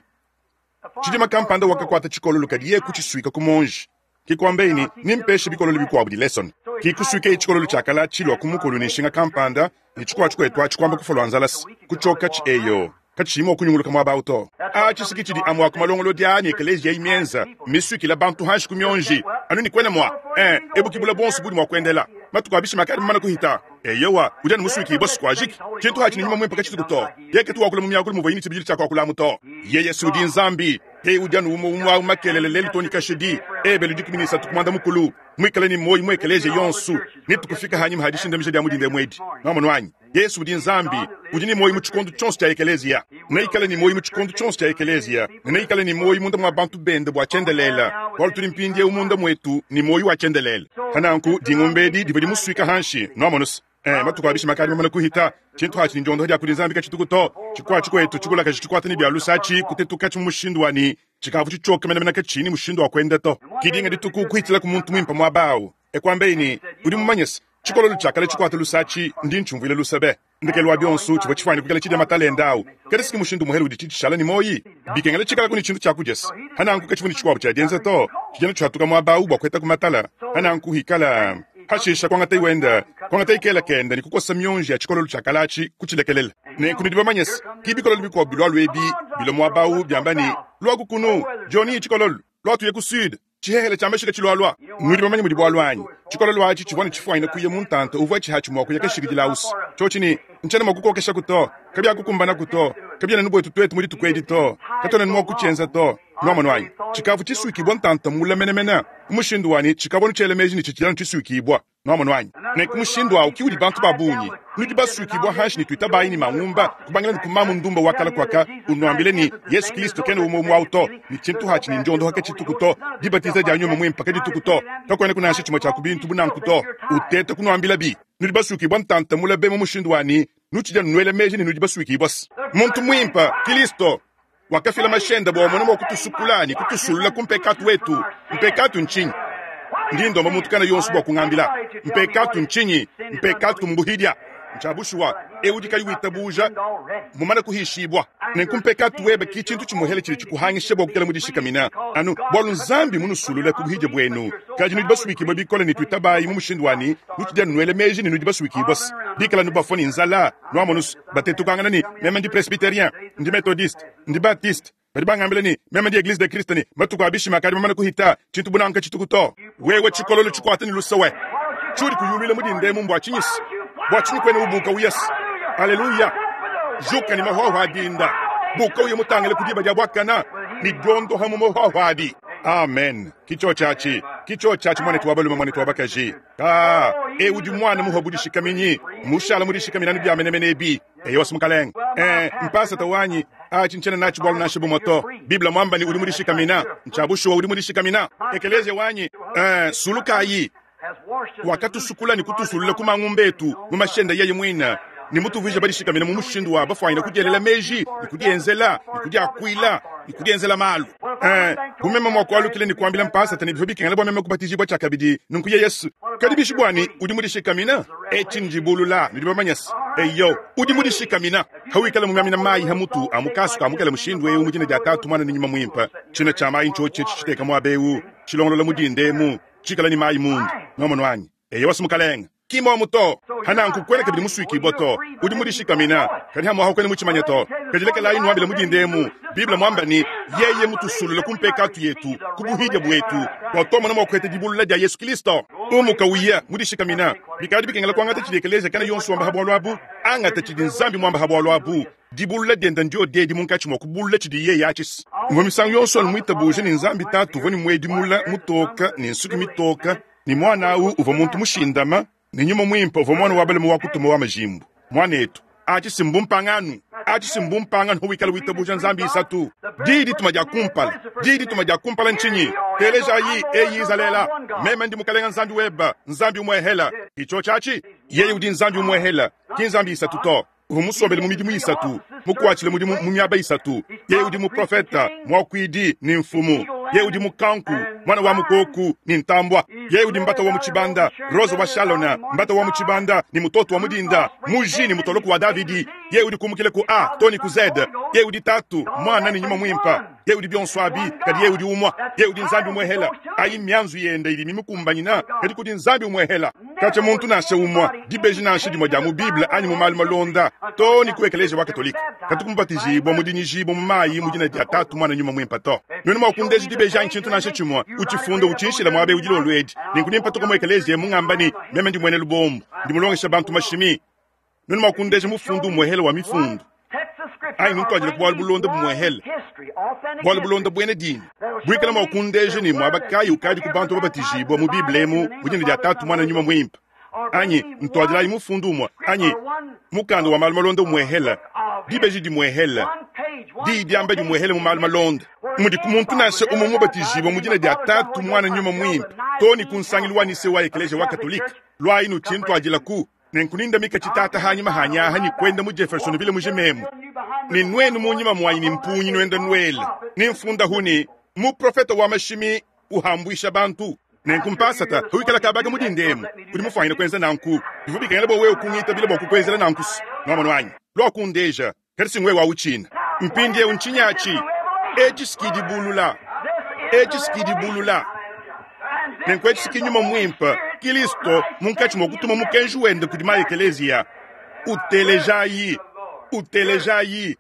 Tshidima kampanda wakakuata tshikololo kadi yeye kutshisuika ku muonji. Ke kuambaye ne, Nimpeshe bikololo bikuabu dileson. Ke kusuikaye tshikololo tshia kala tshilua ku mukolo ne nshinga kampanda, ne tshikuabu tshikuetu atshi kuamba kufua lua nzalasa, kutshiokatshi eyo, katshiyi mua kunyunguluka muaba au to. Atshi si ke tshidi amue a ku malongolodi aa ne ekeleziya eyi mienza, mmisuikila bantu hanshi ku mionji, anu ne kuena mua, ee, ebu ki bula buonso budi mua kuendela. Matuku a bishima akadi mamane kuhita. Eyowa, udi anu musuikibue sikuajiki. Tshintu atshi ne Nyuma Muimpe katshituku to. Yeye katu wakula mu miakulu muvuaye ne tshibidilu tshia kuakulamu to. Yeye si udi Nzambi. Yeye udi anu umue umue au makelela, lelu too ne kashidi. Ebelu 13 ku muanda mukulu, muikale ne muoyo mu ekeleziya yonso, ne tukufika hanyima ha dishindamija dia mu dinda emu edi. Nwamonu anyi? Yesu udi Nzambi, udi ne muoyo mu tshikondo tshionso tshia ekeleziya. Neikale ne muoyo mu tshikondo tshionso tshia ekeleziya, ne neikale ne muoyo munda mua bantu bende bua tshiendelele, bualu tudi mpindieu munda muetu ne muoyo wa tshiendelele. Pa nanku, dingumba edi divua dimusuika hanshi. Nwamonu-se? Eh, matuku a bishima akadi mamane kuhita. Tshintu atshi ne ndiondoha dia kudi Nzambi katshituku to. Tshikuatshi kuetu tshikulakaji tshikuata ne bia luse atshi kutetukatshi mu mushindu wa ne tshikavua tshitshioke menemene katshiyi ne mushindu wa kuenda to. Ki dinga dituku kuhitshilaku muntu muimpe muaba au, e kuambaye ne, Udi mumanye se, tshikololo tshia kale tshikuate luse atshi, ndi ntshiumvuila luse be. Ndekelu wa bionso, tshivua tshifuane kuikala tshidia matala ende au. Kadi si mushindu muhele udi tshishala ne muoyi? Bikengela tshikalaku ne tshintu tshia kudia se. Hananku katshivua ne tshikuabu tshia dienza to. Tshidiana tshiatuka muaba au bua kuetaku matala. Hananku hikala. Hashisha kuangatayi wenda, kuangatayi kela kende ne kukosa mionji ya tshikololo tshia kale atshi, kutshilekelela. Nenku nudi bamanye se, ki bikololo bikuabu bilualua ebi bilua muaba au biamba ne, Luaku kunu, Johnny, tshikololo, lua tuye ku sud. Tshihehele tshia mashika tshilualua. Nudi bamanye mudi bualu anyi? Tshikololo atshi tshivua ne tshifuanyine kuya mu ntanta uvua tshihatshi mua kuya kashikidila ausi. Tshiotshi ne, Ntshiena mua kukokeshaku to. Kabiakukumbanaku to. Kabiena nu buetu tuetu mu dituku edi to. Katuena nu mua kutshienza to. Nuamonu anyi? Tshikavua tshisuikibua ntanta mule menemene, mu mushindu wa ne tshikavua nu tshiela meji ne tshitshidi anu tshisuikibua. Nuamonu anyi? Nenku mushindu au ki udi bantu ba bungi. Nudi basuikibua hanshi ne tuitabayi ne mangumba, kubangila ne ku mamu ndumba wa kala kuaka, unuambile ne, Yesu Kilisto kena umue umue au to, ne tshintu hatshi ne ndiondoha katshituku to, dibatiza dia Nyuma Muimpe kadituku to, kakuenaku nansha tshimue tshia ku bintu bu nanku to. Uteta kunuambilabi. Nudi basuikibua ntanta mule be mu mushindu wa ne nutshidi anu nuela meji ne nudi basuikibua se muntu muimpe, Kilisto, wakafila mashi ende bua amone mua kutusukula ne kutusulula ku mpekatu wetu. Mpekatu ntshinyi? Ndi ndomba muntu kana yonso bua kungambila. Mpekatu ntshinyi? Mpekatu mbuhidia. Ntshia bushuwa, eu udi kayi witabuja mumane kuhishibua. Nenku mpekatu webe ki tshintu tshimuehele tshidi tshikuhangisha bua kuikala mudishikamina anu bualu Nzambi munusulule ku buhidia buenu. Kadi nudi basuikibue bikole ne tuitabayi mu mushindu wa ne nutshidi anu nuela meji ne nudi basuikibue se bikala nubafua ne nzala, nuamonu se batetukangana ne meme ndi presbyterien, ndi methodiste, ndi baptiste. Badi bangambila ne meme ndi Eglise de Christ ne matuku a bishima akadi mamane kuhita, tshintu bu nanku katshituku to. Wewe tshikololo tshikuate ne luse we, tshiudi kuyuluila mu dinda emu mbua tshinyi se? Bua tshinyi kuena ubuka uya se? Aleluya! Juka ne mahuahua a dinda, buka uye mutangile ku diba dia buakana ne diondoha mu mahuahua adi. Amen. Ki tshiotshi atshi, ki tshiotshi atshi, muanetu wa balume, muanetu wa bakaji. Kaa, eu udi muana muhua budishikaminyi, mushala mudishikamina anu bia menemene ebi. Eyowa, mukalenge. Eh, mpasata wanyi, atshi ntshiena natshi bualu nansha bumue to. Bible muamba ne udi mudishikamina. Ntshia bushuwa udi mudishikamina. Ekeleziya wanyi, eh, sulukayi. Wakatusukula ne kutusulula ku mangumba etu mu mashi ende yeye muine. Ne mutuvuije badishikamine mu mushindu wa bafwanyine kudielela meji ne kudienzela ne kudiakwila ne kudienzela malu. Ee, bu meme mwa kwalukila ne kwambila mpaasata ne bivwa bikengela bwa meme kubatijibwa cyakabidi, nunku yeye's. Kadi bishi bwanyi udi mudishikamina? Eci ndibulula, nudi bamanye's. Eyo, udi mudishikamina. Hawikala mumyamina mayi ha mutu a mu kaasu ka mukele mushindu ewu mu dina dya Taatu, Mwana ne Nyuma Mwimpe, cina cya mayi ncyoci eci citeka mwaba ewu, cilongolola mu dinda emu, cikala ne mayi munda. Nwamonu anyi? Eyowa, Mukalenge. Ki mmomu to. Hananku kwena kabidi muswikibwa to. Udi mudishikamina, kadi hamwaho kwena mucimanya to. Kadi lekelayi nwambila mu dinda emu, Bible mwamba ne, Yeye mutusulula ku mpekatu yetu, ku buhidya bwetu, bwa twamona mwa kuheta dibulula dya Yesu Kilisto. Umuka uya, mudishikamina. Bikadi bikengela kwangata cidi ekeleziya kana yonso wamba ha bwalu abu. Angata cidi Nzambi mwamba ha bwalu abu. Dibulula dyenda ndyodi edi munkaci mwa kubulula cidi yeye acis. Mvwa misangu yonso anu mwitabuja ne Nzambi Taatu uvwa ne mwedi mula mutoka ne nsuki mitoka, ne Mwana awu uvwa muntu mushindama, ne Nyuma Mwimpe uvwa mwana wa balume wa kutuma wa majimbu. Mwaneetu, aci si mbumpanganu. Aci si mbumpanganu hawikala witabuja Nzambi isatu. Diyi dituma dya kumpala, diyi dituma dya kumpala ncinyi? Teelejayi, Eyi Izaleela, Meme ndi Mukalenga Nzambi weba, Nzambi umwehela. Ki cyoci aci? Yeye udi Nzambi umwehela, ki Nzambi isatu to. Uvwa musombele mu midimu isatu, mukwacile mudimu mu myaba isatu. Yeye udi muprofeta, mwakwidi, ne mfumu. Yeye udi mukanku, mwana wa mukooku, ne ntambwa. Yeye udi mbata wa mu cibanda, rosa wa Shalona, mbata wa mu cibanda, ne mutoto wa mu dinda, muji ne mutoloku wa Davidi. Yeye udi kumukila ku A too ne ku Z. Yeye udi Taatu, Mwana, ne Nyuma Mwimpe. Yeye udi byonso abi, kadi Yeye udi umwa. Yeye udi Nzambi umwehela. Ayi mmyanzu yende idi mimukumbanyina, kadi kudi Nzambi umwehela. Katshia muntu nansha umwa, dibeji nansha dimwe dia mu Bible anyi mu malu malonda, too ne ku ekeleziya wa Katolike, katuku mubatijibua mu dinyijibua mu mayi mu dina dia Tatu, Muana, Nyuma Muimpe to. Nuenu mua kundeja dibeji anyi tshintu nansha tshimue, utshifunde utshinshila muaba eu dilolo edi, nenku nempatuka mu ekeleziya emu ngamba ne, Meme ndi muena lubombo, ndi mulongesha bantu mashimi. Nuenu mua kundeja mufundu umuehele wa Mifundu, anyi nuntuadile ku bualu bulonda bumuehele, bualu bulonda buena dina, buikala mua kundeja ne muaba kayi ukadi ku bantu babatijibua mu Bible emu mu dina dia Tatu, Muana, Nyuma Muimpe, anyi ntuadilayi mufundu umue, anyi mukanda wa malu malonda umuehele, dibeji dimuehele, diyi diamba dimuehele mu malu malonda, mudi ku muntu nansha umue mubatijibua mu dina dia Tatu, Muana, Nyuma Muimpe, too ne ku nsangilu wa Nicee wa Ekeleziya wa Katolike, luayi nutshintuadilaku. Nenku nindamika tshitaata hanyima hanyi aha ne kwenda mu Jeffersonville mujima emu, ne nwenu munyima mwanyi ne mpungi nwenda nwela, ne mfundahu ne, Muprofeta wa mashimi uhambwisha bantu. Nenku mpaasata, hawikala kabaka mu dinda emu, udi mufwanyine kwenza nanku. Bivwa bikengela bwa wewe kungitabila bwa kukwenzela nanku's. Nwamonu anyi? Lwa kundeja, kadi si ngwewe wawucina. Mpindyewu ncinyi aci? Eci's ki dibulula. Eci's ki dibulula. Nenku eci ki Nyuma Mwimpe, Kilisto, munkaci mwa kutuma mukenji Wende kudi maekeleziya. Utelejayi! Utelejayi!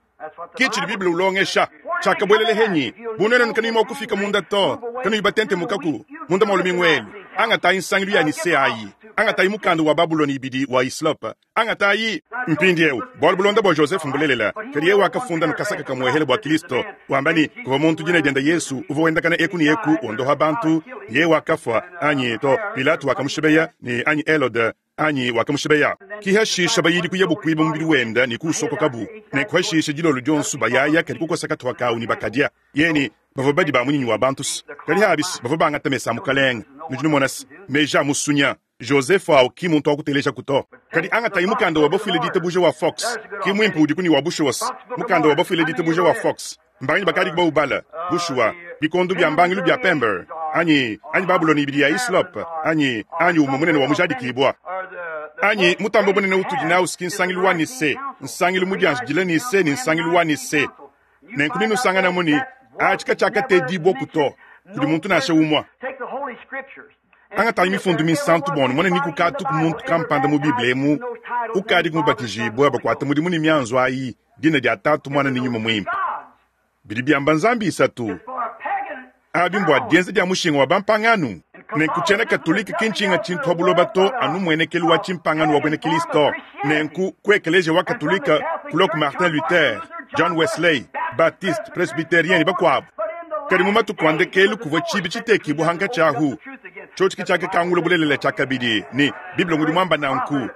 Ki cidi Bible ulongesha. Cyakabwelela henyi, bu nwenu kanuyi mwa kufika munda to, kanuyi batentemukaku munda mwa lumingu elu. Angatayi nsangilu ya Nicee ayi. Angatayi mukanda wa Babulone ibidi wa Hislop. Angatayi mpindiewu bualu bulonda bua Joseph mbulelela, kadi yeye wakafunda nu kasaka kamuehele bua Kilisto, wamba ne kuvua muntu dina dienda Yesu uvua wendakana eku ne eku wondoha bantu, ne yeye wakafua, anyi to, Pilato wakamushibeya, ne anyi Helode, anyi wakamushibeya. Ki hashisha bayidi kuyabu kuiba mubidi wenda ne kuusokokabu, ne kuhashisha dilolo dionso bayaya kadi kukosa katuha kawu ne bakadia. Yeye ne bavua badi ba munyinyi wa bantu, kadi habis bavua bangata mesa a Mukalenge. Nudi numona se meji a musunya. Joseph au ki muntu wa kutelejaku to. Kadi angatayi mukanda wa bafuile ditabuja wa Fox, ki muimpe udiku ne wa bushuwa. Mukanda wa bafuile ditabuja wa Fox. Mbanganyi bakadiku baubala? Bushuwa, bikondo bia mbangilu bia Pember, anyi, anyi Babulona ibidi ya Hislop, anyi, anyi umue munene wa mujadikibua, anyi mutambe bunene utudi nawu ki nsangilu wa Nicee, nsangilu mudianjidila Nicee ne nsangilu wa Nicee. Nenku nenusanganamu ne, atshi katshiakatedibuaku to kudi muntu nansha umue. Angatayi Mifundu Minsantu bua numone ni kukatuku muntu kampanda mu Bible emu ukadiku mubatijibue bakuate mudimu ne mianzu ayi, dina dia Tatu, Muana ne Nyuma Muimpe. Bidi biamba Nzambi isatu. Abi mbua dienza dia mushinga wa bampangano. Nenku tshiena Katolike ki ntshinga tshintu pa buloba to anu mmuenekelu wa tshimpangano wa buena Kristo. Nenku ku Ekeleziya wa Katolike kulua ku Martin Luther, John Wesley, Baptiste, Presbyterien ne bakuabu. Kadi mu matuku a ndekelu kuvua tshibi tshitekibua hankatshi ahu, tshiotshi ke tshiakakangula bulelela tshiakabidi ne, Bible ngudi muamba nanku, ne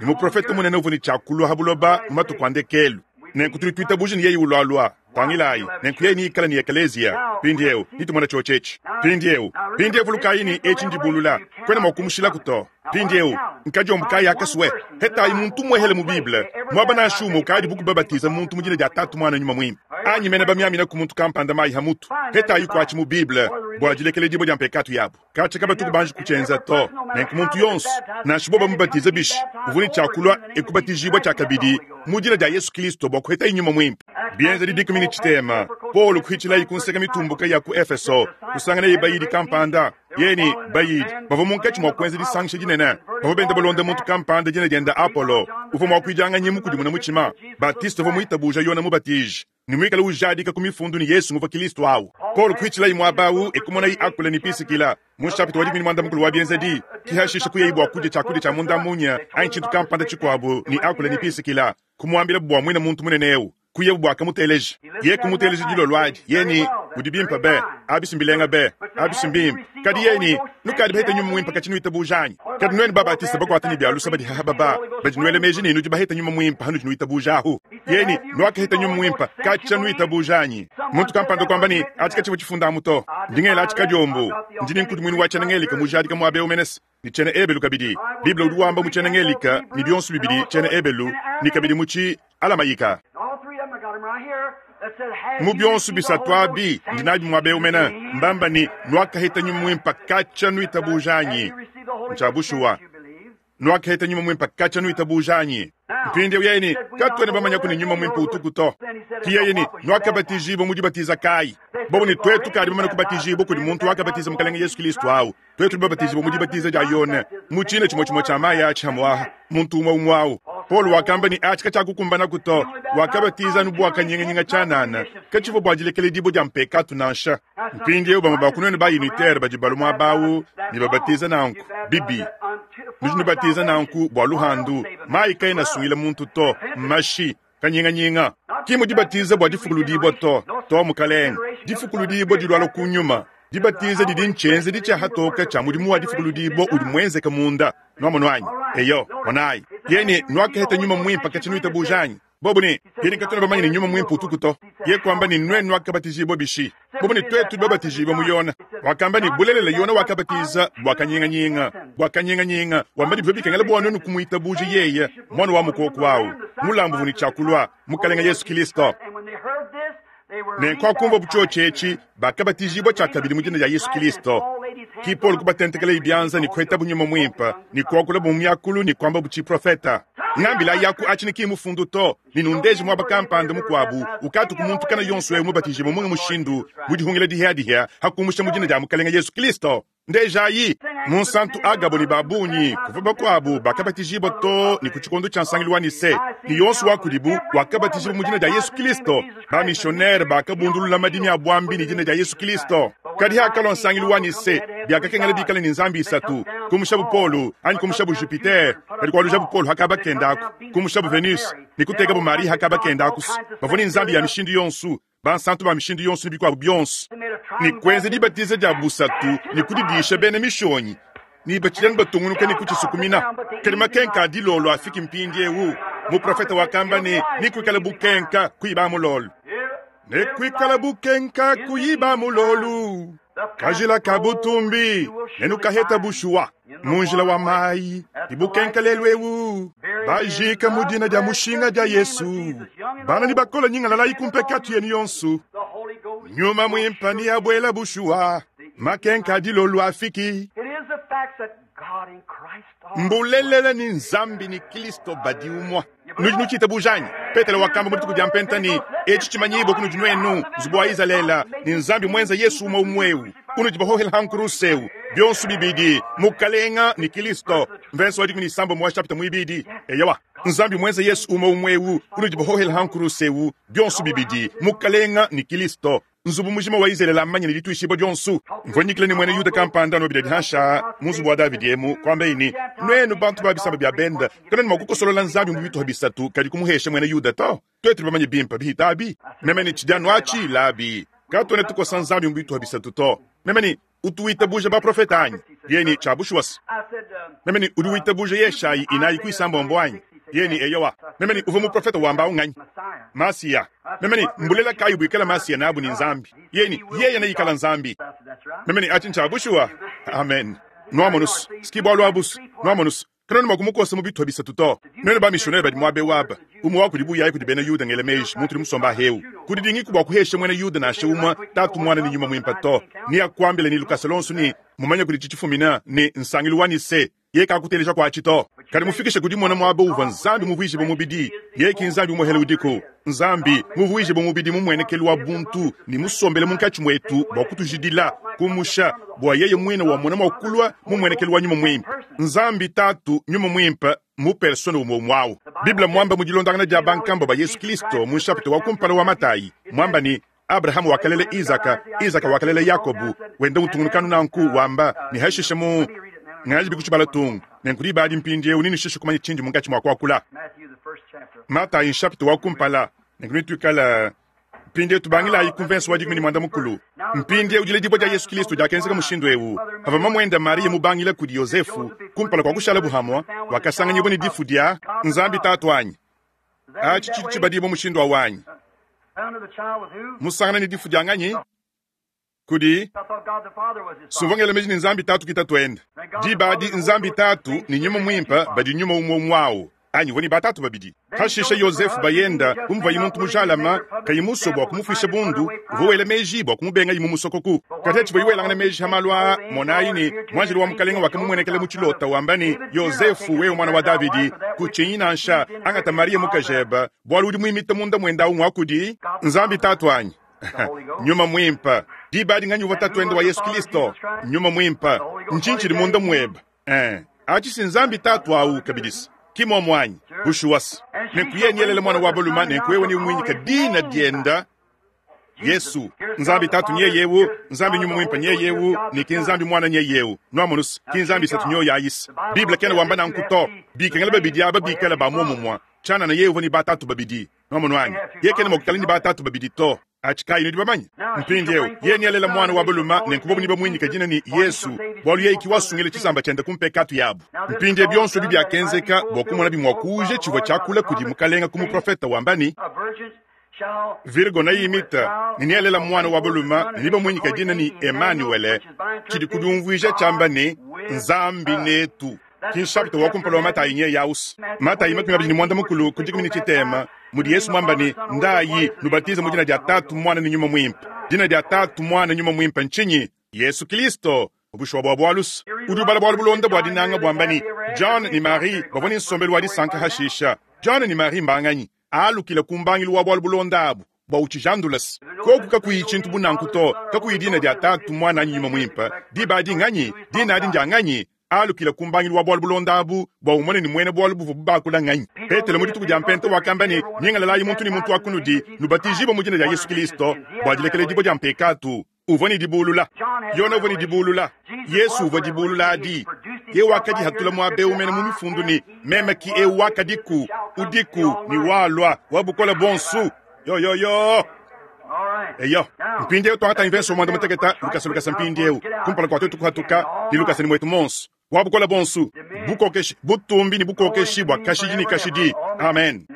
muprofete munene uvua ne tshia kulua ha buloba mu matuku a ndekelu. Nenku tudi tuitabuja ne yeye ulualua. Tangilayi, nenku yeye neikale ne ekeleziya. Mpindyewu, netumone cyoci eci. Mpindyewu, mpindyewu vulukaayi ne eci ndibulula. Kwena mwa kumushilaku to. Mpindyewu, nkadyombo kaayi akaswe. Hetaayi muntu mwehele mu Bible, mwaba nansha umwe ukaadi bu kubabatiza muntu mu dina dya Taatu, Mwana, Nyuma Mwimpe, anyi mene bamyamina ku muntu kampanda mayi ha mutu. Hetaayi kwaci mu Bible bwa dilekelediibwa dya mpekaatu yabo. Kaci kabatuku banji kucyenza to. Nenku muntu yonso, nansha bobo bamubatiza bishi, uvwa ne cya kulwa e kubatijiibwa cyakabidi mu dina dya Yesu Kilisto bwa kuhetayi Nyuma Mwimpe. Byenzedi dikumi ne citeema, Polo kuhicilayi ku nseka mitumbuka ya ku Efeso, kusanganaye bayidi kampanda. Yeye ne bayidi bavua munkatshi mua kuenza disangisha dinene. Bavua benda balonda muntu kampanda dina diende Apolo, uvua muakuidianganyi mukudimuna mutshima. Batiste uvua muitabuja Yone Mubatiji ne muikale ujadika ku Mifundu ne, Yesu nguvua Kilisto au. Paulo kuhitshilayi muaba au e kumonayi Akula ne Pisikila. Mu nshapita wa 18 wa Bienzedi, ki hashishe kuyayi bua kudia tshiakudia tshia munda munya anyi tshintu kampanda tshikuabu ne Akula ne Pisikila, kumuambilabu bua muine muntu munene eu. Kuyabu bua kamuteleja. Yeye kumuteleja dilolo adi. Yeye ne, Udi bimpe be. Abi mbilenga be. Abi mbimpe. Kadi yeye ne, Nukadi bahete nyuma muimpe katshi nuitabuja anyi? Kadi nuenu Babatiste bakuate ne bia lusa badi haha baba, badi nuela meji ne nudi bahete nyuma muimpe hanudi nuitabuja ahu. Yeye ne, Nuakaheta nyuma muimpe katshia nuitabuja anyi? Muntu kampanda kuamba ne, Atshi katshivua tshifunda amu to. Ndi ngela atshi kadiombo. Ndi ne nkudimuinu wa tshiena-Ngelika mujadika muaba eu menese, ne tshiena-Ebelu kabidi. Bible udi wamba mu tshiena-Ngelika ne bionso bibidi tshiena-Ebelu ne kabidi mu tshi-Alamayika. Mu bionso bisatu abi, ndi nabi muaba eu mene, mbamba ne, Nuakaheta Nyuma Muimpe katshia nuitabuja anyi? Ntshia bushuwa. Nuakaheta Nyuma Muimpe katshia nuitabuja anyi? Mpindieu yeye ne, Katuena bamanyaku ne Nyuma Muimpe utuku to. Ki yeye ne, Nuakabatijibua mu dibatiza kayi? Bobo ne, Tuetu kadi bamane kubatijibua kudi muntu wakabatiza Mukalenge Yesu Kilisto au. Tuetu tudi babatijibua mu dibatiza dia Yone, mu tshina tshimue tshimue tshia mayi atshi hamuaha, muntu umue umue au. Paulo wakamba ne, Atshi katshiakukumbanaku to. Wakabatiza anu bua kanyinganyinga tshianana, katshivua bua dilekeledibua dia mpekatu nansha. Mpindieu bamue ba ku nuenu ba-unitaire badi balua muaba au ne babatiza nanku, bibi. Nudi nubatiza nanku bua luhandu. Mayi kaena asungila muntu to, mmashi. Kanyinganyinga. Ki mu dibatiza bua difukuludibua to, to mukalenge. Difukuludibua dilualua ku nyuma. Dibatiza didi ntshienzedi tshia hatoka tshia mudimu wa difukuludibua udi muenzeke munda. Nuamonu anyi? Eyo, monayi. Yeye ne, Nuakaheta Nyuma Muimpe katshia nuitabuja anyi? Bobo ne, Yeye ne, Katuena bamanye ne Nyuma Muimpe utuku to. Yeye kuamba ne, Nuenu nuakabatijibua bishi? Bobo ne, Tuetu tudi babatijibue mu Yone. Wakamba ne, Bulelela, Yone wakabatiza bua kanyinganyinga, bua kanyinganyinga, wamba ne, bivua bikengela bua nuenu kumuitabuja yeye, Muana wa mukoko au, mulambu uvua ne tshia kulua, Mukalenge Yesu Kilisto. Nenku hakumvuabu tshiotshi etshi, bakabatijibua tshiakabidi mu dina dia Yesu Kilisto. Ki Paulo kubatentekelaye bianza ne kuhetabu Nyuma Muimpe, ne kuakulabu mu miakulu ne kuambabu tshiprofeta. Ngambilayi aku atshi ne ki mmufundu to, ne nundeje muaba kampanda mukuabu ukatuku muntu kana yonso eu mubatijibue munga mushindu mu dihungila dihiadihia ha kumusha mu dina dia Mukalenge Yesu Kilisto. Ndejayi! Munsantu Agabo ne ba bungi kuvua bakuabu bakabatijibua too ne ku tshikondo tshia nsangilu wa Nicee, ne yonso wa kudibu wakabatijibua mu dina dia Yesu Kilisto. Ba-misionere bakabundulula madimi a buambi ne dina dia Yesu Kilisto. Kadi hakalua nsangilu wa Nicee, biakakengela bikale ne nzambi isatu, kumushabu Paulo anyi kumushabu Jupiter, kadi kualujabu Paulo ha kaba kende aku, kumushabu Venus ne kutekabu Marie ha kaba kende aku. Bavua ne nzambi ya mishindu yonso, bansantu ba mishindu yonso ne bikuabu bionso, ne kuenza dibatiza dia busatu ne kudidisha bena mishonyi, ne batshidi anu batungunuka ne kutshisukumina. Kadi makenka a dilolo afiki mpindieu. Muprofete wakamba ne, Nekuikale bukenka kuiba mulolo. Nekuikale bukenka kuiba mulolu. Kajila ka butumbi nenukaheta bushuwa mu njila wa mayi ne bukenka lelu eu. Bajika mu dina dia mushinga dia Yesu. Bana ne bakola nyingalalayi ku mpekatu yenu yonso. Nyuma Muimpe neabuela bushuwa. Makenka a dilolo afiki. Mbulelela ne Nzambi ne Kilisto badi umue. Nudi nutshitabuja anyi? Petelo wakamba mu dituku dia Mpenta ne, Etshi tshimanyibue kunudi nuenu, nzubu wa Izalele, ne Nzambi muenza Yesu umue umue eu, unudi bahohela ha nkuruse eu, bionso bibidi, Mukalenga ne Kilisto. Mvense wa 11 wa shapita muibidi. Eyowa, Nzambi muenza Yesu umue umue eu, unudi bahohela ha nkuruse eu, bionso bibidi, Mukalenga ne Kilisto. Nzubu mujima wa Izalele amanye ne dituishibua dionso. Mvua nyikila ne muena Yuda kampanda anu bidadi hansha mu nzubu wa Davidi emu, kuambaye ne, Nuenu bantu ba bisamba bia bende, kanuena mua kukosolola Nzambi mu bituha bisatu, kadi kumuhesha muena Yuda to. Tuetu tudi bamanye bimpe bihita abi. Meme ne, Tshidi anu atshi, Labi. Katuena tukosa Nzambi mu bituha bisatu to. Meme ne, Utu witabuja baprofete anyi? Yeye ne, Tshia bushuwa se. Meme ne, Udi witabuja Yeshayi inayi ku isambombo anyi? Yeye ne, Eyowa. Meme ne, Uvua muprofete wamba awu nganyi? Masiya. Meme ne, Mbulela kayi buikala Masiya nabu ne Nzambi? Yeye ne, Yeye neikala Nzambi. Meme ne, Aci ncya bushuwa. Amen. Nwamonu's, s'ki bwalu abu's. Nwamonu's, kanuena mwa kumukosa mu bitupa bisatu to. Nwenu ba-missionnaire badi mwaba ewu aba, umwe wa kudibu uyayi kudi bena Yuda ngela meeji, muntu udi musomba ahewu. Kudidingiku bwa kuhesha mwena Yuda nansha umwe Taatu, Mwana, ne Nyuma Mwimpe to. Neakwambile ne lukasa lwonso ne, mmumanye kudi cicifumina, ne nsangilu wa Nicee. Yeye kakuteleja ku aci to. Kadi mufikishe ku dimona muaba uvua Nzambi muvuijibue mubidi. Yeye ki Nzambi umuehele udiku. Nzambi, muvuijibue mubidi mu muenekelu wa buntu ne musombele munkatshi muetu bua kutujidila, kumusha, bua yeye muine wamona mua kulua mu muenekelu wa Nyuma Muimpe. Nzambi Tatu, Nyuma Muimpe, mu persona umue umue au. Bible muamba mu dilondangana dia bankambua ba Yesu Kristo mu nshapita wa kumpala wa Matayi, muamba ne, Abrahama wakalela Izaka, Izaka wakalela Yakobu, wenda utungunuka anu nanku, wamba ne hashishe mu ngaji bikutshibala tung nenku diba adi mpindieu nenushishe kumanya tshindi munkatshi mua kuakula. Matayi nshapita wa kumpala, nenku netuikala mpindieu tubangilayi ku mvense wa 13. Mpindieu diledibua dia Yesu Kristo diakenzeka mushindu eu. Pavua mamuende Mariya mubangila kudi Yosefu, kumpala kua kushalabu hamue, wakasanganyibua ne difu dia Nzambi Tatu anyi? Atshi tshidi tshibadibua mushindu awu anyi? Musangana ne difu dia nganyi? Kudi sumvua ngela meji ne Nzambi Tatu ki Tatuende. Diba adi Nzambi Tatu ne Nyuma Muimpe badi nyuma umue umue awu anyi? Uvua ne batatu babidi. Pashishe Yozefu bayenda, bu muvuaye muntu mujalame, kayi musue bua kumufuisha bundu, uvua wela meji bua kumubengaye mu musokoku. Kadi hatshivuaye welangana meji ha malu aa, monai ne, muanjelo wa Mukelenge wakamumuenekela mu tshilota, wamba ne, Yozefu, wewe muana wa Davidi, kutshinyi nansha, angata Mariya mukajebe, bualu udi muimite munda muende au ngua kudi Nzambi Tatu anyi? Nyuma Muimpe. Diba adi nganyi uvua Tatuende wa Yesu Kilisto? Nyuma Muimpe. Ntshinyi tshidi munda muebe? Eh, atshi si Nzambi Tatu au kabidis, ki muomu anyi? Bushuwa-s. Nenku yeye nealele muana wa balume, nenku wewe neumuinyike dina diende Yesu. Nzambi Tatu nyeye eu, Nzambi Nyuma Muimpe nyeye eu, ne ki Nzambi Muana nyeye eu. Nuamonus, ki Nzambi isatu nyoyi ayis. Bible kena wamba nanku to. Bikengela babidi aba bikale ba muomumue. Tshianana yeye uvua ne batatu babidi. Nuamonu anyi? Yeye kena mua kuikala ne batatu babidi to. Atshi kayi nudi bamanye? Mpindieu, yeye nealela muana wa balume, nenku bobu nebamuinyike dina ne, Yesu, bualu yeye ki wasungila tshisamba tshiende ku mpekatu yabu. Mpindieu bionso ebi biakenzeka bua kumonabi mua kuuja tshivua tshiakula kudi Mukalenge ku muprofete wamba ne, Virgo neimite ne nealela muana wa balume ne nebamuinyike dina ne, Emanuele, tshidi ku diumvuija tshiamba ne, Nzambi netu. Ki nshapita wa kumpala wa Matayi nyeye aus. Matayi 25 ku dikumi ne tshitema, mudi Yesu muamba ne, Ndayi, nubatize mu dina dia Tatu, Muana ne Nyuma Muimpe. Dina dia Tatu, Muana, Nyuma Muimpe ntshinyi? Yesu Kilisto. Bushuwa bua bualu's, udi ubala bualu bulonda bua dinanga buamba ne, John ne Mary bavua ne nsombelu wa disanka hashisha. John ne Mary mbanganyi? Alukila ku mbangilu wa bualu bulonda abu bua utshijandula's. Koku kakuyi tshintu bu nanku to, kakuyi dina dia Tatu, Muana anyi Nyuma Muimpe, diba adi nganyi? Dina adi ndia nganyi? Alukila ku mbangilu wa bualu bulonda abu bua umone ne muena bualu buvuabu bakula nganyi. Petelo mu dituku dia Mpenta wakamba ne, Nyingalalayi muntu ne muntu wa kunudi, nubatijibue mu dina dia Yesu Kilisto bua dilekeledibua dia mpekatu. Uvua ne dibuulula. Yona uvua ne dibuulula. Yesu uvua dibuulula adi. Yeye wakadihatula muaba eu mene mu mifundu ne, Meme ki eu wakadiku, udiku, ne walua, wa bukole buonso. Yo, yo, yo! Eyo, mpindieu tuangatayi mvenso wa muanda mutekete lukasa lukasa mpindieu, kumpala kua tuetu kuhatuka ne lukasa ne muetu muonso. Wa bukole buonso, bukokeshi, butumbi ne bukokeshi bua kashidi ne kashidi. Amen.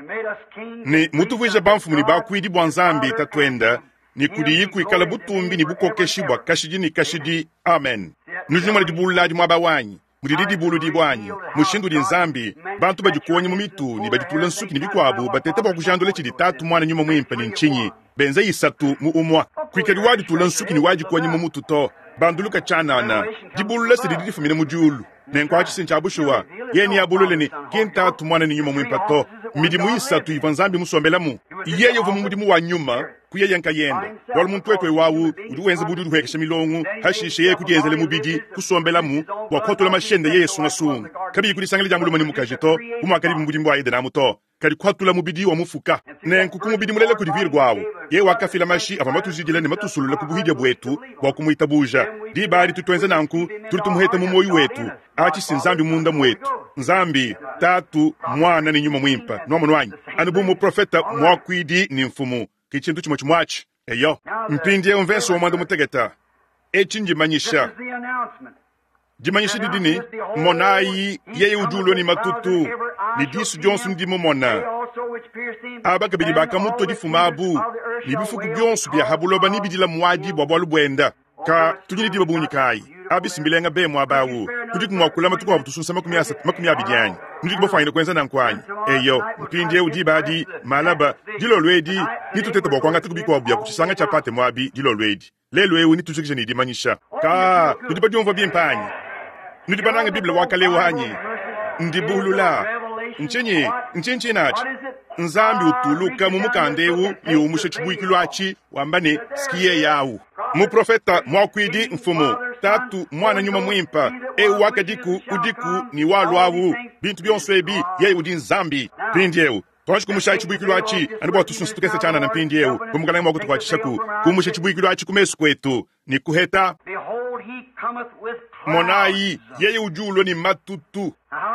Ne mutuvuije bamfumu ne bakuidi bua Nzambi Tatuende, ne kudiyi kuikala butumbi ne bukokeshi bua kashidi ne kashidi. Amen. Nudi numona dibulula adi muaba wanyi, mudidi dibuludibua anyi? Mushindu udi Nzambi, bantu badikuonye mu mitu ne baditula nsuki ne bikuabu, bateta bua kujandula tshidi Tatu, Muana, Nyuma Muimpe ne ntshinyi, benza isatu mu umua. Kuikadi waditula nsuki ne wadikuonye mu mutu to. Banduluka tshianana. Dibulula se didi difumina mu diulu. Nenku atshi se ntshia bushuwa. Yeye neabulule ne, ki n'Tatu, Muana ne Nyuma Muimpe to. Mmidimu isatu ivua Nzambi musombelamu. Yeye uvua mu mudimu wa Nyuma ku yeye nkayende, bualu muntu wetu eu au udi wenza bu udi udihuekesha milongo, hashishe yeye kudienzela mubidi, kusombelamu bua kuhatula mashi ende yeye sungasunga, kabiyi ku disangila dia mulume ne mukaji to, bu muakadibi mu mudimu wa Edene amu to, kadi kuhatula mubidi wa mufuka. Nenku ku mubidi mulela kudi Virgo au, yeye wakafila mashi avua matujidile ne matusulule ku buhidia buetu bua kumuitabuja. Diba adi tutuenza nanku, tudi tumuheta mu muoyo wetu. Atshi si Nzambi munda muetu, Nzambi, Tatu, Muana ne Nyuma Muimpe. Nuamonu anyi? Anu bu muprofete, muakuidi ne mfumu, ke tshintu tshimue tshimue atshi. Eyo. Mpindieu mvese wa muanda mutekete. Etshi ndimanyisha. Dimanyisha didi ne, Monayi, yeye udi ulua ne matutu, ne disu dionso ndimumona. Aba kabidi bakamutua difuma abu, ne bifuku bionso bia ha buloba nebidila muadi bua bualu buenda. Ka tudi ne diba bungi kayi? Abi mbilenga be muaba awu. Tudiku mua kulama tukuabu tusunsa 30, anyi? Nudiku bafuanyine kuenza nanku anyi? Eyo, mpindieu diba adi, malaba, dilolo edi, netutete bua kuangataku bikuabu bia ku tshisanga tshia Patemo abi dilolo edi. Lelu eu netujikije ne dimanyisha. Ka nudi badiumvua bimpe anyi? Nudi banange Bible wa kale eu anyi? Ndibulula. Ntshinyi? Ntshinyi tshinatshi? Nzambi utuluka mu mukanda eu ne umusha tshibuikilu atshi, wamba ne, Ski yeye au. Muprofeta, muakuidi, mfumu, Tatu, Muana, Nyuma Muimpe, eu wakadiku, udiku, ne waluawu, bintu bionso ebi, yeye udi Nzambi. Mpindieu, tuanji kumushayi tshibuikilu atshi, anu bua tusunsa tukese tshianana mpindieu, bu Mukalenge mua kutukuatshishaku, kumusha tshibuikilu atshi ku mesu kuetu, ne kuheta. Monayi, yeye udi ulua ne matutu.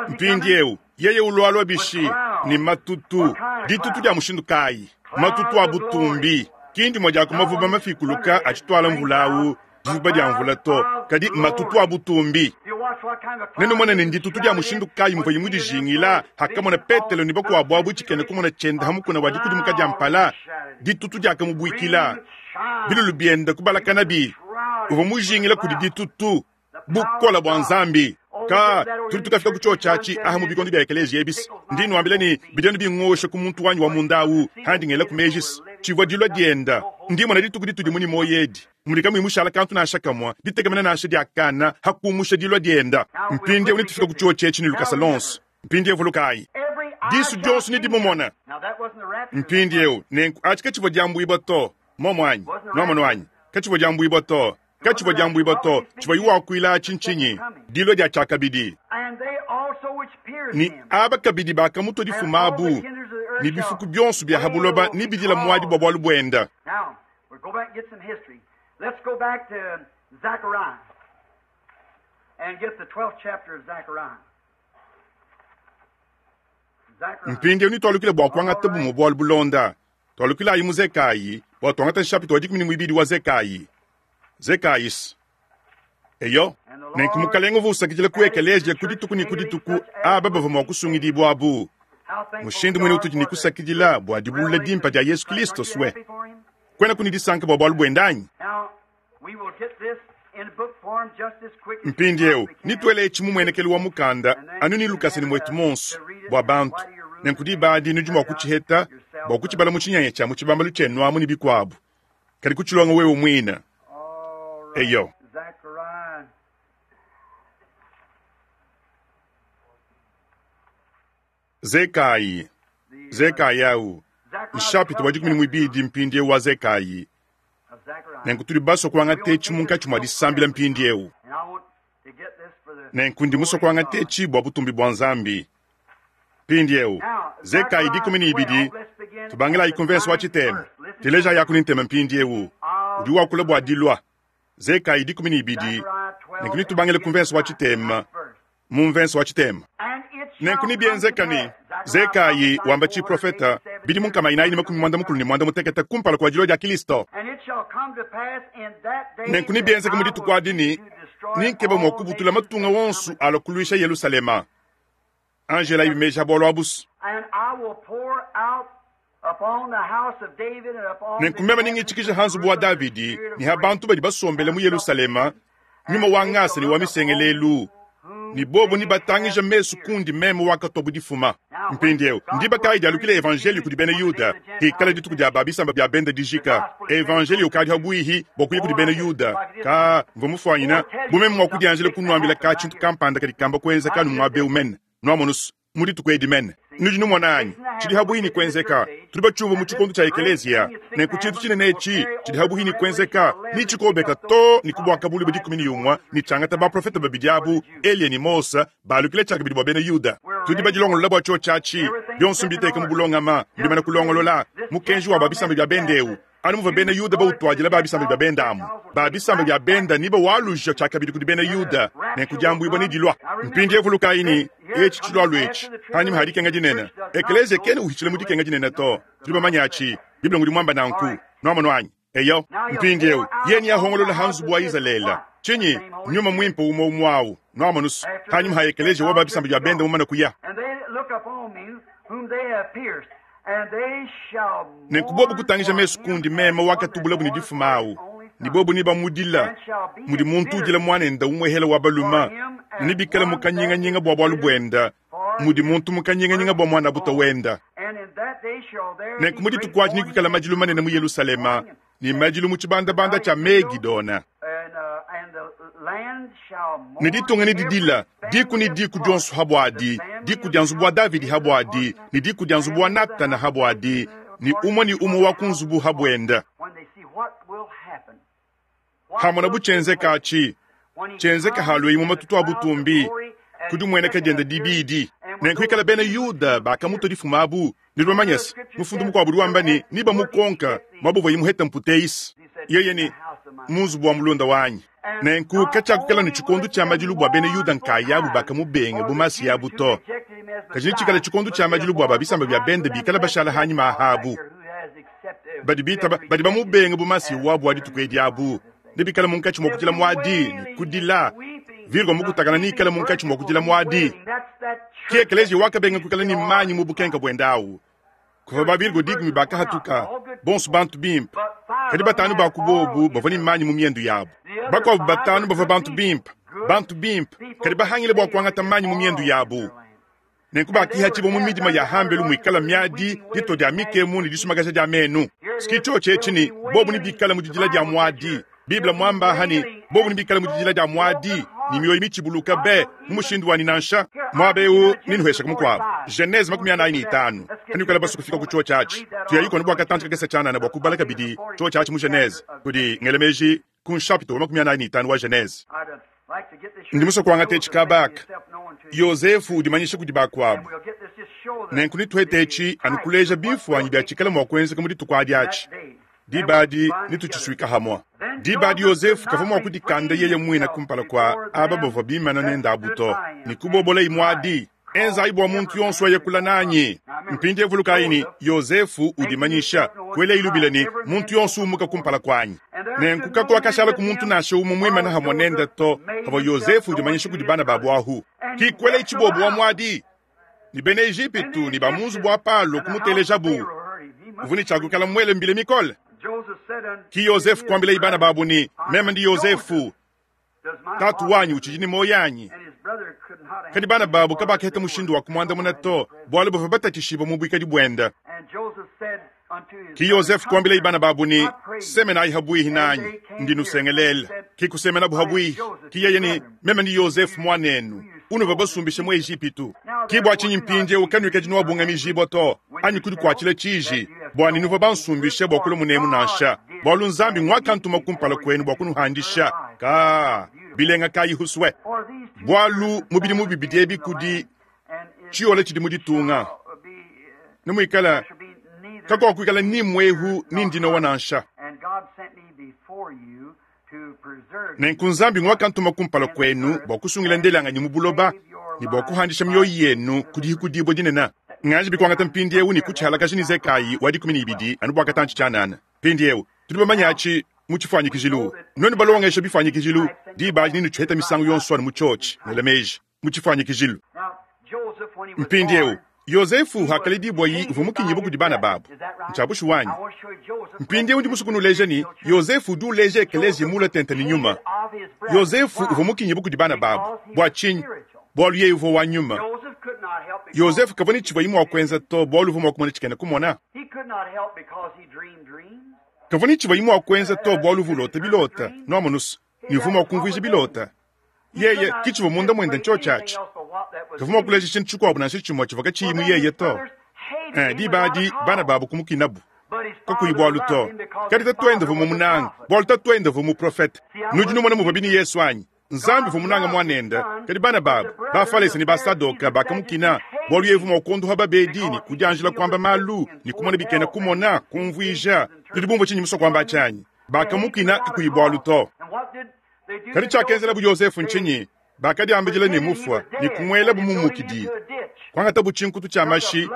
Mpindieu, yeye ulualua bishi? Ne matutu. Ditutu dia mushindu kayi? Matutu a butumbi. Ki ndimue dia ku mavuba mafikuluka atshituala mvula au, divuba dia mvula to, kadi matutu a butumbi. Nenumone ne nditutu dia mushindu kayi muvuaye mudijingila hakamona Petelo ne bakuabu abu tshikena kumona tshiende ha mukuna wa dikudimuka dia mpala, ditutu diakamubuikila, bilulu biende kubalakanabi. Uvua mujingila kudi ditutu, bukole bua Nzambi. Ka tudi tukafika ku tshiotshi atshi aha mu bikondo bia ekeleziya ebis. Ndi nuambila ne bidi anu bingosha ku muntu wanyi wa munda awu handi ngela ku mejis tshivua dilua dienda. Ndi mona dituku ditudi mu ne muoyo edi mudi kamuyi mushala kantu nansha kamua, ditekemena nansha dia kana ha kumusha dilua dienda. Mpindieu netufika ku tshiotshi etshi ne lukasa lonso. Mpindieu vulukayi, disu dionso nedimumona. Mpindieu nenku atshi katshivua diambuibua to, momo anyi? Nuamonu anyi? Katshivua diambuibua to. Katshivua diambuibua to. Tshivua wakuila atshi ntshinyi? Dilua dia tshiakabidi. Ne aba kabidi bakamutua difuma abu, ne bifuku bionso bia ha buloba nebidila muadi bua bualu buenda. Now, we'll go back and get some history. Let's go back to Zechariah and get the 12th chapter of Zechariah. Zechariah. Mpindieu nitualukile bua kuangata bumue bualu bulonda. Tualukilayi mu Zekayi bua tuangata nshapita wa 12 wa Zekayi. Zekayis. Eyo, nenku Mukalenge uvua usakidila ku ekeleziya ku dituku ne ku dituku aba bavua mua kusungidibua abu. How thankful Mushindu we muine are utudi for ne the kusakidila bua dibulula revelation dimpa of dia Yesu Jesus Christ. Kristo Aren't you swe. happy for him? Kwena kuni disanka bua bualu buenda anyi? Now, we will get this in book form just as quick as we Mpindieu possibly can. nituele etshi mu muenekelu wa mukanda anu ne lukasa ne muetu monso bua bantu. Nenku diba adi nudi mua kutshiheta bua kutshibala mu tshinyanya tshia mu tshibambalu tshienu amu ne bikuabu, kadi kutshilonga wewe muine. All right. Eyo. Zechariah. Zekayi, The, Zekayi au Zechariah, nshapita wa 12th 12 mpindieu wa Zekayi. of Zechariah. Nenku tudi basue kuangata etshi munkatshi mua disambila mpindieu. And I want to get this for the Nenku ndi musue glory of kuangata God. etshi bua butumbi bua Nzambi. Mpindieu Zekayi 12 tubangilayi ku mvenso wa tshitema. Teleja yaku ni ntema mpindieu udi wakula bua dilua. Zekayi 12 nenku nitubangile ku mvenso wa tshitema, mu mvenso wa tshitema. Nenku nibienzeka ne Zekayi wamba tshiprofeta bidi mu nkama inayi ne makumi muanda mukulu ne muanda mutekete kumpala kua dilua dia Kristo. Nenku nibienzeke mu dituku adi ne ninkeba mua kubutula matunga wonso alua kuluisha Yerusalema. Angela ibimeja bualu abusu. Nenku meme ningitshikija ha nzubu wa Davidi ne ha bantu badi basombele mu Yerusalema nyuma wa ngasa ne wa misengelelu, ne bobo ni batangija mesu kundi meme wakatwa bu difuma. Mpindieu ndiba kayi dialukile evanjeliyo kudi bena Yuda, hikala dituku dia ba bisamba bia benda dijika. Evanjeliyo ukadi habuihi bua kuya kudi bena Yuda. Ka mvua mufuanyina bu meme mua kudianjila kunuambila ka tshintu kampanda kadi kamba kuenza kanu muaba eu mene. Nuamonusu mu dituku edi mene. Nudi numona anyi tshidi habuihi ni kuenzeka. Tudi batshiumvua mu tshikondo tshia ekeleziya. Nenku tshintu tshinene etshi tshidi habuihi ni kuenzeka, ni tshikobeka to ni kubuaka bulu budi 11 ni tshiangata baprofeta babidi abu Eliya ne Mose balukile tshiakabidi bua bena Yuda. Tudi badilongolola bua tshiotshi atshi, bionso mbiteka mu bulongama, mbimana kulongolola mukenji wa ba bisamba bia benda eu. Anu muvua bena Yuda bautuadila ba bisamba bia benda amu, ba bisamba bia benda ni bawaluja tshiakabidi kudi bena Yuda, nenku diambuibua ne dilua. Mpindieu vulukayi ne etshi tshilualu etshi hanyima ha dikenga dinene. Ekeleziya kena uhitshila mu dikenga dinene to. Tudi bamanye atshi, Bible ngudi muamba nanku. Nuamonu anyi? Eyo, mpindiewu, yeye neahongolola ha nzubu wa Izalele. Tshinyi? Nyuma Mwimpe umwe umwe awu, nwamonusu, hanyuma ha ekeleziya wa ba bisamba bya bende mumane kuya. Nenku bobu kutangija mesu kundi meme wakatubulabu ne difuma awu, ne bobu nebamudila mudi muntu udila muanende umuehela wa balume, ne nebikale mu kanyinganyinga bua bualu buende mudi muntu mu kanyinganyinga bua muanabuta wenda. Nenku mu dituku adi nekuikale madilu manene mu Yelushalema ne madilu mu tshibandabanda tshia Megidona. Ne ditunga nedidila, diku ne diku dionso ha buadi, diku dia nzubu wa Davidi ha buadi, ne diku dia nzubu wa Natana ha buadi, ne umue ne umue wa ku nzubu ha buenda. Hamonabu tshienzeka atshi, tshienzeka halueyi mu matutu a butumbi, ku dimueneka diende dibidi. Nenku ikala bena Yuda bakamutua difuma abu, nudi bamanye se, mufundu mukuabu udi wamba ne, nebamukonka muaba uvuaye muhete mputeisi. Yeye ne, Mu nzubu wa mulunda wanyi. Nenku katshiakukala ne tshikondo tshia madilu bua bena Yuda nkayabu bakamubenga bu Masiya abu to. Kadi netshikale tshikondo tshia madilu bua ba bisamba bia bende bikale bashala hanyima aha abu. Badi bitaba, badi bamubenga bu Masiya wabu wa dituku edi abu, nebikale munkatshi mua kudila muadi ne kudila. Virgo mukutakana neikale munkatshi mua kudila muadi. Ke ekeleziya wakabenga kuikala ne manyi mu bukenka buende awu. Kuvua ba Virgo dikumi bakahatuka, bonso bantu bimpe, kadi batanu ba ku bobu bavua ne manyi mu miendu yabu. Bakuabu batanu bavua bantu bimpe, bantu bimpe, kadi bahangile bua kuangata manyi mu miendu yabu. Nenku bakihatshibua mu midima ya hambelu muikala miadi, ditua dia mikemu ne disumakaja dia menu. Ski tshiotshi etshi ne, bobu nebikale mu didila dia muadi. Bible muamba aha ne, bobu nebikale mu didila dia muadi ne mioyo mitshibuluka be mu mushindu wa ne nansha muaba eu nenuheshaku mukuabu. Genese 45, Kanuikala basue kufika ku tshiotshi atshi, tuyayi konu bua katantshi kakese tshianana bua kubala kabidi tshiotshi atshi mu Genese, kudi ngela meji ku nshapita wa 45 wa Genese. Ndi musue kuangata etshi kaba aka, Yozefu udimanyisha kudi bakuabu. Nenku netuhete etshi anu kuleja bimfuanyi bia tshikala mua kuenzeka mu dituku adi atshi. Diba adi netutshisuika hamua. Diba adi Yozefu kavua mua kudikanda yeye muine kumpala kua aba bavua bimana nende abu to, ne kubobolayi muadi, Enzayi bua muntu yonso aye kula nanyi. Mpindieu vulukayi ne, Yozefu udimanyisha, kuelayi lubila ne, Muntu yonso umuka kumpala kuanyi. Nenku kakuakashalaku muntu nansha umue muimane hamua nende to, pavua Yozefu udimanyisha kudi bana babu ahu. Ki kuelayi tshibobo wa muadi, ne bena Ejipitu ne ba mu nzubu wa Palo kumutelejabu. Uvua ne tshia kuikala muele mbila mikole. Ki Yozefu kuambilayi bana babu ne, Meme ndi Yozefu, tatu wanyi utshidi ne muoyo anyi? Kadi bana babu kabakaheta mushindu wa kumuandamuna to, bualu bavua batatshishibue mu buikadi buende. Ki Yozefu kuambilayi bana babu ne, Semenayi habuihi nanyi, ndi nusengelela. Ki kusemenabu habuihi. Ki yeye ne, Meme ndi Yozefu muanenu, unuvua basumbishe mu Ejipitu. Ki bua tshinyi mpindieu kanuikadi nuabungamijibua to, anyi kudikuatshila tshiji, bua ne nuvua bansumbishe bua kulua munemu nansha, bualu Nzambi nguakantuma kumpala kuenu bua kunuhandisha. Ka bilenga kayi husue? Bualu mu bidimu bibidi ebi kudi tshiyola tshidi mu ditunga, ne muikala kakuakuikala ni muehu ni ndinowa nansha. Nenku Nzambi nguakantuma kumpala kuenu bua kusungila ndelanganyi mu buloba ne bua kuhandisha mioyo yenu ku dihikudibua dinene. Nganji bikuangata mpindieu ne kutshihalakaja ne Zekayi wa 12 anu bua katantshi tshianana. Mpindieu tudi bamanye atshi mu tshifuanyikijilu. Nuenu balongesha bifuanyikijilu, diba adi nenutshiheta misangu yonso anu mu tshiotshi, nuela meji mu tshifuanyikijilu. Mpindieu Yozefu hakaledibua-yi uvua mukinyibue kudi bana babu. Ntshia bushuwa anyi? Mpindieu ndi musue kunuleja ne, Yozefu udi uleja ekeleziya muule tente ne nyuma. Yozefu uvua mukinyibue kudi bana babu. Bua tshinyi? Bualu yeye uvua wa nyuma. Yozefu kavua ne tshivuaye mua kuenza to, bualu uvua mua kumona tshikena kumona. Kavua ne tshivuaye mua kuenza to, bualu uvua ulota bilota, nuamonu's, ne uvua mua kumvuija bilota. Yeye, ki tshivua munda muende ntshiotshi atshi. Kavua mua kuleja tshintu tshikuabu nansha tshimue tshivua katshiyi mu yeye to. Eh, diba adi bana babu kumukinabu kakuyi bualu to. Kadi tatuende uvua mumunange, bualu tatuende uvua muprofete. Nudi numona muvua bini Yesu anyi? Nzambi uvua munange muanende, kadi bana babu, Bafalese ne Basadoka bakamukina, bualu yeye uvua mua kuondoha babedi ne kudianjila kuamba malu ne kumona bikena kumona, kumvuija. Nudi bumvue tshindi musue kuamba atshi anyi? Bakamukina kakuyi bualu to. Kadi tshiakenzelabu Yozefu ntshinyi? Bakadiambidila ne mufua ne kumuelabu mu mukidi. Kuangatabu tshinkutu tshia mashi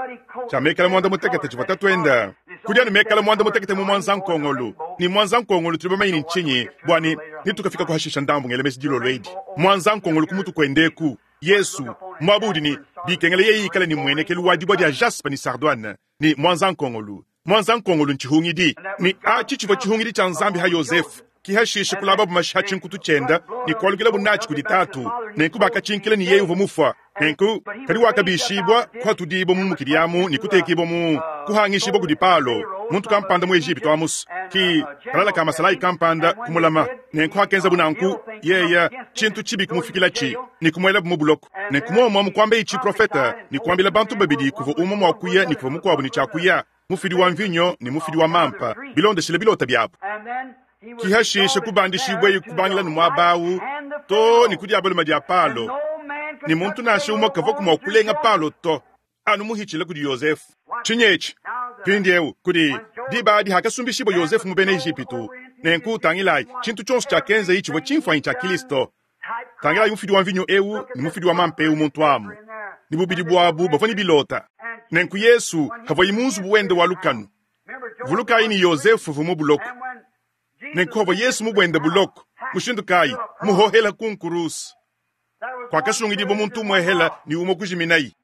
tshia mekala muanda mutekete tshivua tatuende. Kudi anu mekala muanda mutekete mu mwanzankongolu. Ne mwanzankongolu tudi bamanye ne ntshinyi, bua ne netukafika kuhashisha ndambu ngela meji dilolo edi. Mwanzankongolu ku mutu kuende eku, Yesu, muaba udi ne bikengela yeye ikale ne muenekelu wa dibua dia jaspe ne sardoine, ne mwanzankongolu. Mwanzankongolu ntshihungidi, ne atshi tshivua tshihungidi tshia Nzambi ha Yozefe. Ki hashishe kulababu mashi ha tshinkutu tshienda ne kualukilabu natshi kudi tatu. Nenku bakatshinkila ne yeye uvua mufua. Nenku, kadi wakabishibua, kuhatudibua mu mukidi amu ne kutekibua mu kuhangishibua kudi Palo, muntu kampanda mu Ejipitu amusu. Ki kalala ka masalayi kampanda kumulama. Nenku hakenzabu nanku, yeye, tshintu tshibi kumufikilatshi ne kumuelabu mu buloko. Nenku muomu amu kuambeyi tshiprofete ne kuambila bantu babidi kuvua umue mua kuya ne kuvua mukuabu ne tshia kuya, mufidi wa mvinyo ne mufidi wa mampa, bilondeshile bilota biabu. Ki hashishe kubandishibueyi kubangila ne muaba au too ne ku diabaluma dia Palo, ne muntu nansha umue kavuaku mua kulenga Palo to, anu muhitshile kudi Yozefe. Tshinyi etshi? Mpindieu, kudi diba adi hakasumbishibua Yozefe mu bena Ejipitu. Nenku tangilayi, tshintu tshionso tshiakenzayi tshivua tshimfuanyi tshia Kilisto. Tangilayi mufidi wa mvinyo eu ne mufidi wa mampa eu muntu amu, ne bubidi buabu bavua ne bilota. Nenku Yesu havuayi mu nzubu wende wa lukanu, vulukayi ne Yozefe uvua mu buloko. Nenku havua Yesu mu buende buloko, mushindu kayi? Muhohela ku nkuruse. Kuakasungidibua muntu umuehela ne umue kujiminayi.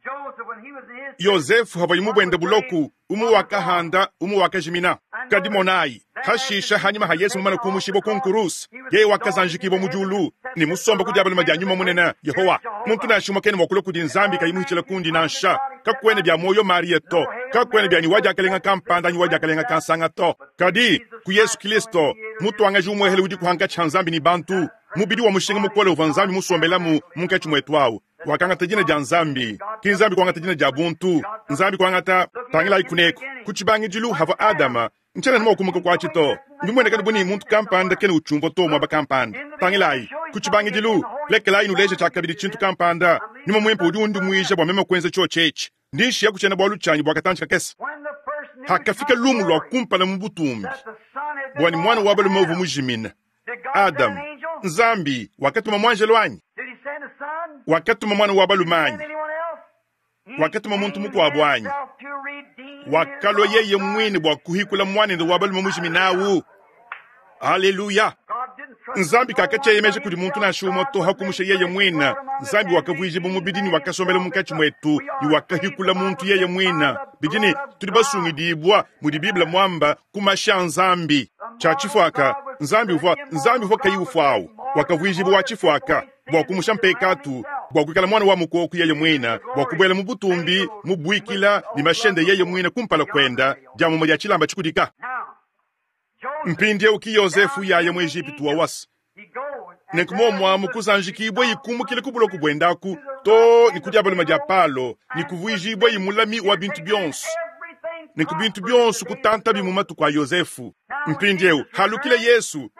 Yozefe havuayi mu buende buloko, umue wakahanda, umue wakajimina. Kadi monayi, hashisha hanyima ha Yesu mumane kumushibua ku nkuruse, yeye wakazanjikibua mu diulu ne musomba ku diabaluma dia Nyuma Munene, Yehowa. Muntu nansha umue kena mua kulua kudi Nzambi kayi muhitshila kundi nansha. Kakuena bia muoyo Maria to, kakuena bia ne wa diakalenga kampanda anyi wa diakalenga kansanga to. Kadi, ku Yesu Kilisto, mutuangaji umuehele udi kuhankatshi ha Nzambi ne bantu, mubidi wa mushinga mukole uvua Nzambi musombelamu munkatshi muetu au, wakangata dina dia Nzambi. Ki Nzambi kuangata dina dia buntu, Nzambi kuangata. Tangilayi kuneku, ku tshibangidilu havua Adama. Ntshiena mua kumuka kuatshi to. Mbimueneka bu ne muntu kampanda kena utshiumvua to muaba kampanda. Tangilayi, ku tshibangidilu, lekelayi nuleje tshiakabidi tshintu kampanda. Nyuma Muimpe udi undimuija bua meme kuenza tshiotshi etshi. Ndi nshiyaku tshiena-bualu tshianyi bua katantshi kakese. Hakafika lumu lua kumpala mu butumbi bua ne muana wa balume uvua mujimine, Adama, Nzambi wakatuma muanjelo anyi? Wakatuma muana wa balume anyi? Wakatuma muntu mukuabu anyi? Wakalua yeye muine bua kuhikula muanende wa balume mujimine au. Aleluya! Nzambi kakatshieyemeja kudi muntu nansha umue to, hakumusha yeye muine. Nzambi wakavuijibua mubidi ne wakasombela munkatshi muetu ne wakahikula muntu yeye muine. Bidi ne tudi basungidibua, mudi Bible muamba, ku mashi a Nzambi. Tshia tshifuaka, Nzambi uvua Nzambi uvua kayi ufua au wakavuijibua wa tshifuaka bua kumusha mpekatu, bua kuikala muana wa mukoko yeye muine, bua kubuela mu butumbi mubuikila ne mashende yeye muine kumpala kuenda, dia mumue dia tshilamba tshikudika. Mpindieu ki Yozefu yaya mu Ejipitu wa wasa. Nenku muomu amu kuzanjikibua ikumukile ku buloko buendaku too ne ku diabaluma dia Palo ne kuvuijibua mulami wa bintu bionso. Nenku bintu bionso kutantabi mu matuku a Yozefu. Mpindieu halukile Yesu,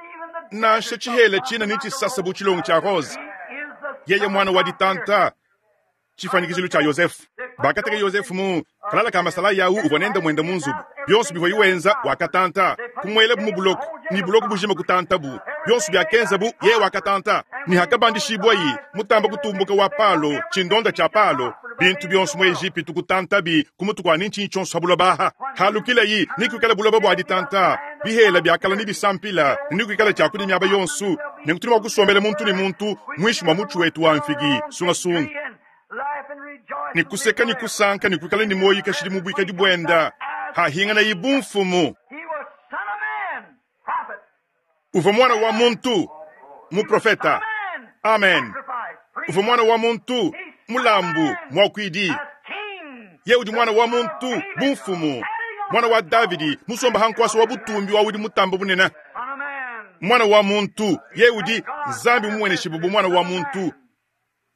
nansha tshihela tshina ne tshisasa bu tshilongo tshia rose, yeye muana wa ditanta, tshifuanyikijilu tshia Yozefu. Bakateka Yozefu mu kalala ka masalayi au uvua nende muende mu nzubu. Bionso bivuaye wenza wakatanta, kumuelabu mu buloko, ne buloko bujima kutantabu. Bionso biakenzabu yeye wakatanta. Ne hakabandishibuayi mutamba kutumbuka wa Palo, tshindonda tshia Palo, bintu bionso mu Ejipitu kutantabi ku mutu kua ne ntshinyi tshionso ha buloba aha. Halukilayi ne kuikala buloba bua ditanta, bihela biakala ne bisampila, ne kuikala tshiakudia miaba yonso. Nenku tudi mua kusombela muntu ne muntu muinshi mua mutshi wetu wa mfigi sungasunga, ne kuseka ne kusanka ne kuikala ne muoyo kashidi mu buikadi buenda hahinganayi bu mfumu. Uvua muana wa muntu, muprofeta. Amen. Uvua muana wa muntu, mulambu, muakuidi. Ye udi muana wa muntu, bu mfumu, muana wa Davidi, musomba ha nkuasa wa butumbi wa udi mutamba bunene. Muana wa muntu, ye udi Nzambi mumueneshibue bu muana wa muntu.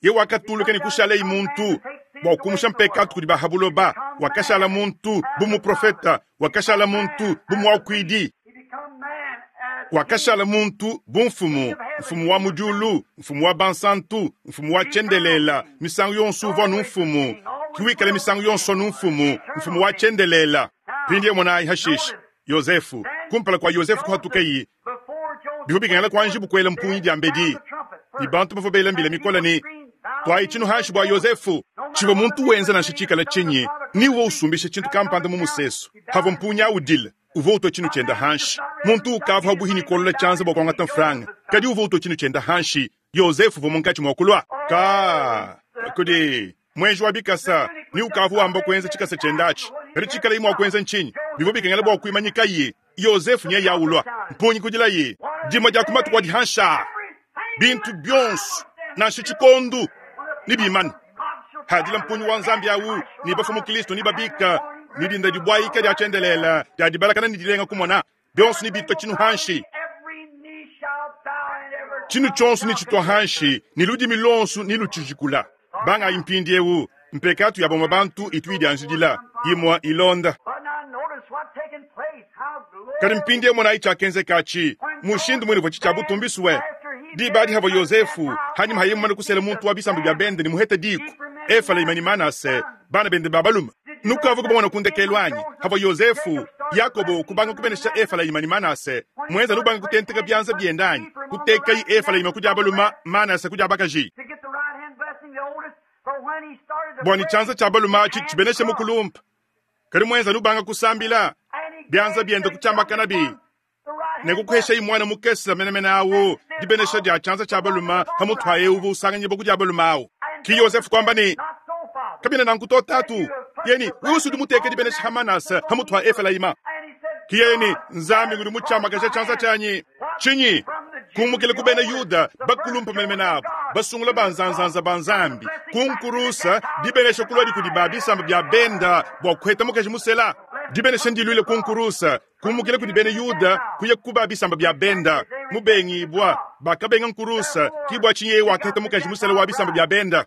Ye wakatuluka ne kushalei muntu bua kumusha mpekatu kudi ba ha buloba. Wakashala muntu bu muprofeta, wakashala muntu bu muakuidi, wakashala muntu bu mfumu, mfumu wa mu diulu, mfumu wa bansantu, mfumu wa tshiendelela. Misangu yonso uvua anu mfumu, ki wikale misangu yonso anu mfumu, mfumu wa tshiendelela. Mpindieu monayi hashishe Yozefu. Kumpala kua Yozefu kuhatukeyi, bivua bikengela kuanjibu kuela mpungi diambedi, ne bantu bavua bela mbila mikole ne, Tuayi tshinu hanshi bua Yozefu. Tshivua muntu wenza nansha tshikala tshinyi, ni uvua usumbisha tshintu kampanda mu musesu, pavua mpungi au udila, uvua utua tshinu tshiende hanshi. Muntu ukavua pabuipi ne kuolola tshianza bua kuangata mfranga, kadi uvua utua tshinu tshiende hanshi. Yozefe uvua munkatshi mua kulua ka kudi muenji wa bikasa, ne ukavua wamba kuenza tshikasa tshiende atshi. Kadi tshikalaye mua kuenza ntshinyi? Bivua bikengela bua kuimanyikaye Yozefe nyeye ulua. Mpungi kudilaye dimue dia ku matuku adi hanshi aa, bintu bionso nansha tshikondu nebimane. Hadila mpungi wa Nzambi au, ne bafua mu Kristo nebabika, ne dinda dibuayika dia tshiendelele dia dibalakana ne dilenga kumona, bionso nebitua tshinu hanshi. Tshinu tshionso netshitua hanshi, ne ludimi luonso nelutshijikula. Bangayi mpindieu, mpekatu ya bamue bantu itu idianjidila, imue ilonda. Kadi mpindieu monayi tshiakenzekatshi, mushindu muine uvua tshia butumbisue. Diba adi havua Yozefu, hanyima ha yeye mumane kusela muntu wa bisamba bia bende ne muhete diku, Efelayima ne Manase, bana bende ba balume. Nukavua kubamona ku ndekelu anyi? Havua Yozefu, Yakobo kubanga kubenesha Efelayima ne Manase, muenza nubanga kutenteka bianza biende anyi? Kutekayi Efelayima ku dia balume, Manase ku dia bakaji. Bua ne tshianza tshia balume atshi tshibeneshe mukulumpe. Kadi muenza nubanga kusambila, bianza biende kutshiambakanabi ne kukuheshayi muana mukese menemene awu dibenesha dia tshianza tshia balume pamutu ha eu uvua usanganyibua ku dia balume awu. Ki Yozefe kuamba ne, Kabiena nanku to, tatu. Yeye ne, Wewe udi muteke dibenesha ha Manase pamutu ha Efelayima. Ki yeye ne, Nzambi ngudi mutshiamakaja tshianza tshianyi. Tshinyi? Kumukila ku bena Yuda bakulumpe menemene abu, basungula ba nzanzanza ba Nzambi, ku nkurusa, dibenesha kuluadi kudi ba bisamba bia benda bua kuheta mukaji musela. Dibenesha ndiluile ku nkurusa, kumukila kudi bena Yuda kuya ku ba bisamba bia benda. Mubengibua, bakabenga nkurusa, ki bua tshinyi yeye wakaheta mukaji musela wa bisamba bia benda.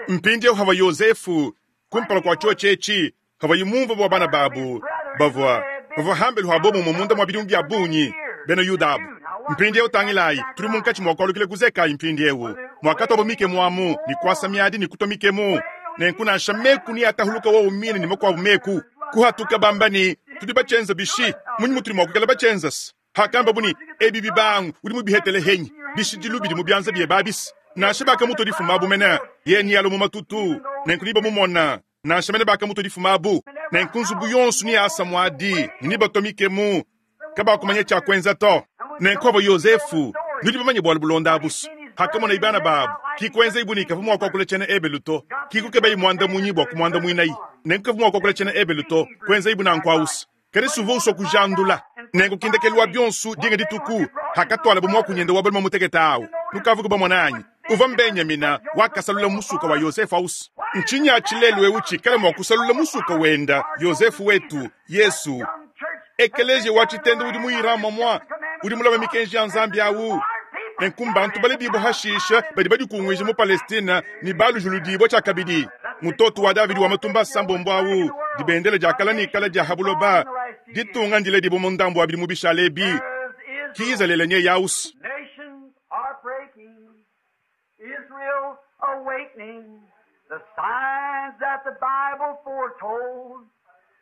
Mpindieu havua Yozefu kumpala kua tshiotshi etshi, havuaye mumvue bua bana babu bavua bavua hambelu ha bobumue munda mua bidimu bia bungi, bena Yuda abu. Mpindieu tangilayi, tudi munkatshi mua kualukila ku Zekayi mpindieu, muakatuabo mikemu amu ne kuasa miadi ne kutua mikemu. Nenku nansha meku neatahuluka wowo mine ne makuabu meku kuhatuka bamba ne, Tudi batshienza bishi? Munyi mutudi mua kuikala batshienzase? Hakambabu ne, Ebi bibangu udi mubihetele henyi? Bishidilu bidi mu bianza biebe abisi. Nansha bakamutua difuma abu mene, yeye nealue mu matutu, nenku nebamumona. Nansha mene bakamutua difuma abu, nenku nzubu yonso neasa muadi ne nebatua mikemu, kabakumanya tshia kuenza to. Nenku avua Yozefu, nudi bamanye bualu bulonda abusu. Hakamonayi bana babu, ki kuenzayi bu ne kavua mua kuakula tshiena Ebelu to, ki kukebayi muandamunyi bua kumuandamuinayi. Nenku kavua mua kuakula tshiena Ebelu to, kuenzayi bu nanku awusu. Kadi suvua usua kujandula. Nenku ki ndekelu wa bionso, dinga dituku, hakatualabu muakunyende wa balume mutekete awu, nukavuku bamona anyi? Uvua Mbenyamina, wakasalula musuka wa Yosefe awusu. Ntshinyi atshi lelu eu tshikale mua kusalula musuka wenda, Yosefe wetu, Yesu? Ekeleziya wa tshitende udi mu Iran muamua udi mulame mikenji ya Nzambi awu. Nenku mbantu baledibua hashisha badi badikunguija mu Palestine ne balujuludibua tshiakabidi. Mutoto wa Davidi wa matumba asambombo awu, dibendele dia kala ne kala dia ha buloba, ditunga ndiledibua mu ndambu wa bidimu bishale ebi, ki Izalele nyeye awusu. Nations are breaking, Israel awakening, the signs that the Bible foretold,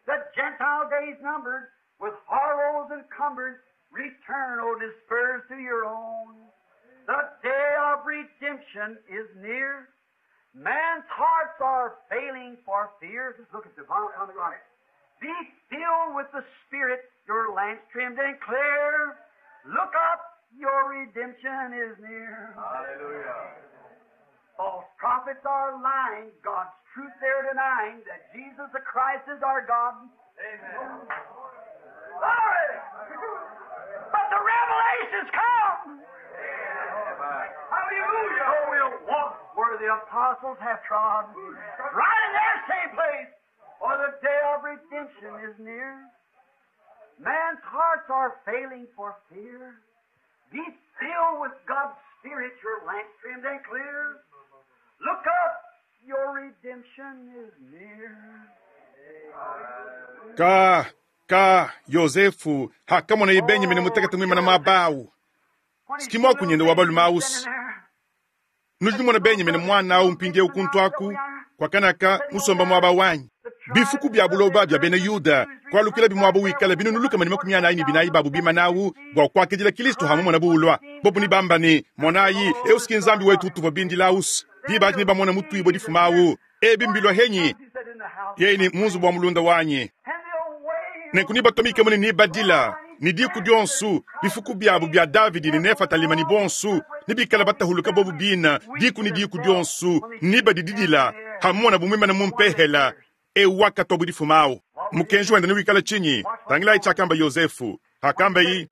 the Gentile days numbered, with horrors encumbered, return, O dispersed to your own. The day of redemption is near. Man's hearts are failing for fear. Just look at the on the right. Be filled with the Spirit, your lamps trimmed and clear. Look up, your redemption is near. Hallelujah. False prophets are lying, God's truth they're denying, that Jesus the Christ is our God. Amen. Glory! But the revelations come! Hallelujah. So we'll walk where the apostles have trod, right in their same place, for the day of redemption is near. Man's hearts are failing for fear. Be filled with God's Spirit, your lamp trimmed and clear. Look up, your redemption is near. Ka ka Yozefu hakamonaye Benyamina mutekete muimana muaba awu, si muakunyende wa balume awusu. Nudi numona Benyamina muana awu mpindieu kuntu aku kuakanaka musomba muaba wanyi. Bifuku bia buloba bia bena Yuda kualukilabi muaba wikala binunu 44 babu bimana awu bua kuakidila Kilisto hamumona buulua. Bobu nibamba ne, Monayi, eu si ki Nzambi wetu utuvua bindila awusu. Diba adi nebamone mutuibue difuma awu. Ebi mbilua henyi? Yeye ne, Mu nzubu wa mulunda wanyi. Nenku nebatumikemu ne nebadila, ne diku dionsu, bifuku biabu bia Davidi ne Nefatalima ne bonsu, nebikale batahuluka bobu bina, diku ne diku dionsu, nebadididila, hamumonabu muimane mu mpehela, eu wakatua bu difuma au. Mukenji wende newikale tshinyi? Tangilayi tshiakamba Yosefu. Hakambayi,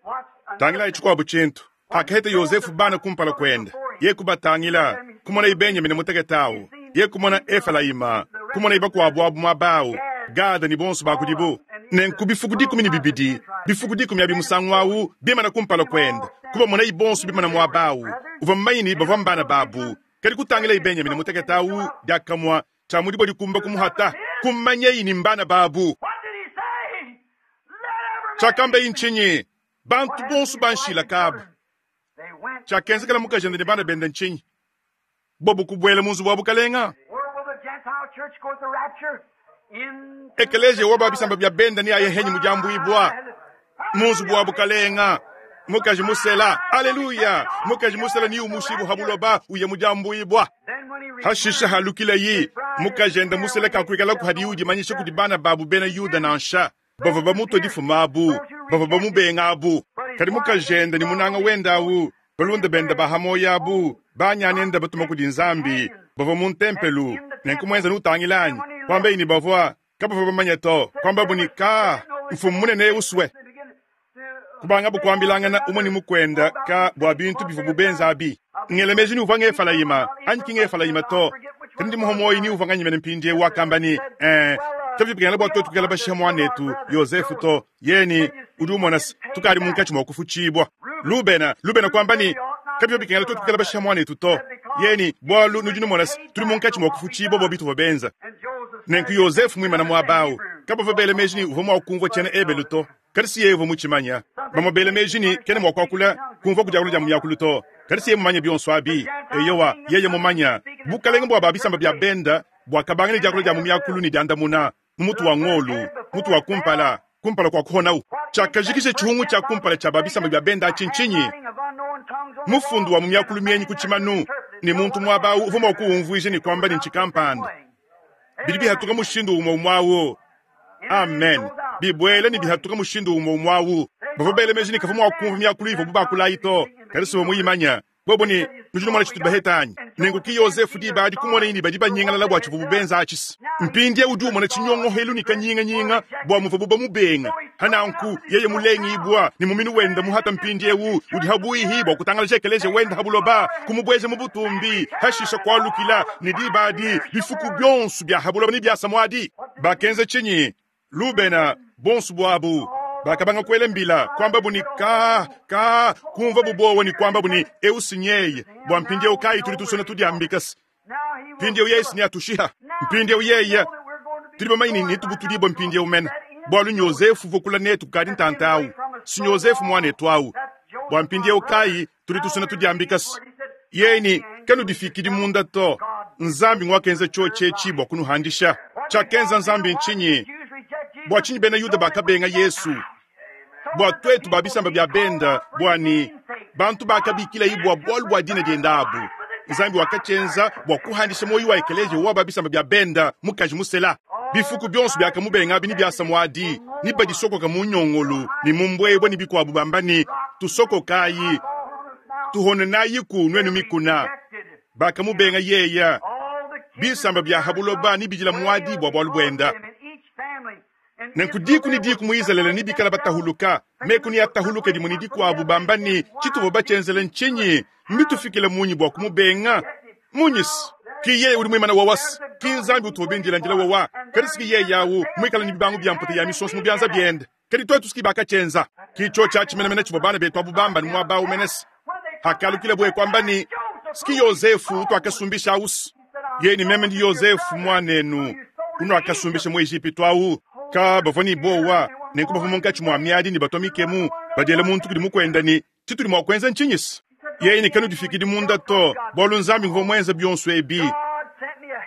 tangilayi tshikuabu tshintu. Hakaheta Yosefu bana kumpala kuende, ye kubatangila, kumonayi Benyamina mutekete au, ye kumona Efelayima, kumonayi bakuabu abu muaba au, Gada ne bonso ba kudibu. Nenku bifuku 12, bifuku 10 abi musangu au, bimana kumpala kuende, kubamonayi bonso bimana muaba au. Uvua mumanye ne, bavua mbana babu. Kadi kutangilayi Benyamina mutekete au, diakamue tshia mudibo dikumba kumuhata, kumanyeyi ne mbana babu. Tshiakambayi ntshinyi? Bantu bonso banshila kabu. Tshiakenzekela mukajende ne bana bende ntshinyi? Bobu kubuela mu nzubu wa bukalenga. Ekeleziya wa ba bisamba bia benda neaye henyi mu diambuibua mu nzubu wa bukalenga. Mukaji musela, aleluya! Mukaji musela ni umushibu ha buloba uye mu diambuibua. Hashisha halukilayi, mukajende musela kakuikalaku hadiye udimanyisha kudi bana babu bena Yuda nansha. Bavua bamutua difuma abu, bavua bamubenga abu. Kadi mukajende ne munanga wende au, balunda bende ba ha muoyo abu, banyanende batuma kudi Nzambi, bavua mu ntempelu. Nenku muenza nutangila anyi? Kuambayi ne bavua kabavua bamanye to, kuambabu ne ka mfumu munene usue. Kubangabu kuambilangana umue ne mukuende ka bua bintu bivuabu benza abi. Ngela meji ni uvua Ngefalayima anyi ki Ngefalayima to, kadi ndi muha muoyo ni uvua nganyi mene mpindieu wakamba ne, eh, kabivua bikengela bua tuetu kuikala bashiha muanetu Yosefu to. Yeye ne, udi umona se, tukadi munkatshi mua kufutshibua. Lubena, Lubena kuamba ne, kabivua bikengela tuetu kuikala bashiha muanetu to. Yeye ne, bualu nudi numona se, tudi munkatshi mua kufutshibua bua bituvua benza. Nenku Yosefu muimana muaba au, kabavua bela meji ne uvua mua kumvua tshiena Ebelu to. Kadi si yeye uvua mutshimanya. Bamue bela meji ne kena mua kuakula, kumvua ku diakula dia mu miakulu to. Kadi si yeye mumanye bionso abi. Eyowa, yeye mumanya. Bukalenge bua ba bisamba bia benda buakabanga ne diakula dia mu miakulu ne diandamuna mu mutu wa ngolu, mutu wa kumpala, kumpala kua kuhonawu. Tshiakajikija tshihungu tshia kumpala tshia ba bisamba bia benda atshi ntshinyi? Mufundu wa mu miakulu mienyi ku tshimanu, ne muntu muaba au uvua mua kuwumvuija ne kuamba ne ntshikampanda. Bidi bihatuka mushindu umue umue au. Amen. Bibuela ne bihatuka mushindu umue umue au. Bavua bela meji ne kavua mua kumvua miakulu ivuabu bakula ayi to, kadi si uvua muyimanye. Bobo ne, Nudi numona tshitudi baheta anyi? Nenku ki Yozefu diba adi kumonaye ne badi banyingalala bua tshivuabu benza atshi. Mpindieu udi umona tshinyongohelu ne kanyinganyinga bua muvuabu bamubenga. Pa nanku yeye mulengibua ne muminu wende muhata mpindieu udi habuihi bua kutangalaja ekeleziya wende ha buloba, kumubueja mu butumbi, hashisha kualukila, ne diba adi bifuku bionso bia ha buloba nebiasa muadi. Bakenza tshinyi? Lubena, bonso buabu, bakabanga kuela mbila, kuambabu ne, Ka, ka, kumvuabu buowa ne kuambabu ne, Eu si nyeye, bua mpindieu kayi tudi tusona tudiambika se, mpindieu yeye si neatushiha. Mpindieu yeye, tudi bamanye ne netubutudibue mpindieu mene, bualu n'Yozefu uvua kula netu kukadi ntanta au, si n'Yozefu muanetu au, bua mpindieu kayi tudi tusona tudiambika se, yeye ne, Kanudifikidi munda to, Nzambi nguakenza tshiotshi etshi bua kunuhandisha. Tshiakenza Nzambi ntshinyi? Bua tshinyi bena Yuda bakabenga Yesu? Bua tuetu ba bisamba bia benda, bua ne bantu bakabikilayi bua bualu bua dina diende abu. Nzambi wakatshienza bua kuhandisha muoyo wa ekeleziya wa ba bisamba bia benda, mukaji musela. Bifuku bionso biakamubenga abi ne biasa muadi, ne badisokoka mu nyongolu ne mu mbuebue ne bikuabu bamba ne, Tusokokayi, tuhonenayiku nuenu mikuna. Bakamubenga yeye. Bisamba bia ha buloba nebidila muadi bua bualu buende. Nenku diku ne diku mu Izalele nebikale batahuluka, meku neatahuluke dimue ne dikuabu bamba ne, Tshituvua batshienzele ntshinyi? Mbitufikile munyi bua kumubenga? Munyi se ki yeye udi muimane wawa, se ki Nzambi utuvua bindila ndila wawa, kadi se ki yeye awu muikale ne bibangu bia mputa ya misonso mu bianza biende. Kadi tuetu se ki bakatshienza. Ki tshiotshi atshi menemene tshivua bana betu abu bamba ne muaba awu mene se hakalukila buye kuamba ne, Se ki Yozefu utuakasumbisha awu se yeye ne meme ndi Yozefu muanenu unuakasumbisha mu Ejipitu awu. Ka bavua ne buowa, nenku bavua munkatshi mua miadi ne batua mikemu, badiela muntu kudi mukuende ne, Tshitudi mua kuenza ntshinyi se? Yeye ne, Kanudifikidi munda to, bualu Nzambi nguvua muenze bionso ebi.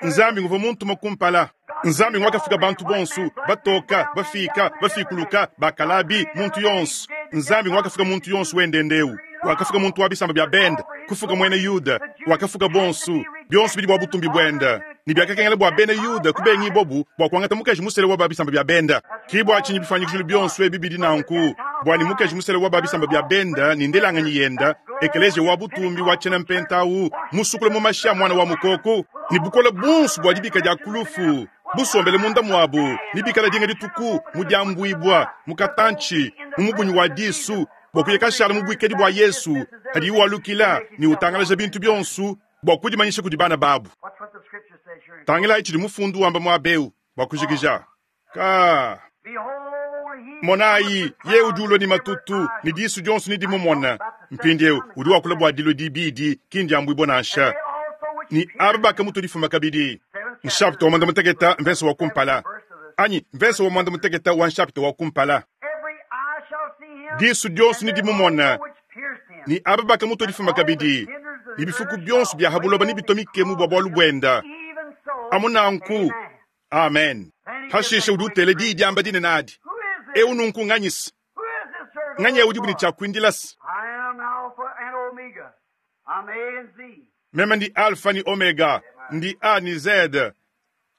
Nzambi nguvua muntuma kumpala. Nzambi nguakafuka bantu bonso, batoka, bafika, bafikuluka, bakalabi, muntu yonso. Nzambi nguakafuka muntu yonso wendende eu. Wakafuka muntu wa bisamba bia bende. kufuka muena Yuda, wakafuka bonso, bionso bidi bua butumbi buenda, ne biakakengela bua bena Yuda kubengibobu bua kuangata mukaji musele wa ba bisamba bia benda. Ki bua tshinyi bifuanyikijilu bionso ebi bidi nanku, bua ne mukaji musele wa ba bisamba bia benda ne ndelanganyi yenda, ekeleziya wa butumbi wa tshiena mpenta awu, musukula mu mashi a muana wa mukoko, ne bukole buonso bua dibika dia ku lufu busombele munda muabu, ne bikala dinga dituku mu diambuibua mu katantshi mu mubunyi wa disu, bua kuya kashala mu buikadi bua Yesu hadiye walukila ne utangalaja bintu bionso bua kudimanyisha kudi bana babu. Watch what the scripture says here. Tangilayi tshidi mufundu wamba muaba eu bua kujikija. Ka Behold, he monayi, ye udi ulua ne matutu, ne disu dionso ne dimumona. Mpindieu udi wakula bua dilua dibidi, ki ndiambuibua nansha. they also which Ni aba bakamutua difuma kabidi. Nshapita wa mwanda muteketa mvese wa kumpala, anyi mvese wa mwanda muteketa wa nshapita wa kumpala. every eye shall see him, Disu dionso ne and they dimumona, also which pierced him. ni aba bakamutua difuma kabidi, ni bifuku bionso bia habuloba nibitomikemu bua bualu buenda. Even so, Amu nanku, amen. amen. Hashishe udi utela diyi diamba dinene adi. Who is this? Eu nunku nganyisa, Who is this servant? nganyi eu udi buni tshiakuindilasa. I am Alpha and Omega. I'm A and Z. Meme ndi Alpha ni Omega, ndi A ni Z,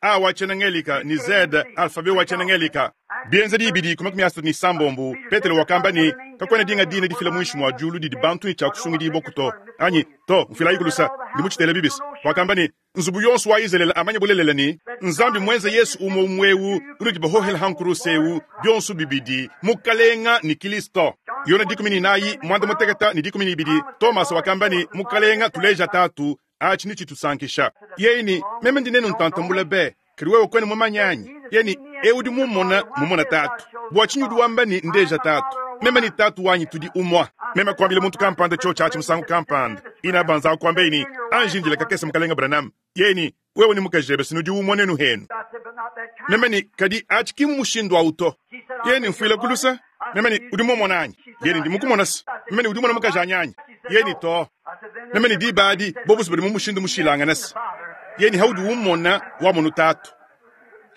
A wa tshiena-ngelika ni Z, alfabe wa tshiena-ngelika. Bienza dibidi ku makumi asatu ni sambombo, Petelo wakamba ne kakuena dinga dina difila muinshi mua diulu didi bantu ne tshiakusungidibua kuto. Anyi to, mfilayi kulusa, ndi mutshitele bibisi. Wakamba ne nzubu yonso wa Izraele amanye bulelela ne Nzambi mwenze Yesu umwe umwewu unudi bahohela hankuruse eu bionso bibidi mukalenga ni Kristo. Yona 14 mwanda muteketa ni 12 Thomas wakamba ne mukalenga tuleja tatu achi ni chitusankisha. Yeni meme ndi nenu ntantambula be kadi wewe kwene mumanyanyi. Yeni eu udi mumona mumona tatu. Bua tshinyi udi wamba ni ndeja tatu. Meme ni tatu wanyi tudi umwa. Meme kuambila muntu kampanda cho chachi musangu kampanda. Ina banza kuambeni anjindila kakese mukalenga Branham. Yeni wewe ni mukajebe sinudi umwa nenu henu. I said, but not that kind. Meme ni kadi achi ki mushindu auto. She said, I'll Yeni be your mfuila brother. kulusa. Meme ni udi mumona anyi. Yeni ndi mukumona se. Meme ni udi mumona mukaji anyanyi. Yeni to. I said, then Meme ni diba adi bobusu badi mu mushindu mushilangana se. Yeni haudi umona wamonu tatu.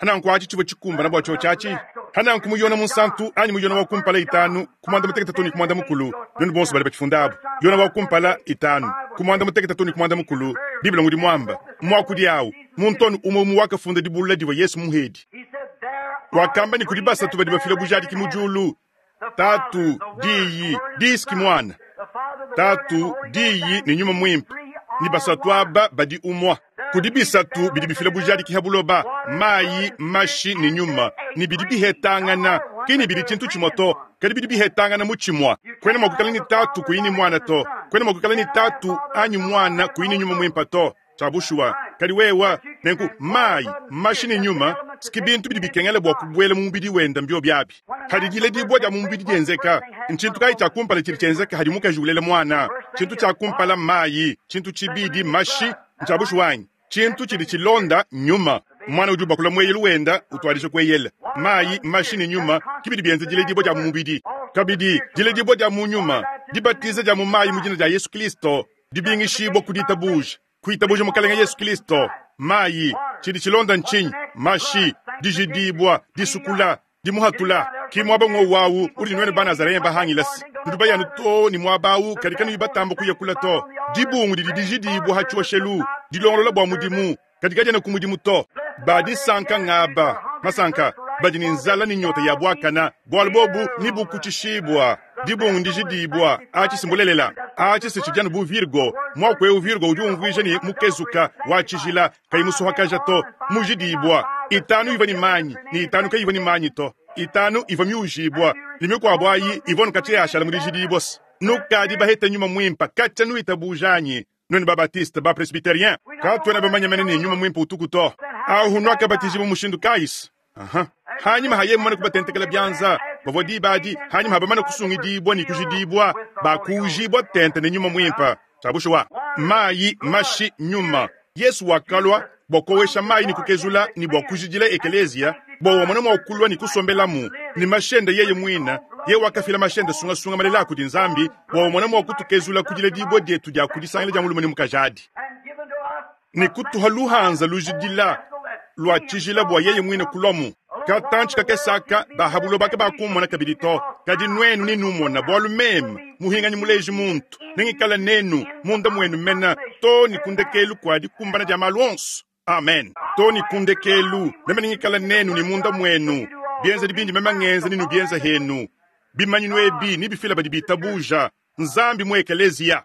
Hananku achi chivua chikumbana bua cho chachi. Hananku muyona munsantu anyi muyona wa kumpala itanu kumwanda muteketa toni kumwanda mukulu. Nenu bonso bali bachifundabo. Yona wa kumpala itanu kumwanda muteketa toni kumwanda mukulu. Biblia ngudi mwamba mwakudi awu muntonu umwe umwe wakafunda dibulula diva Yesu muhedi. He said, there are Wakamba ni kudi three basatu that badi bear bafila bujadiki witness in mu heaven. diulu. The Father, Tatu, the Word, diyi, the Word is the diski Son. mwana. The Father, the Word, and the Tatu, Holy Ghost, diyi and ni nyuma these mwimpe. three Ni are basatu one. aba badi umwa. Kudi bisatu bidi bifila bujadiki ha buloba, mayi, mashi ni nyuma. Ni bidi bihetangana, kini bidi tshintu tshimue to, kadi bidi bihetangana mu tshimue. Kwena mua kuikala ni tatu kuyini mwana to, kwena mua kuikala ni tatu anyi mwana kuyini nyuma mwimpa to. Tshia bushuwa, kadi wewa nenku mayi, mashi ni nyuma, siki bintu bidi bikengela bua kubuela mu mubidi wenda mbio biabi. Hadi diledibua dia mu mubidi dienzeka, nchintu kayi tshia kumpala tshidi tshienzeka hadi mukaji ulela mwana. Tshintu tshia kumpala mayi, tshintu tshibidi mashi, ntshia bushuwa anyi. Tshintu tshidi tshilonda nyuma. Mwana udi ubakula mweyelu wenda utuadija kueyela. Mayi, mashi ni nyuma kibidi bienza diledibua dia mu mubidi. Kabidi diledibua dia mu nyuma, dibatiza dia mu mayi mu dina dia Yesu Kristo, dibingishibua ku ditabuja. Kuitabuja mukalenga Yesu Kristo, mayi, tshidi tshilonda nchinyi, mashi, dijidibua, disukula, dimuhatula. Ki muaba ng'owu awu udi nwene ba Nazarene bahangilasi. Nudi bayanu to ni muaba awu kadi kanuyi batamba kuyakula to. Dibungu didi dijidibua ha tshioshelu, dilongolola bua mudimu, kadi kadiena ku mudimu to. Badisanka ngaba, masanka, badi ni nzala ni nyota ya bwakana, bualu bobu ni bukutshishibua. Dibungu ndijidibua, achi simbulelela, achi sichidyanu bu Virgo, mwaku eu Virgo udi umvuija ni mukezuka wa tshijila kayi musuhakaja to, mujidibua. Itanu iva ni manyi, ni itanu kayiva ni manyi to. Itanu iva miujibua, ni mikuabu ayi iva nukatshi yashala mu dijidibua se. Nukadi baheta nyuma mwimpa, katshia nuitabujanyi. Nwenu ba Baptiste, ba Presbyterien, katuena bamanye mene ni nyuma mwimpa utuku to. Ahu nwakabatizibwa mushindu kayisi. Aha. Hanyuma haye mumane kubatentekela byanza, bavua diba adi, hanyuma habamane kusungidibua ni kujidibua, bakujibua tente ne nyuma mwimpa. Tshia bushuwa. Mayi, mashi, nyuma. Yesu wakalua bua kowesha mayi ni kukezula ni bua kujidila ekelezia, bua wamone mua kulua ni kusombelamu, ni mashende yeye mwina, ye wakafila mashende sungasunga malela kudi Nzambi, bua wamone mua kutukezula kudila dibua dietu dia kudisangila dia mulume ni mukajadi. And given to us Ni kutuha luhanza lujidila lua tshijila bua yeye mwine kulwamu. Katantshi kakese aka ba ha buloba kabakummona kabidi to, kadi nuenu nenummona, bualu meme, muhinganyi muleji muntu, nengikale nenu munda muenu mena to ne ku ndekelu kua dikumbana dia malu onso. Amen. To ne ku ndekelu, meme nengikale nenu ne munda muenu. Bienzedi bindi meme ngenza nenubienze henu. Bimanyinu ebi nebifile badi bitabuja Nzambi mu ekeleziya.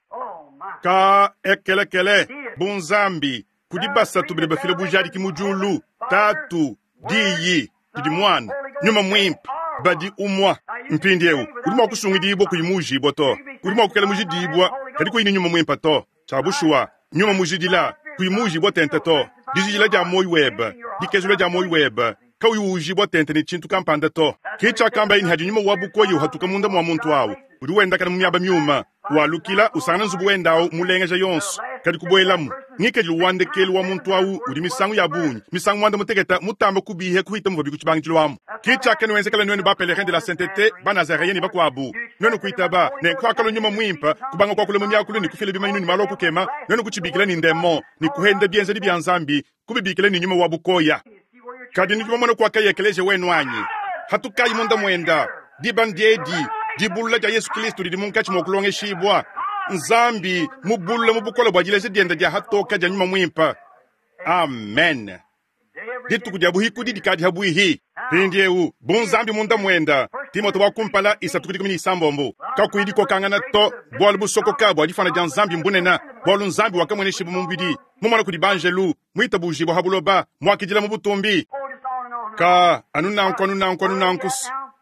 Ka ekelekele bu Nzambi kudi basatu badi bafila bujadiki mu diulu, Tatu, Diyi, didi Muana, Nyuma Muimpe, badi umua. Mpindiewu udi mua kusungidibua kuyi muujibua to. Udi mua kuikala mujidibua kadi kuyi ne Nyuma Muimpe to. Tshia bushuwa, Nyuma mujidila kuyi muujibua tente to. Dijidila dia muoyo webe, dikezula dia muoyo webe, kauyi uujibua tente ne tshintu kampanda to. Ke tshiakambaye ne hadi nyuma wa bukoya uhatuka munda mua muntu au, udi wendakana mu miaba miuma, walukila, usangana nzubu wende au mulengeja yonso, kadi kubuelamu. Ngikadilu wa ndekelu wa muntu au udi misangu ya bungi, misangu muanda mutekete, mutambe kubiha kuhita muvuabi ku tshibangidilu amu. Ke tshiakanuenzekela nuenu ba Pèlerins de la Sainteté, ba Nazareens ne bakuabu. Nuenu kuitaba ne kuakalua Nyuma Muimpe, kubanga kuakula mu miakulu ne kufila bimanyinu ne malu a kukema, nuenu kutshibikila ne ndemon ne kuhenda bienzedi bia Nzambi, kubibikila ne nyuma wa bukoya. Kadi nudi bamone kuakaya ekeleziya wenu anyi? Hatukayi munda muenda. Diba ndiedi, dibulula dia Yesu Kristo didi munkatshi mua kulongeshibua. Nzambi mubulula mu bukole bua dileja diende dia hatoka dia Nyuma Muimpe. Amen. Dituku dia buhikudi dikadi habuihi. Mpindiewu, bu Nzambi munda muenda, Timote wa kumpala isatu ku dikumi ne isambombo, kakuyi dikokangana to, bualu busokoka bua difuana dia Nzambi mbunene, bualu Nzambi wakamueneshibua mu mubidi, mumona kudi banjelu, muitabujibua ha buloba, muakidila mu butumbi. Ka anu nanku anu nanku anu nanku.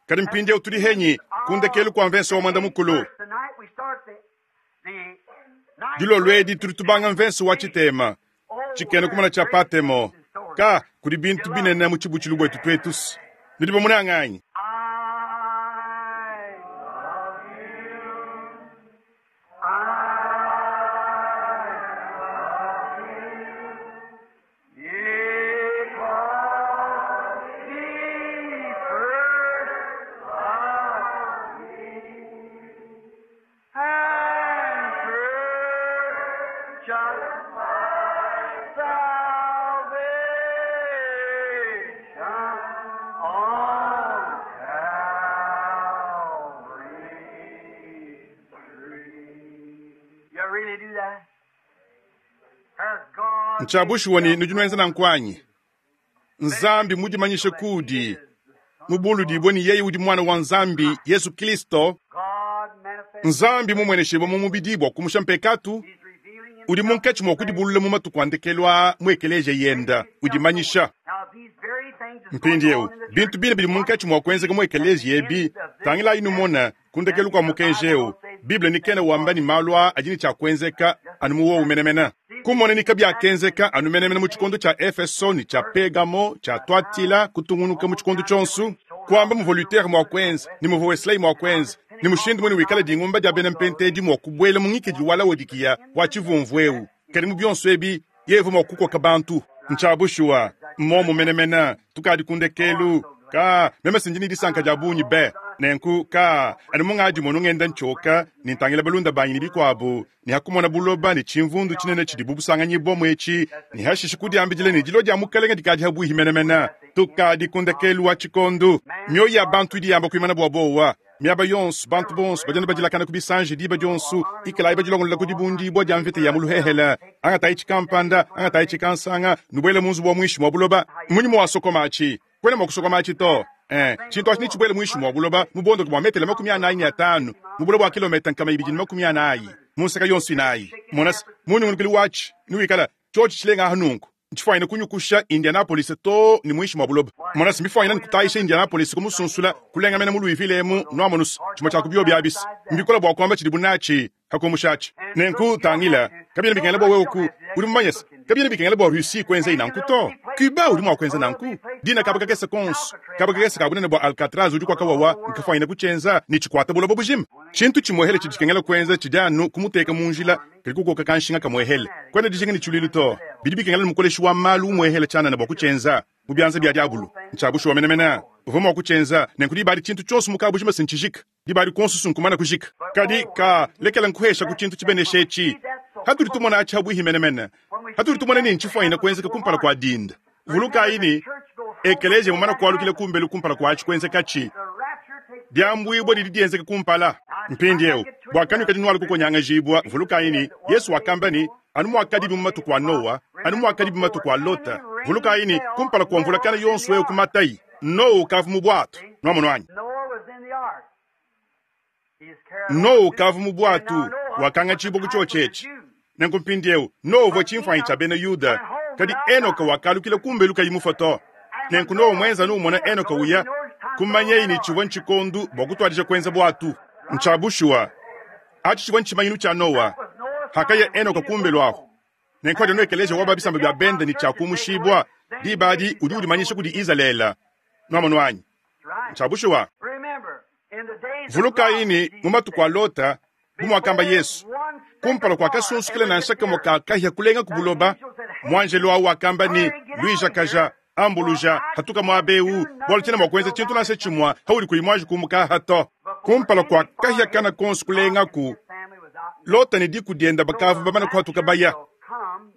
Kadi mpindieu tudi henyi ku ndekelu kua mvense wa muanda mukulu. Dilolo edi tudi tubanga mvense wa tshitema, tshikena kumona tshia Patemo. Ka kudi bintu binene mu tshibutshilu buetu tuetu. Nudi bamunanga anyi? Ntshia bushuwa ne nudi nuenza nanku anyi? Nzambi mudimanyishe kudi mubuludibue ne yeye udi Muana wa Nzambi, Yesu Kristo. Nzambi mumueneshibue mu mubidi bua kumusha mpekatu, udi munkatshi mua kudibulula mu matuku a ndekelu aa mu ekeleziya yenda udimanyisha. Mpindieu bintu bine bidi munkatshi mua kuenzeka mu ekeleziya ebi, tangilayi numone. Ku ndekelu kua mukenji eu, Bible ni kena wamba ne malu aa adi ne tshia kuenzeka anu mu wowu menemene. Kumona ni kabiakenzeka anu menemene mu tshikondo tshia Efeso ne tshia Pegamo, tshia Tuatila, kutungunuka mu tshikondo tshionso, kuamba muvua Luther mua kuenza ne muvua Wesley mua kuenza, ne mushindu mune wikala dingumba dia bena Mpentedi mua kubuela mu ngikadilu wa Laodikiya wa tshivumvu eu. Kadi mu bionso ebi, yeye uvua mua kukoka bantu. Ntshia bushuwa, mmuomu menemene, tukadi ku ndekelu. Ka, meme si ndi ne disanka dia bungi be. Nenku, ka, anu mungadi monu ngenda ntshioka ne ntangila balunda banyi ne bikuabu, ne ha kumona buloba ne tshimvundu tshinene tshidibu busanganyibua etshi, ne hashishe kudiambidila ne dilua dia Mukelenge dikadi habuihi menemene. Tukadi ku ndekelu wa tshikondu. Mioyo ya bantu idi yamba kuimana bua buowa. Miaba yonso, bantu bonso badi anu badilakana ku bisanji diba dionso. Ikalayi badilongolola ku dibundibua dia mvita ya mu luhehele. Angatayi tshikampanda, angatayi tshikansanga, nubuele mu nzubu wa muinshi mua buloba. Mmunyi muwasokomatshi? Kuena mua kusokomatshi to. Eh, tshintu atshi netshibuele muinshi mua buloba mu buondoke bua metele 45, mu bule bua kilometa 240 mu nseke yonso inayi. Mona se, mu nyungulukilu watshi newikale tshiotshi tshilenga aha nunku. Ntshifuanyine kunyukusha Indianapolis too ne muinshi mua buloba. Mona se, mbifuanyine kutayisha Indianapolis kumusunsula, kulenga mene mu Louisville emu, nuamonu's, tshimue tshia ku biobi abi. Mbikole bua kuamba tshidibu natshi pa kumushatshi. Nenku, tangila, kabiena bikengela bua wewe ku, udi mumanye se, kabiena bikengela bua Russie kuenzayi nanku to. Cuba udi mua kuenza nanku. Dina kaba kakese konso, kaba kakese ka bunene bua Alcatraz udi kuaka wawa, nkafuanyine kutshienza ne tshikuata buloba bujima. Tshintu tshimuehele tshidi tshikengela kuenza tshidi anu kumuteka mu njila, kadi kukoka kanshinga kamuehele. Kuena dijinga ne tshiluilu to. Bidi bikengela ne mukoleshi wa malu umuehele tshianana bua kutshienza. Mu bianza bia diabulu. Ntshia bushuwa menemene. Uvua mua kutshienza, nenku diba adi tshintu tshionso mu kabujima se ntshijika. Diba adi kuonso nkumana kujika. Kadi ka lekela nkuhesha ku tshintu tshibenesha etshi. Hatudi tumona atshi habuihi menemene, hatudi tumona ne ntshifuanyine kuenzeka kumpala kua dinda. Vulukayi ne, Ekeleziya mumane kualukila kumbelu kumpala kua atshi kuenzekatshi. Diambuibua didi dienzeka kumpala. Mpindieu, bua kanuikadi nualua kukonyangajibua, vulukayi ne, Yesu wakamba ne, Anu muakadibi mu matuku a Noa, anu muakadibi mu matuku a Lota. Vulukayi ne, kumpala kua mvula kana yonso eu kumatayi, Noa ukavua mu buatu. Nuamonu anyi? Noa ukavua mu buatu, wakangatshibua ku tshiotshi etshi. Nenku mpindieu, Noa uvua tshimfuanyi tshia bena Yuda, kadi Enoka wakalukila kumbelu kayi mufue to. Nenku Noa muenza anu umona Enoka uya, kumanyaye ne, tshivua ntshikondo bua kutuadija kuenza buatu. Ntshia bushuwa, atshi tshivua ntshimanyinu tshia Noa hakaya Enoka kumbelu ahu. Nenku adi anu ekeleziya wa ba bisamba bia bende ne tshiakumushibua, diba adi udi udimanyisha kudi Izalele. Nuamonu anyi? Ntshia bushuwa. Vulukayi ne, mu matuku a Lota, bu muakamba Yesu, kumpala kua kasunsukila nansha kamue ka kahia kulenga ku buloba, muanjelu au wakamba ne, Luijakaja, ambuluja, hatuka muaba eu, bualu tshiena mua kuenza tshintu nansha tshimue haudi kuyi muanji kumuka aha to. Kumpala kua kahia kana konso kulengaku, Lota ne diku diende bakavua bamane kuhatuka baya.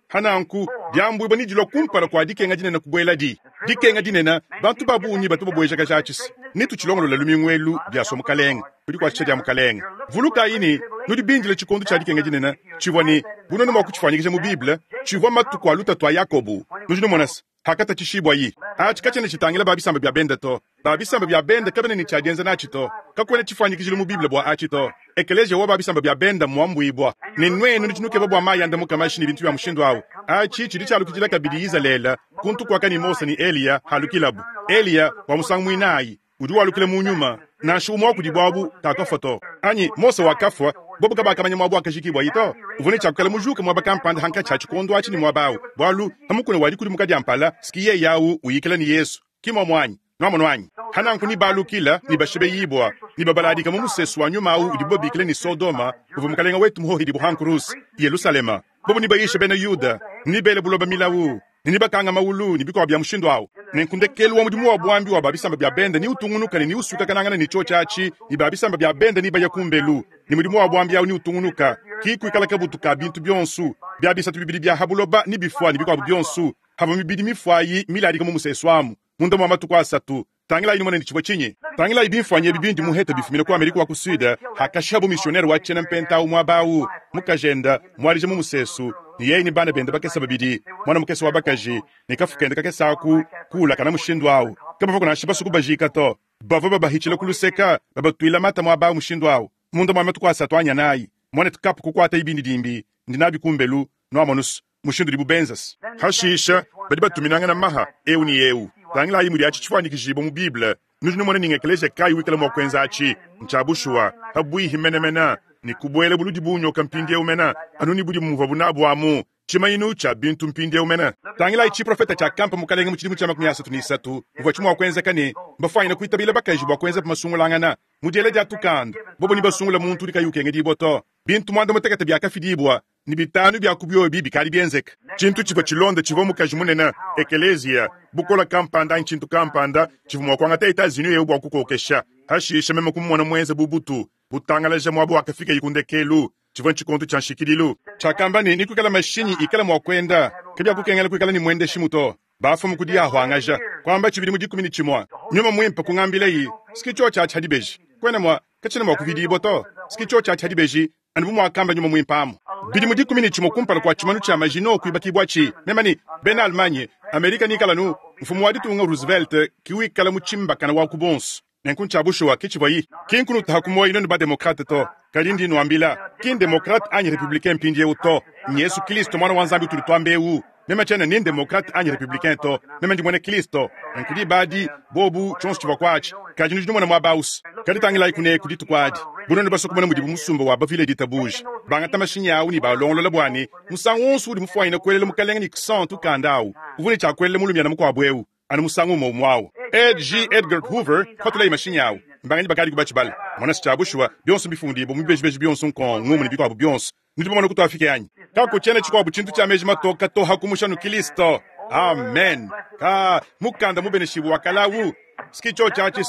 Hananku, diambuibua nedilua kumpala kua dikenga dinene kubueladi. Dikenga dinene, bantu ba bungi batu babuejakaja atshisa. Netutshilongolole lumingu elu, biasua Mukalenge, ku dikuatshisha dia Mukalenge. Vulukayi ne, nudi bindile tshikondo tshia dikenga dinene, tshivua ne, bu nuenu mua kutshifuanyikija mu Bible, tshivua matuku a lutatu a Yakobo. Nudi numona se, hakatatshishibuayi. Atshi katshiena tshitangila ba bisamba bia bende to. Ba bisamba bia bende kabena ne tshia dienza natshi to. Kakuena tshifuanyikijilu mu Bible bua atshi to. Ekeleziya wa ba bisamba bia bende mmuambuibua. Ne nuenu nudi nukeba bua mayi andamuka mashi ne bintu bia mushindu au. Atshi tshidi tshialukidila kabidi Izalele, kuntu kuaka ne Mose ne Eliya halukilabu. Eliya, bua musangu muinayi, udi walukila mu nyuma. Nansha umue wa kudibu abu kakafua to. Anyi Mose wakafua, bobu kabakamanya muaba wakajikibuaye to. Uvua ne tshia kuikala mujuke muaba kampanda hankatshi ha tshikondo atshi ne muaba au, bualu pa mukuna wa dikudimuka dia mpala, ski yeye au uyikila ne Yesu. Ki muomu anyi? Nuamonu anyi? Hananku nibalukila, nibashibeyibua, nibabaladika mu musesu wa nyuma au udibu babikila ne Sodoma, uvua Mukalenge wetu muhohidibua ha nkuruse, Yelusalema. Bobu nibayishe bena Yuda, nibele buloba milawu, ne nibakanga maulu ne bikuabu bia mushindu au. Nenku ndekelu wa mudimu wa buambi wa ba bisamba bia bende niutungunuka ne niusuikakanangana ne tshiotshi atshi, ne ba bisamba bia bende nibaya kumbelu, ne mudimu wa buambi au niutungunuka, ki kuikala kabutu ka bintu bionso, bia bisatu bibidi bia ha buloba nibifua ne bikuabu bionso, havua mibidi mifuayi miladika mu musesu amu munda mua matuku asatu. Tangilayi numone ne tshivua tshinyi. Tangilayi bimfuanyi ebi bindi muhete bifumina ku Amerika wa ku Sud, hakashihabu missionnaire wa tshiena mpenta au muaba au, mukajende mualija mu musesu, ne yeye ne bana bende bakese babidi, muana mukese wa bakaji ne kafu kende kakese aku kuulakana mushindu au. Kabavua nansha basue kubajika to, bavua babahitshila ku luseka, babatuila mata muaba au mushindu au. Munda mua matuku asatu anyi anayi, muanetu Kapu kukuatayi bindidimbi, ndi nabi kumbelu, nuamonus mushindu udibu benzas. Hashisha badi batuminangana maha eu ne eu. Tangilayi mudi atshi tshifuanyikijibua mu Bible. Nudi numona ne ngekeleziya kayi wikala mua kuenza atshi? Ntshia bushuwa, pabuihi menemene ne kubuela buludi bu nyoka mpindieu mene, anu ne budimu muvuabu nabu amu, tshimanyinu tshia bintu mpindieu mene. Tangilayi tshiprofeta tshiakampa Mukalenge mu tshidimu tshia 33 muvua tshi mua kuenzeka ne mbafuanyine kuitabila bakaji bua kuenza masungulangana mu diela dia tukanda, bobo nebasungule muntu udi kayi ukengedibua to. Bintu muanda-mutekete biakafidibua, ne bitanu bia ku biobi bikadi bienzeka. Tshintu tshivua tshilonda tshivua mukaji munene, ekeleziya, bukole kampanda anyi tshintu kampanda tshivua mua kuangata Etats-Unis eu bua kukokesha. Hashishe meme kumumona muenze bu butu butangalaja muaba wakafikaye ku ndekelu. Tshivua ntshikondo tshia nshikidilu. Tshiakamba ne, Nekuikale mashinyi ikala mua kuenda, kabiakukengela kuikala ne muendeshimu to. Bafumu ku diahuangaja, kuamba tshibidi mu 11. Nyuma Muimpe kungambilayi, Ski tshiotshi atshi ha dibeji. Kuena mua, katshiena mua kuvidibua to. Ski tshiotshi atshi ha dibeji, anu bu muakamba Nyuma Muimpe amu. Bidimu 11 kumpala kua tshimanu tshia Maginot kuibakibuatshi, meme ne bena Allemagne, Amerika nikala nu, mfumu wa ditunga Roosevelt ki wikala mutshimbakana wa ku bonso. Nenku ntshia bushuwa ke tshivuayi. Ki nkunutaha ku muoyo nuenu ba-demokrate to, kadi ndi nnuambila, ki ndemokrate anyi republicain mpindieu to, n'Yesu Kilisto Muana wa Nzambi utudi tuamba eu. Meme tshiena ni ndemokrate anyi republicain to, meme ndi muena Kilisto. Nenku diba adi, bobu, tshionso tshivua kuatshi. Kadi nudi numona muaba au's. Kadi tangilayi kuneku dituku adi, bu nuenu basue kumona mudibu musumba wa bavile ditabuja, bangata mashinyi au ne baalongolola bua ne, musangu wonso udi mufuanyine kuelela Mukalenge Nixon tukanda au, uvua ne tshia kuelela mulumiana mukuabu eu. anu musangu umue umue au. Ed. J. Edgar Hoover kupatulaye mashinyi au. Mbanganyi bakadi kubatshibala? Mona se, tshia bushuwa, bionso mbifundibue mu bibejibeji bionso nkong, ngumu ne bikuabu bionso. Nudi bamone kutuafike anyi? Kakutshiena tshikuabu tshintu tshia meji matoka to hakumusha anu Kilisto. Amen. Ka mukanda mubeneshibue wa kale au, ski tshiotshi atshi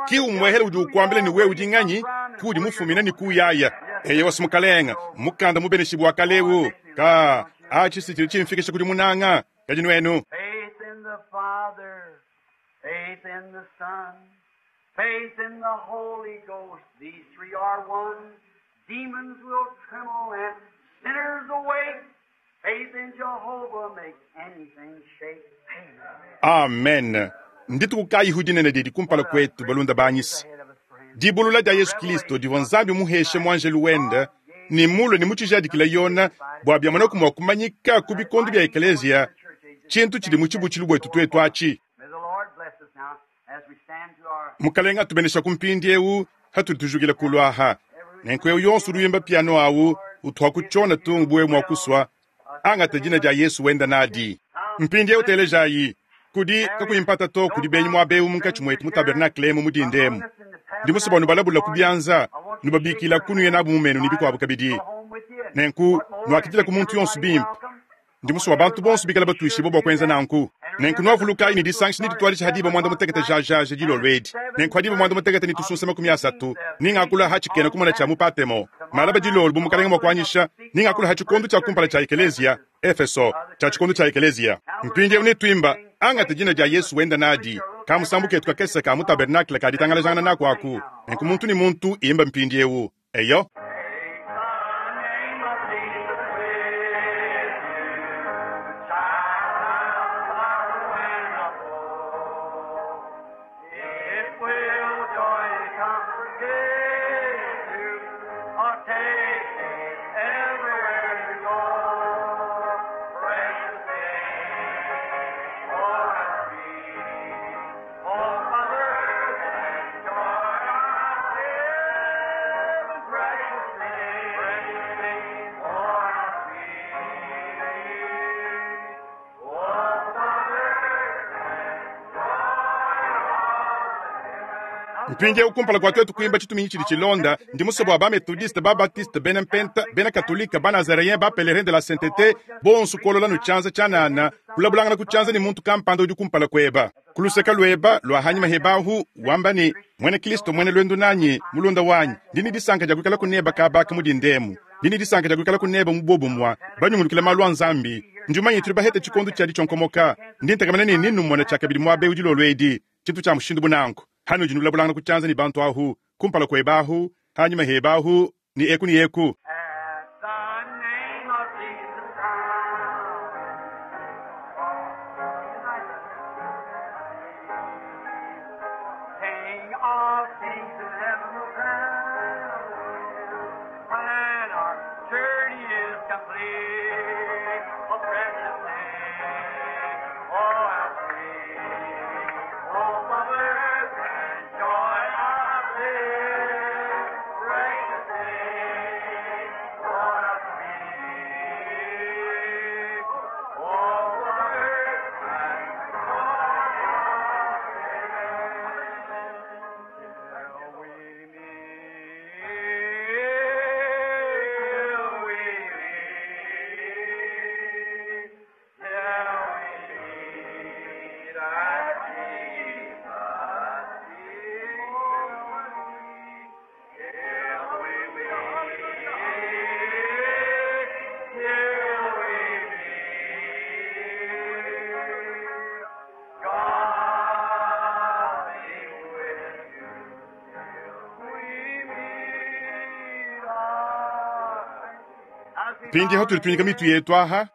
ki umuehele udi ukuambila ne wewe udi nganyi, kuudi mufumina ne kuuyaya. Eyowa, Mukalenga, mukanda mubeneshibue wa kale eu, ka atshi si tshidi tshimfikisha kudi munanga. Kadi nuenu? Faith in the Father. Faith in the Son, faith in the Holy Ghost, these three are one. Demons will tremble and sinners awake. Faith in Jehovah makes anything shake. Amen. Amen. Ndituku kayihu dinene didi kumpala kwetu balunda banyisa. Dibulula dia Yesu Kristo divua Nzambi muheshe muanjelu wende ni mulue ni mutshijiadikila yona bua biamonaku mua kumanyika ku bikondo bia ekeleziya tshintu tshidi mu tshibutshilu buetu tuetu atshi. May the Lord bless us now as we stand to our Mukalenga atubenesha ku mpindiewu hatuli tujukila kulu aha. Nenku eu yonso udi wimba piano awu uthwa kutshiona tungu buwe mua kuswa angata dina dia Yesu wenda nadi. Mpindiewu telejayi kudi kakuyimpata to kudi benyi muaba ewu munkatshi muetu mu tabernakle emu mu dinda emu. Ndi musue bua nubalabula ku bianza, nubabikila kunuye nabu mu menu ne bikuabu kabidi. Nenku nuakidila ku muntu yonso bimpe. Ndi musue bua bantu bonso bikala batuishibue bua kuenza nanku. Nenku nuavulukayi ne disangisha ne dituadija hadiba muanda mutekete jajaja dilolo edi. Nenku hadiba muanda mutekete ne tusunsa 30, ningakula ha tshikena kumona tshia mu Patemo. Malaba dilolo bu mukalenga mua kuanyisha, ningakula ha tshikondo tshia kumpala tshia ekeleziya, Efeso, tshia tshikondo tshia ekeleziya. Mpindiewu netuimba, angata dina dia Yesu wenda nadi, ka musambu ketu kakese ka mu tabernakle ka ditangalajangana naku aku. Nenku muntu ne muntu imba mpindiewu. Eyo. Take the name of Jesus with you, child of sorrow and of woe. It will joy and comfort give you, or take it everywhere you go. Precious name, oh how sweet, oh mother, and joy of heaven, precious name, precious name, oh how sweet, oh mother, and joy of Mpindiewu kumpala kua tuetu kuimba tshituminyi tshidi tshilonda, ndi musue bua ba-methodiste, ba-baptiste, bena mpenta, bena katolika, ba-nazaréen, ba-pèlerin de la sainteté, bonso kuolola nu tshianza tshianana, kulabulangana ku tshianza ne muntu kampanda udi kumpala kueba. Ku luseka lueba lua hanyima hebahu, wamba ne, Muena Kristo muena luendu nanyi, mulunda wanyi, ndi ne disanka dia kuikala kuneba kabaka mu dindemu. Ndi ne disanka dia kuikala kuneba mu bobumua, banyungulukila malu a Nzambi. Ndi mumanye tuli bahete tshikondo tshia ditshionkomoka. Ndi ntekamena ne ninumona tshiakabidi muaba ewu dilolo edi, tshintu tshia mushindu bunanku. Hanudi nulabulangana ku tshianza ne bantu ahu, kumpala kueba ahu, hanyima heba ahu, ne eku ne eku. At the name of Jesus Christ. King of kings in heaven will crown when our journey is complete. Oh, precious name, oh, how sweet, oh, mother, and joy of bliss. Precious name, oh, how sweet, oh, mother, and joy of bliss. Till we meet, till we meet, till we meet at Jesus' feet. Till we meet, till we meet, God be with you till we meet again. Mpindiewu hatuli tunyika mitu yetu aha.